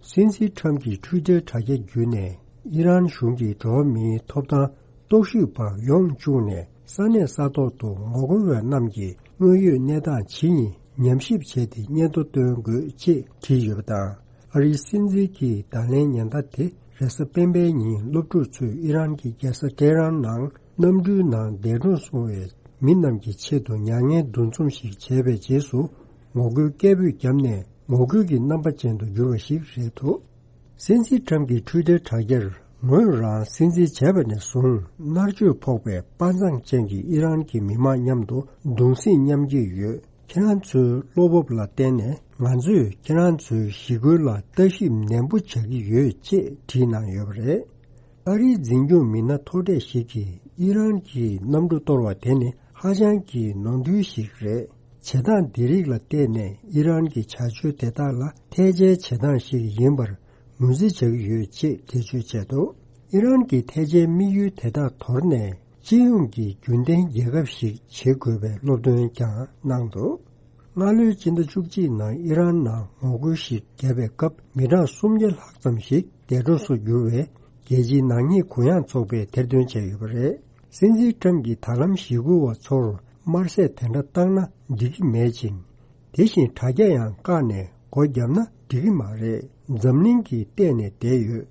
སྲིད་འཛིན་ཊམ་གྱི་ཊུའི་ཊར་དྲ་རྒྱ་བརྒྱུད་ནས་ཨི་རན་གཞུང་གིས་འགྲོ་བ་མིའི་ཐོབ་ཐང་རྟོག་ཞིབ་པ་ཡོང་བཅུག་ནས་ས་གནས་ས་ཐོག་ཏུ་ངོ་རྒོལ་བ་རྣམས་ཀྱི་དངོས་ཡོད་གནས་སྟངས་ཇི་ཡིན་ཉམས་ཞིབ་བྱས་ཏེ་སྙན་ཐོ་སྟོན་དགོས་ཅེས་བྲིས་ཡོད་པ་དང་། ཨ་རིའི་སྲིད་འཛིན་གྱི་བརྡ་ལན་ཉེན་བརྡ་དེ་རེས་གཟའ་སྤེན་པའི་ཉིན་སློབ་ཕྲུག་ཚོས་ཨི་རན་གྱི་རྒྱལ་ས་ཏེ་ཧྲན་ནང་གནམ་གྲུའི་ནང་འདས་གྲོངས་སོང་བའི་མི་རྣམས་ཀྱི་ཆེད་དུ་མྱ་ངན་འདུ་འཛོམས་ཤིག་བྱས་པའི་རྗེས་སུ་ངོ་རྒོལ་སྐད་འབོད་བརྒྱབ་ནས་ངོ་རྒོལ་གྱི་རྣམ་པ་ཅན་དུ་གྱུར་བ་ཞིག་རེད་འདུག། སྲིད་འཛིན་ཊམ་གྱི་ཊུའི་ཊར་དྲ་རྒྱར། ངོས་རང་སྲིད་འཛིན་བྱས་པ་ནས་བཟུང་མནར་གཅོད་ཕོག་པའི་དཔའ་མཛངས་ཅན་གྱི་ཨི་རན་གྱི་མི་མང་མཉམ་དུ་གདུང་སེམས་མཉམ་སྐྱེད་ཡོད། ཁྱེད་རང་ཚོའི་བློ་སྤོབས་ལ་བརྟེན་ནས་ང་ཚོས་ཁྱེད་རང་ཚོའི་ཞི་རྒོལ་ལ་ལྟ་ཞིབ་ནན་པོ་བྱ་གི་ཡོད་ཅེས་བྲིས་གནང་ཡོད་པ་རེད། ཨ་རིའི་འཛིན་སྐྱོང་མི་སྣ་མཐོ་གྲས་ཤིག་གིས་ཨི་རན་གྱི་གནམ་གྲུ་གཏོར་བ་དེ་ནི་ཧ་ཅང་གི་ནོར་འཁྲུལ་ཞིག་རེད། བྱེད་སྟངས་འདི་རིགས་ལ་བལྟས་ནས་ཨི་རན་གྱི་བྱ་སྤྱོད་དེ་དག་ལ་ཐལ་ཆའི་བྱེད་སྟངས་ཤིག་ཡིན་པར་ངོས་འཛིན་བྱ་གི་ཡོད་ཅེས་འགྲེལ་བརྗོད་བྱས་འདུག། ཨི་རན་གྱི་ཐལ་ཆའི་དམིགས་ཡུལ་དེ་དག་དོར་ནས་སྤྱི་ཡོངས་ཀྱི་རྒྱུན་ལྡན་རྒྱལ་ཁབ་ཞིག་བྱེད་དགོས་པའི་སློབ་སྟོན་ཀྱང་གནང་འདུག། སྔ་ལོའི་སྤྱི་ཟླ་བཅུ་གཅིག་ནང་ཨི་རན་ནང་ངོ་རྒོལ་ཞིག་བརྒྱབ་པའི་སྐབས་མི་གྲངས་སུམ་བརྒྱ་ལྷག་ཙམ་ཞིག་འདས་གྲོངས་སུ་གྱུར་བའི་རྒྱལ་སྤྱིའི་ནག་ཉེས་གུ་ཡངས་ཚོགས་པས་དེར་འདོན་བྱས་ཡོད་པ་རེད། སྲིད་འཛིན་ཊམ་གྱིས་ད་ལམ་ཞི་རྒོལ་བ་ཚོར་དམར་གསོད་དེ་འདྲ་བཏང་ན་འགྲིག་གི་མེད་ཅིང་། དེ་བཞིན་དྲ་རྒྱ་ཡང་བཀག་ནས་སྒོ་བརྒྱབ་ན་འགྲིག་གི་མ་རེད། འཛམ་གླིང་གིས་བལྟས་ནས་བསྡད་ཡོད།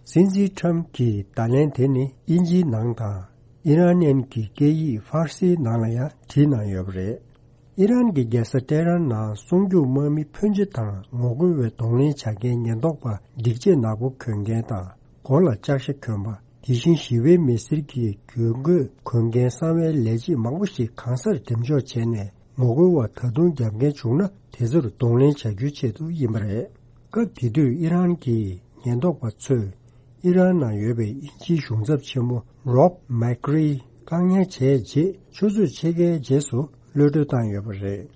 སྲིད་འཛིན་ཊམ་གྱི་བརྡ་ལན་དེ་ནི་དབྱིན་ཇིའི་ནང་དང་ ཨི་རན་ནན་གྱི་སྐད་ཡིག་ཧྥར་སིའི་ནང་ལ་ཡང་བྲིས་གནང་ཡོད་པ་རེད། ཨི་རན་གྱི་རྒྱལ་ས་ཏེ་ཧྲན་ནང་སྲུང་སྐྱོབ་དམག་མི་ཕོན་ཆེ་དང་ངོ་རྒོལ་བའི་གདོང་ལེན་བྱ་མཁན་ཉེན་རྟོག་པ་སྒྲིག་ཆས་ནག་པོ་གྱོན་མཁན་དང་། མགོ་ལ་ལྕགས་ཞྭ་གྱོན་པ། དེ་བཞིན་ཞི་བའི་མི་སེར་གྱི་གྱོན་གོས་གོན་མཁན་གསང་བའི་ལས་བྱེད་མང་པོ་ཞིག་གང་སར་འགྲེམས་འཇོག་བྱས་ནས། ངོ་རྒོལ་བ་ད་དུང་རྒྱབ་འགལ་བྱུང་ན་དེ་ཚོར་གདོང་ལེན་བྱ་རྒྱུའི་ཆེད་དུ་ཡིན་པ་རེད། སྐབས་དེ་དུས་ཨི་རན་གྱི་ཉེན་རྟོག་པ་ཚོས་ཨི་རན་ནང་ཡོད་པའི་དབྱིན་ཇིའི་གཞུང་ཚབ་ཆེན་མོ་རོབ་མེག་རི་བཀག་ཉར་བྱས་རྗེས། ཆུ་ཚོད་ཕྱེད་ཀའི་རྗེས་སུ་གློད་གྲོལ་བཏང་ཡོད་པ་རེད།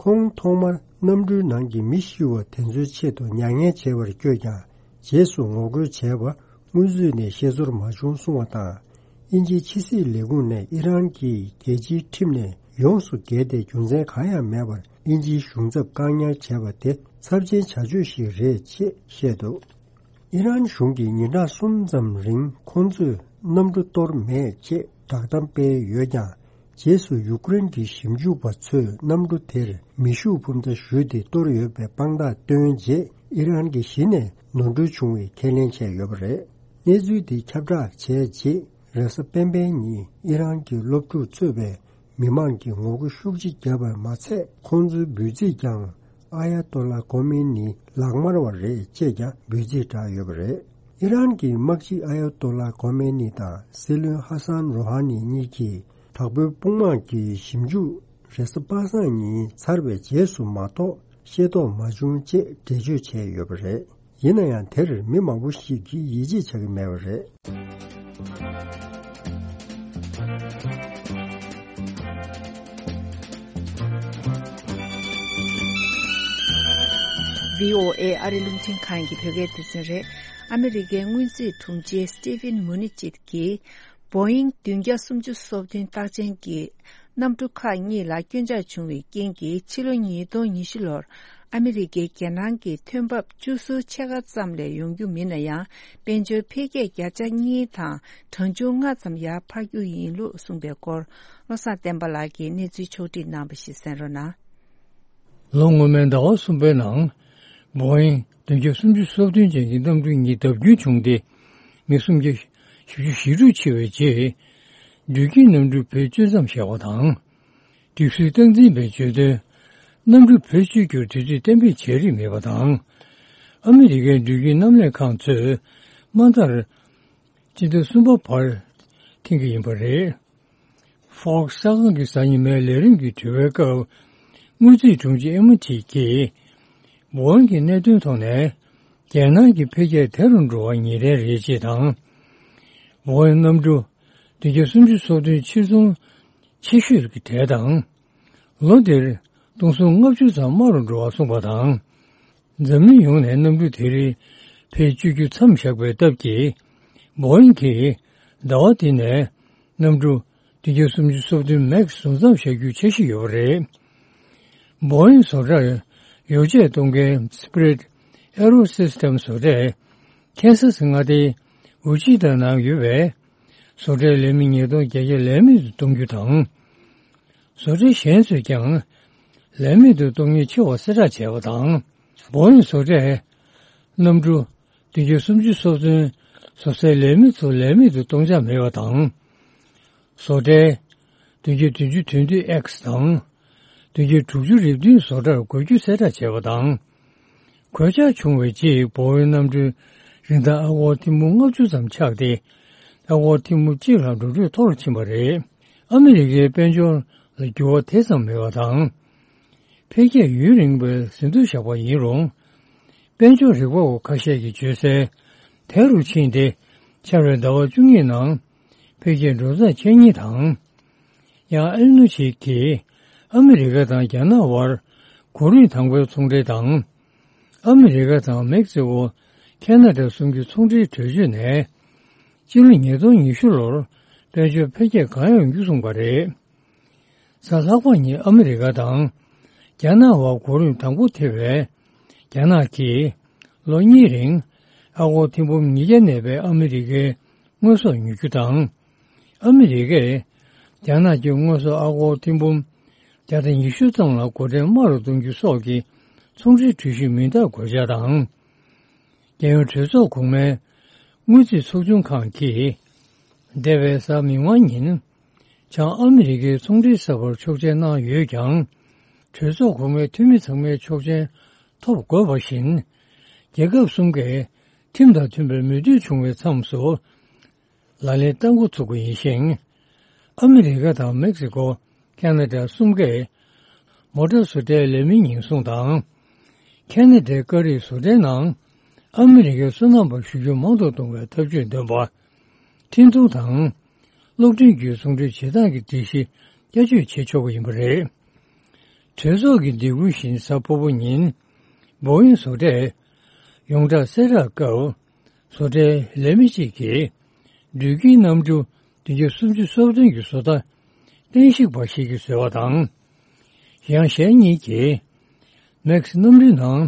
ཁོང་ཐོག་མར་གནམ་གྲུའི་ནང་གི་མི་ཤི་བ་དེ་ཚོའི་ཆེད་དུ་མྱ་ངན་བྱེད་པར་བསྐྱོད་ཀྱང་། རྗེས་སུ་ངོ་རྒོལ་བྱས་པ་སྔོན་ཚུད་ནས་ཤེས་ཚོར་མ་བྱུང་གསུངས་པ་དང་། དབྱིན་ཇིའི་ཕྱི་སྲིད་ལས་ཁུངས་ནས་ཨི་རན་གྱིས་རྒྱལ་སྤྱིའི་ཁྲིམས་ནས་ཡོངས་སུ་འགལ་ཏེ། རྒྱུ་མཚན་གང་ཡང་མེད་པར་དབྱིན་ཇིའི་གཞུང་ཚབ་བཀག་ཉར་བྱས་པ་དེ་ཚབས་ཆེན་བྱ་སྤྱོད་ཞིག་རེད་ཅེས་བཤད་འདུག་ཨི་རན་གཞུང་གིས་ཉིན་གྲངས་གསུམ་ཙམ་རིང་ཁོང་ཚོས་གནམ་གྲུ་གཏོར་མེད་ཅེས་བསྒྲགས་གཏམ་སྤེལ་ཡོད་ཀྱང་། རྗེས་སུ་ཡུཀ་རེན་གྱི་ཞིབ་འཇུག་པ་ཚོས་གནམ་གྲུ་དེར་མེ་ཤུགས་འཕུར་མདའ་གཞུས་ཏེ་གཏོར་ཡོད་པའི་དཔང་རྟགས་བཏོན་རྗེས། ཨི་རན་གྱིས་གཞི་ནས་ནོར་འཁྲུལ་བྱུང་བའི་ཁས་ལེན་བྱས་ཡོད་པ་རེད། གནས་ཚུལ་འདི་ཁྱབ་བསྒྲགས་བྱས་རྗེས། རེས་གཟའ་སྤེན་པའི་ཉིན་ཨི་རན་གྱི་སློབ་ཕྲུག་གཙོས་པའི་མི་མང་གིས་ངོ་རྒོལ་ཤུགས་ཆེ་བརྒྱབ་པར་མ་ཚད། ཁོང་ཚོའི་འབོད་ཚིག་ཀྱང་། ཨ་ཡ་ཏོ་ལ་ཁོ་མེ་ནི་ལག་དམར་བ་རེད་ཅེས་ཀྱང་འབོད་ཚིག་བསྒྲགས་ཡོད་པ་རེད། ཨི་རན་གྱི་དམག་སྤྱི་ཨ་ཡ་ཏོ་ལ་ཁོ་མེ་ནི་དང་སྲིད་བློན་ཧ་སན་རོ་ཧ་ནི་གཉིས་ཀྱིས་དྲག་པོའི་དཔུང་དམག་གི་ཞིབ་འཇུག་རེས་གཟའ་པ་སངས་ཉིན་ཚར་བའི་རྗེས་སུ་མ་གཏོགས་ཤེས་རྟོགས་མ་བྱུང་ཅེས་འགྲེལ་བརྗོད་བྱས་ཡོད་པ་རེད། ཡིན་ན་ཡང་དེར་མི་མང་པོ་ཞིག་གིས་ཡིད་ཆེས་བྱ་གི་མེད་པ་རེད། བྷི་ཨོ་ཨེ་ཨ་རི་རླུང་འཕྲིན་ཁང་གི་བོད་སྐད་སྡེ་ཚན་རེད། ཨ་མི་རི་ཀའི་སྔོན་རྩིས་དྲུང་ཆེ་སི་ཏི་ཕིན་མུ་ནི་ཅིད་ཀྱིས། བོ་ཨིང་བདུན་བརྒྱ་སུམ་ཅུ་སོ་བདུན་རྟགས་ཅན་གྱི་གནམ་གྲུ་ཁག་གཉིས་ལ་སྐྱོན་ཆག་བྱུང་བའི་རྐྱེན་གྱིས། ཕྱི་ལོ་ཉིས་སྟོང་ཉི་ཤུ་ལོར་ཨ་མི་རི་ཀས་རྒྱལ་ནང་གི་ཐོན་འབབ་བཅུ་གསུམ་ཕྱེད་ཀ་ཙམ་ལས་ཡོང་རྒྱུ་མིན་ན་ཡང་། དཔལ་འབྱོར་འཕེལ་རྒྱས་བརྒྱ་ཆ་གཉིས་དང་གྲངས་ཆུང་ལྔ་ཙམ་ཡར་འཕར་རྒྱུ་ཡིན་ལུགས་གསུངས་པའི་སྐོར། བློ་བཟང་བསྟན་པ་ལགས་ཀྱིས་གནས་ཚུལ་ཕྱོགས་བསྒྲིགས་གནང་བ་ཞིག་གསན་རོགས་གནང་། ལོ་སྔོན་མའི་ཟླ་བ་གསུམ་པའི་ནང་། བོ་ཨིང་བདུན་བརྒྱ་སུམ་ཅུ་སོ་བདུན་ཅན་གྱི་གནམ་གྲུ་གཉིས་བརྡབ་སྐྱོན་བྱུང་སྟེ། མི་སུམ་བརྒྱ་བཞི་བཅུ་ཞེ་དྲུག་འཆི་བའི་རྗེས། འགྲུལ་སྐྱེལ་གནམ་གྲུ་བེད་སྤྱོད་མཚམས་བཞག་པ་དང་། སྒྲིག་སྲོལ་སྟངས་འཛིན་པས་བརྗོད་དོན། གནམ་གྲུ་བེད་སྤྱོད་རྒྱུར་དུས་ཚོད་གཏན་འབེབས་བྱས་རིགས་མེད་པ་དང་། ཨ་མི་རི་ཀའི་འགྲུལ་སྐྱེལ་མཉམ་ལས་ཁང་ཚོས་མ་མཐར། སྤྱི་ཟླ་གསུམ་པ་བར་འཐེན་གྱི་ཡིན་པ་རེད། Fox་གསར་ཁང་གི་གཟའ་ཉི་མའི་ལས་རིམ་གྱི་དྲི་བའི་སྐབས། དངུལ་རྩིས་དྲུང་ཆེ་ཨེ་མ་ཐི་ཀྱིས། བོ་ཨིང་གི་གནད་དོན་ཐོག་ནས། རྒྱལ་ནང་གི་འཕེལ་རྒྱས་དལ་དུ་འགྲོ་བ་ངེས་གཏན་རེད་ཅེས་དང་། བོ་ཨིང་གནམ་གྲུ་བདུན་བརྒྱ་སུམ་ཅུ་སོ་བདུན་ཕྱིར་ཚོང་ཆེ་ཤོས་ཀྱི་གྲས་དང་། ལོ་འདིར་སྟོང་སུམ་ལྔ་བཅུ་ཙམ་དམའ་རུ་འགྲོ་བ་གསུངས་པ་དང་། འཛམ་གླིང་ཡོངས་ནས་གནམ་གྲུ་དེ་རིང་བེད་སྤྱོད་རྒྱུ་མཚམས་བཞག་པའི་སྟབས་ཀྱིས། བོ་ཨིང་གིས་ཟླ་བ་འདི་ནས་གནམ་གྲུ་བདུན་བརྒྱ་སུམ་ཅུ་སོ་བདུན་མེག་བཟོ་མཚམས་བཞག་རྒྱུའི་འཆར་གཞི་ཡོད་པ་རེད། བོ་ཨིང་བཟོ་གྲྭར་ཡོ་བྱད་གཏོང་མཁན་Spirit Aerosystems་བཟོ་གྲས་ཁེན་སཱ་སི་མངའ་སྡེའི་ཝི་ཆི་ཏཱ་ནང་ཡོད་པའི་བཟོ་གྲྭའི་ལས་མི་ཉིས་སྟོང་བརྒྱད་བརྒྱ་ལས་མེད་དུ་གཏོང་རྒྱུ་དང་། བཟོ་གྲྭ་གཞན་ཚོས་ཀྱང་ལས་མེད་དུ་གཏོང་མཁན་ཆེ་བ་གསལ་བསྒྲགས་བྱས་པ་དང་། བོ་ཨིང་བཟོ་གྲས་གནམ་གྲུ་བདུན་བརྒྱ་སུམ་ཅུ་སོ་བདུན་བཟོ་སའི་ལས་མི་ཚོ་ལས་མེད་དུ་གཏོང་འཆར་མེད་པ་དང་། བཟོ་གྲྭའི་བདུན་བརྒྱ་བདུན་ཅུ་དོན་བདུན་ཨེག་སི་དང་། བདུན་བརྒྱ་དྲུག་ཅུ་རེ་བདུན་བཟོ་གྲྭར་བགོ་རྒྱུ་གསལ་བསྒྲགས་བྱས་པ་དང་། གོད་ཆག་བྱུང་བའི་རྗེས་བོ་ཨིང་གནམ་གྲུའི་རིན་ཐང་ཨ་སྒོར་ཐེར་འབུམ་ལྔ་བཅུ་ཙམ་ཆག་སྟེ། ཨ་སྒོར་ཐེར་འབུམ་གཅིག་ལྷག་འགྲོ་གྲོན་མཐོ་རུ་ཕྱིན་པ་རེད། ཨ་མི་རི་ཀའི་དཔལ་འབྱོར་ལ་འགྱུར་བ་དེ་ཙམ་མེད་པ་དང་། འཕེལ་རྒྱས་ཡུན་རིང་བའི་ཟིན་ཐོ་བཞག་པ་ཡིན་རུང་། དཔལ་འབྱོར་རིག་པ་བ་ཁ་ཤས་ཀྱིས་བརྗོད་གསལ། དལ་དུ་ཕྱིན་ཏེ། འཆར་བའི་ཟླ་བ་བཅུ་གཉིས་ནང་འཕེལ་རྒྱས་འགྲོ་སྟངས་འཆར་ཉེན་དང་། ཡང་ཨེལ་ནུ་ཆིག་གིས་ཨ་མི་རི་ཀ་དང་རྒྱ་ནག་དབར་གོ་རིམ་དང་པོའི་ཚོང་འབྲེལ་དང་། ཨ་མི་རི་ཀ་དང་མེག་སི་ཀོ། ཁེ་ན་ཌ་གསུམ་གྱི་ཚོང་འབྲེལ་གྲོས་ཆོད་ནས། སྤྱི་ལོ་ཉིས་སྟོང་ཉི་ཤུ་ལོར་དཔལ་འབྱོར་འཕེལ་རྒྱས་གང་ཡོང་རྒྱུ་གསུངས་པ་རེད། གཟའ་ལྷག་པ་ཉིན་ཨ་མི་རི་ཀ་དང་རྒྱ་ནག་དབར་གོ་རིམ་དང་པོ་ཐེ་བའི་རྒྱ་ནག་གིས་ལོ་གཉིས་རིང་ཨ་སྒོར་ཐེར་འབུམ་ཉིས་བརྒྱ་གནས་པའི་ཨ་མི་རི་ཀའི་དངོས་ཟོག་ཉོ་རྒྱུ་དང་། ཨ་མི་རི་ཀས་རྒྱ་ནག་གི་དངོས་ཟོག་ཨ་སྒོར་ཐེར་འབུམ་བརྒྱ་དང་ཉི་ཤུ་ཙམ་ལ་སྒོ་ཁྲལ་དམའ་རུ་གཏོང་རྒྱུ་སོགས་ཀྱི་ཚོང་འབྲེལ་གྲོས་གཞི་མིང་རྟགས་འགོད་འཆར་དང་། རྒྱལ་ཡོངས་གྲོས་ཚོགས་གོང་མའི་དངུལ་རྩིས་ཚོགས་ཆུང་ཁང་གིས། འདས་པའི་གཟའ་མིག་དམར་ཉིན། བྱང་ཨ་མི་རི་ཀའི་ཚོང་འབྲེལ་གསར་པར་ཆོག་མཆན་གནང་ཡོད་ཀྱང་། གྲོས་ཚོགས་གོང་མའི་འཐུས་མི་ཚང་མའི་ཆོག་མཆན་ཐོབ་དགོས་པ་བཞིན། རྒྱལ་ཁབ་གསུམ་ཀས་ཁྲིམས་དང་མཐུན་པར་མོས་མཐུན་བྱུང་བའི་མཚམས་སུ། ལག་ལེན་གཏང་འགོ་ཚུགས་པ་ཡིན་ཞིང་། ཨ་མི་རི་ཀ་དང་མེག་སི་ཀོ། ཁ་ན་ཌ་གསུམ་ཀས་མོ་ཊ་བཟོ་གྲྭའི་ལས་མིའི་ཉེན་སྲུང་དང་། ཁ་ན་ཌའི་ཀ་རིགས་བཟོ་གྲྭའི་ནང་ཨ་མི་རི་ཀའི་སོ་ནམ་པ་ཞུགས་རྒྱུ་མང་དུ་གཏོང་བའི་ཐབས་ཇུས་འདོན་པ། འཕྲིན་ཐུང་དང་། གློག་འཕྲིན་བརྒྱུད་ཟུང་འབྲེལ་བྱེད་སྟངས་ཀྱི་སྒྲིག་གཞི་བསྐྱར་བཅོས་བྱེད་ཆོག་པ་ཡིན་པ་རེད། གྲོས་ཚོགས་ཀྱི་སྡིགས་སྐུལ་བཞིན་གཟའ་ཕུར་བུ་ཉིན། བོ་ཨིན་བཟོ་གྲས། ཡོངས་གྲགས་གསལ་བསྒྲགས་སྐབས། བཟོ་གྲྭའི་ལས་མི་གཅིག་གིས། འགྲུལ་སྐྱེལ་གནམ་གྲུ་བདུན་བརྒྱ་སུམ་ཅུ་སོ་བདུན་གྱི་བཟོ་ལྟ། བསྟན་བཤིག་པ་ཞིག་གིས་བཟོས་པ་དང་། ཡང་གཞན་གཉིས་ཀྱིས། མེག་སི་གནམ་གྲུའི་ནང་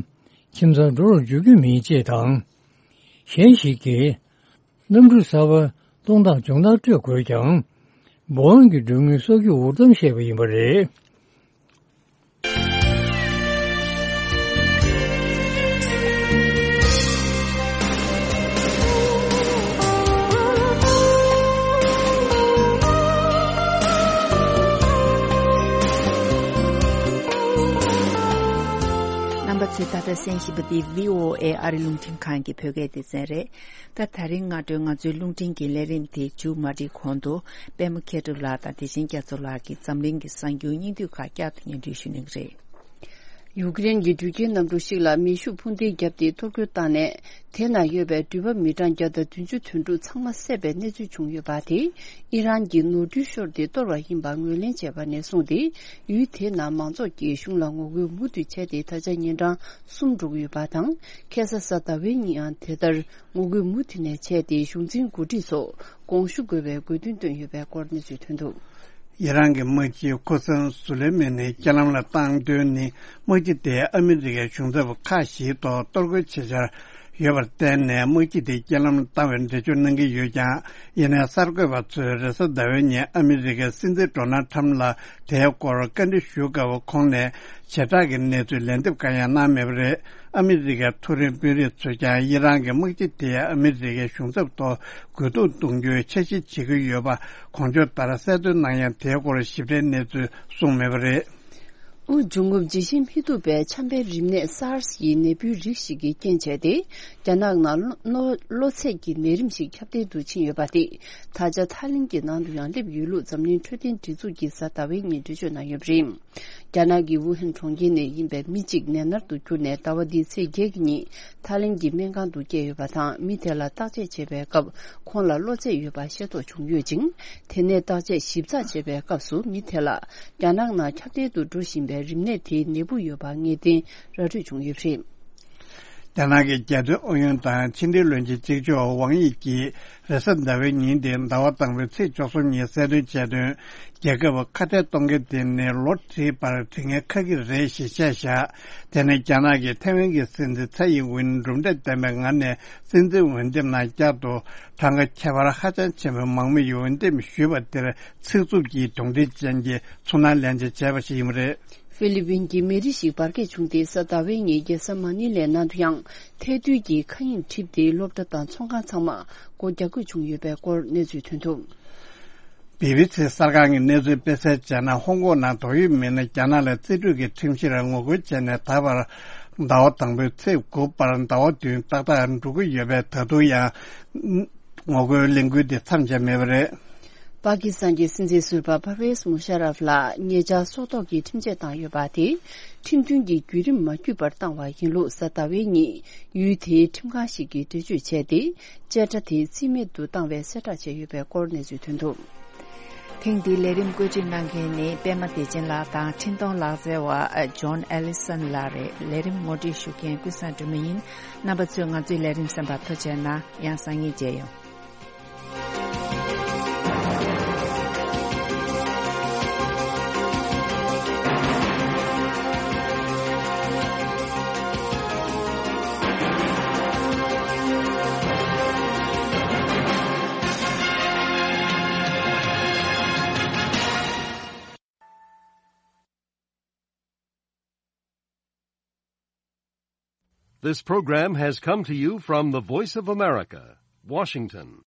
ཁྱིམ་ཚང་འགྲོ་རུ་འཇུག་རྒྱུ་མིན་ཅེས་དང་། གཞན་ཞིག་གིས། གནམ་གྲུ་གསར་པ་གཏོང་སྟངས་སྦྱོང་བརྡར་སྤྲོད་དགོས་ཀྱང་། བོ་ཨིན་གྱི་མགྲོན་དངུལ་གསོག་རྒྱུ་འུར་གཏམ་བཤད་པ་ཡིན་པ་རེད། རྣམ་པ་ཚོས་ད་ལྟ་གསན་བཞིན་པ་འདི་བྷི་ཨོ་ཨེ་ཨ་རི་རླུང་འཕྲིན་ཁང་གི་བོད་སྐད་སྡེ་ཚན་རེད། ད་ད་རིང་སྔ་དྲོའི་ང་ཚོའི་རླུང་འཕྲིན་གྱི་ལས་རིམ་དེ་མཇུག་མ་སྒྲིལ་གོང་དུ། པད་མ་མཁས་གྲུབ་ལགས་དང་བདེ་ཆེན་རྒྱ་མཚོ་ལགས་ཀྱིས་འཛམ་གླིང་གི་གསར་འགྱུར་སྙིང་བསྡུས་ཁག་བསྐྱར་དུ་སྙན་སྒྲོན་ཞུ་གནང་གི་རེད། ཡུཀ་རེན་གྱི་འགྲུལ་སྐྱེལ་གནམ་གྲུ་ཞིག་ལ་མེ་ཤུགས་འཕུར་མདེལ་བརྒྱབ་སྟེ་གཏོར་རྒོལ་བཏང་ནས། དེ་ན་ཡོད་པའི་འགྲུལ་པ་མི་གྲངས་བརྒྱ་དང་བདུན་ཅུ་དོན་དྲུག་ཚང་མ་བསད་པའི་གནས་ཚུལ་བྱུང་ཡོད་པ་དེ། ཨི་རན་གྱིས་ནོར་འཁྲུལ་ཤོར་ཏེ་གཏོར་བ་ཡིན་པ་ངོས་ལེན་བྱས་པ་ནས་བཟུང་སྟེ། ཡུལ་དེའི་ནང་མང་ཚོགས་ཀྱིས་གཞུང་ལ་ངོ་རྒོལ་མུ་མཐུད་བྱས་ཏེ། ད་ཆ་ཉིན་གྲངས་གསུམ་འགྲོ་གི་ཡོད་པ་དང་། ཁ་སང་གཟའ་ཟླ་བའི་ཉིན་ཡང་དེ་ལྟར་ངོ་རྒོལ་མུ་མཐུད་ནས་བྱས་ཏེ། གཞུང་འཛིན་འགོ་ཁྲིད་ཚོ་དགོངས་ཞུ་དགོས་པའི་དགོས་འདུན་བཏོན་ཡོད་པའི་སྐོར་གནས་ཚུལ་ཐོན་འདུག། ཨི་རན་གྱི་དམག་སྤྱི་ཁུ་སན་སུ་ལེ་མན་ནི་རྐྱེན་ལམ་ལ་བཏང་དོན་ནི། དམག་སྤྱི་དེས་ཨ་མི་རི་ཀའི་གཞུང་ཚབ་ཁག་བཞིའི་ཐོག་གཏོར་རྒོལ་བྱེད་འཆར་ཡོད་པར་བརྟེན་ནས། དམག་སྤྱི་དེ་རྐྱེན་ལམ་བཏང་བའི་འགྲེལ་བརྗོད་གནང་གི་ཡོད་ཀྱང་། ཡིན་ནའི་གསར་འགོད་པ་ཚོས་རེས་གཟའ་ཟླ་བའི་ཉིན་ཨ་མི་རི་ཀའི་སྲིད་འཛིན་ཌོ་ནལ་ཁྲམ་ལ་དེའི་སྐོར་བཀའ་འདྲི་ཞུ་སྐབས། ཁོང་ནས་བྱེ་བྲག་གི་གནས་ཚུལ་ལན་འདེབས་གང་ཡང་གནང་མེད་པ་རེད། ཨ་མི་རི་ཀའི་མཐོ་རིམ་དཔོན་རིགས་ཚོས་ཀྱང་། ཨི་རན་གྱི་དམག་སྤྱི་དེས་ཨ་མི་རི་ཀའི་གཞུང་ཚབ་ཐོག་རྒོལ་རྡུང་གཏོང་རྒྱུའི་འཆར་གཞི་བྱེད་ཀྱི་ཡོད་པ་གོང་བརྗོད་ལྟར་གསལ་སྟོན་གནང་ཡང་། དེའི་སྐོར་ཞིབ་ཕྲའི་གནས་ཚུལ་གསུངས་མེད་པ་རེད། དབུགས་འབྱུང་རྔུབ་ཇི་བཞིན་མི་ཐུབ་པའི་ཆམ་པའི་རིམས་ནད་སཱར་སི་ཡི་ནད་འབུའི་རིགས་ཤིག་གིས་རྐྱེན་བྱས་ཏེ། རྒྱ་ནག་ནང་གློ་གློ་ཚད་ཀྱི་ནད་རིམས་ཤིག་ཁྱབ་གདལ་དུ་ཕྱིན་ཡོད་པ་དེ། ད་ཆ་ཐའི་ལེན་གྱི་ནང་དུ་ཡང་སླེབས་ཡོད་ལུགས་འཛམ་གླིང་འཕྲོད་བསྟེན་སྒྲིག་འཛུགས་ཀྱིས་གཟའ་ཟླ་བའི་ཉིན་འགྲེལ་བརྗོད་གནང་ཡོད་པ་རེད། རྒྱ་ནག་གི་ཝུ་ཧན་གྲོང་ཁྱེར་ནས་ཡིན་པའི་མི་གཅིག་ནད་མནར་དུ་གྱུར་ནས། ཟླ་བ་འདིའི་ཚེས་བརྒྱད་ཀྱི་ཉིན་ཐའི་ལེན་གྱི་སྨན་ཁང་དུ་བསྐྱལ་ཡོད་པ་དང་། མི་དེ་ལ་བརྟག་དཔྱད་བྱེད་པའི་སྐབས། ཁོང་ལ་གློ་ཚད་ཡོད་པ་ཤེས་རྟོགས་བྱུང་ཡོད་ཅིང་། དེ་ནས་བརྟག་དཔྱད་ཞིབ་ཚགས་བྱས་པའི་སྐབས་སུ། མི་དེ་ལ་རྒྱ་ནག་ནང་ཁྱབ་གདལ་དུ་འགྲོ་བཞིན་པའི་རིམས་ནད་དེའི་ནད་འབུ་ཡོད་པ་ངེས་གཏན་ར་འཕྲོད་བྱུང་ཡོད་པ་རེད། རྒྱ་ནག་གི་རྒྱལ་དོན་ཨུ་ཡོན་དང་ཕྱི་འབྲེལ་བློན་ཆེན་གཅིག་ལྕོགས་ཝང་དབྱི་གིས་རེས་གཟའ་ཟླ་བའི་ཉིན་དེ། ཟླ་བ་དང་པོའི་ཚེས་བཅུ་གསུམ་ཉིན་གསལ་སྟོན་བྱས་དོན། རྒྱལ་ཁབ་ཁ་གཏད་གཏོང་མཁན་དེ་ནི་ལོ་ཁྲིའི་བར་དྲི་ངན་ཁ་གི་རེད་ཞེས་བཤད་བཞག། དེ་ནི་རྒྱ་ནག་གིས་ཐའེ་ཝན་གྱི་སྲིད་འཛིན་ཚའེ་ཡིན་ཝིན་གྲུབ་འབྲས་ལྡན་པའི་ངང་ནས་སྲིད་འཛིན་འོས་འདེམས་ནང་བསྐྱར་དུ་གྲངས་ཀ་ཁྱད་པར་ཧ་ཅང་ཆེན་པོས་མང་མོས་ཡིས་འོས་འདེམས་ཞུས་པ་དེར་ཚིག་རྩུབ་ཀྱིས་གདོན་འདྲེ་ཅན་གྱི་ཚོར་སྣང་ལེན་བྱ་བྱས་པ་ཞིག་ཡིན་པ་རེད། ཧྥི་ལི་པིན་གྱི་མེ་རི་ཞིག་འབར་གས་བྱུང་སྟེ། གཟའ་ཟླ་བའི་ཉིན་རྒྱལ་ས་མ་ནི་ལའི་ནང་དུ་ཡང་ཐལ་རྡུལ་གྱི་མཁའ་དབྱིངས་འཁྲིགས་ཏེ། སློབ་གྲྭ་དང་ཚོང་ཁང་ཚང་མ་སྒོ་རྒྱག་དགོས་བྱུང་ཡོད་པའི་སྐོར་གནས་ཚུལ་ཐོན་འདུག། བི་བི་སི་གསར་ཁང་གི་གནས་ཚུལ་སྤེལ་གསལ་བྱས་ན། ཧོང་ཀོང་ནང་ཏོག་དབྱིབས་མི་སྣ་རྒྱ་ནག་ལ་རྩིས་སྤྲོད་ཀྱི་ཁྲིམས་གཞིར་ངོ་རྒོལ་བྱས་ནས། ད་བར་ཟླ་བ་དང་པོའི་ཚེས་དགུ་བར་ཟླ་བ་བདུན་ཏག་ཏག་འགྲོ་གི་ཡོད་པས། ད་དུང་ཡང་ངོ་རྒོལ་ལས་འགུལ་འདི་མཚམས་ཆད་མེད་པ་རེད། པ་ཀི་སི་ཐན་གྱི་སྲིད་འཛིན་ཟུར་པ་པར་ཝེས་མུ་ཤ་རབ་ལ་ཉེ་ཆར་སྲོག་ཐོག་གི་ཁྲིམས་ཆད་བཏང་ཡོད་པ་དེ། ཁྲིམས་མཐུན་གྱི་བརྒྱུད་རིམ་མ་བརྒྱུད་པར་བཏང་བ་ཡིན་ལུགས་གཟའ་ཟླ་བའི་ཉིན་ཡུལ་དེའི་ཁྲིམས་ཁང་ཞིག་གིས་འགྲེལ་བརྗོད་བྱས་ཏེ། བཅད་ཁྲ་དེ་རྩིས་མེད་དུ་བཏང་བའི་གསལ་བསྒྲགས་བྱས་ཡོད་པའི་སྐོར་གནས་ཚུལ་ཐོན་འདུག། ཐེངས་འདིའི་ལས་རིམ་བཀོད་སྒྲིག་གནང་མཁན་ནི་པད་མ་བདེ་ཆེན་ལགས་དང་འཕྲིན་གཏོང་ལག་རྩལ་བ་ཇོན་ཨེ་ལི་སན་ལགས་རེད། ལས་རིམ་ངོ་སྤྲོད་ཞུ་མཁན་ཀུན་བཟང་སྒྲོལ་མ་ཡིན། རྣམ་པ་ཚོས་ང་ཚོའི་ལས་རིམ་གསན་པར་ཐུགས་རྗེ་གནང་། ཡང་སང་ཉིན་མཇལ་ཡོང་། This program has come to you from the Voice of America, Washington.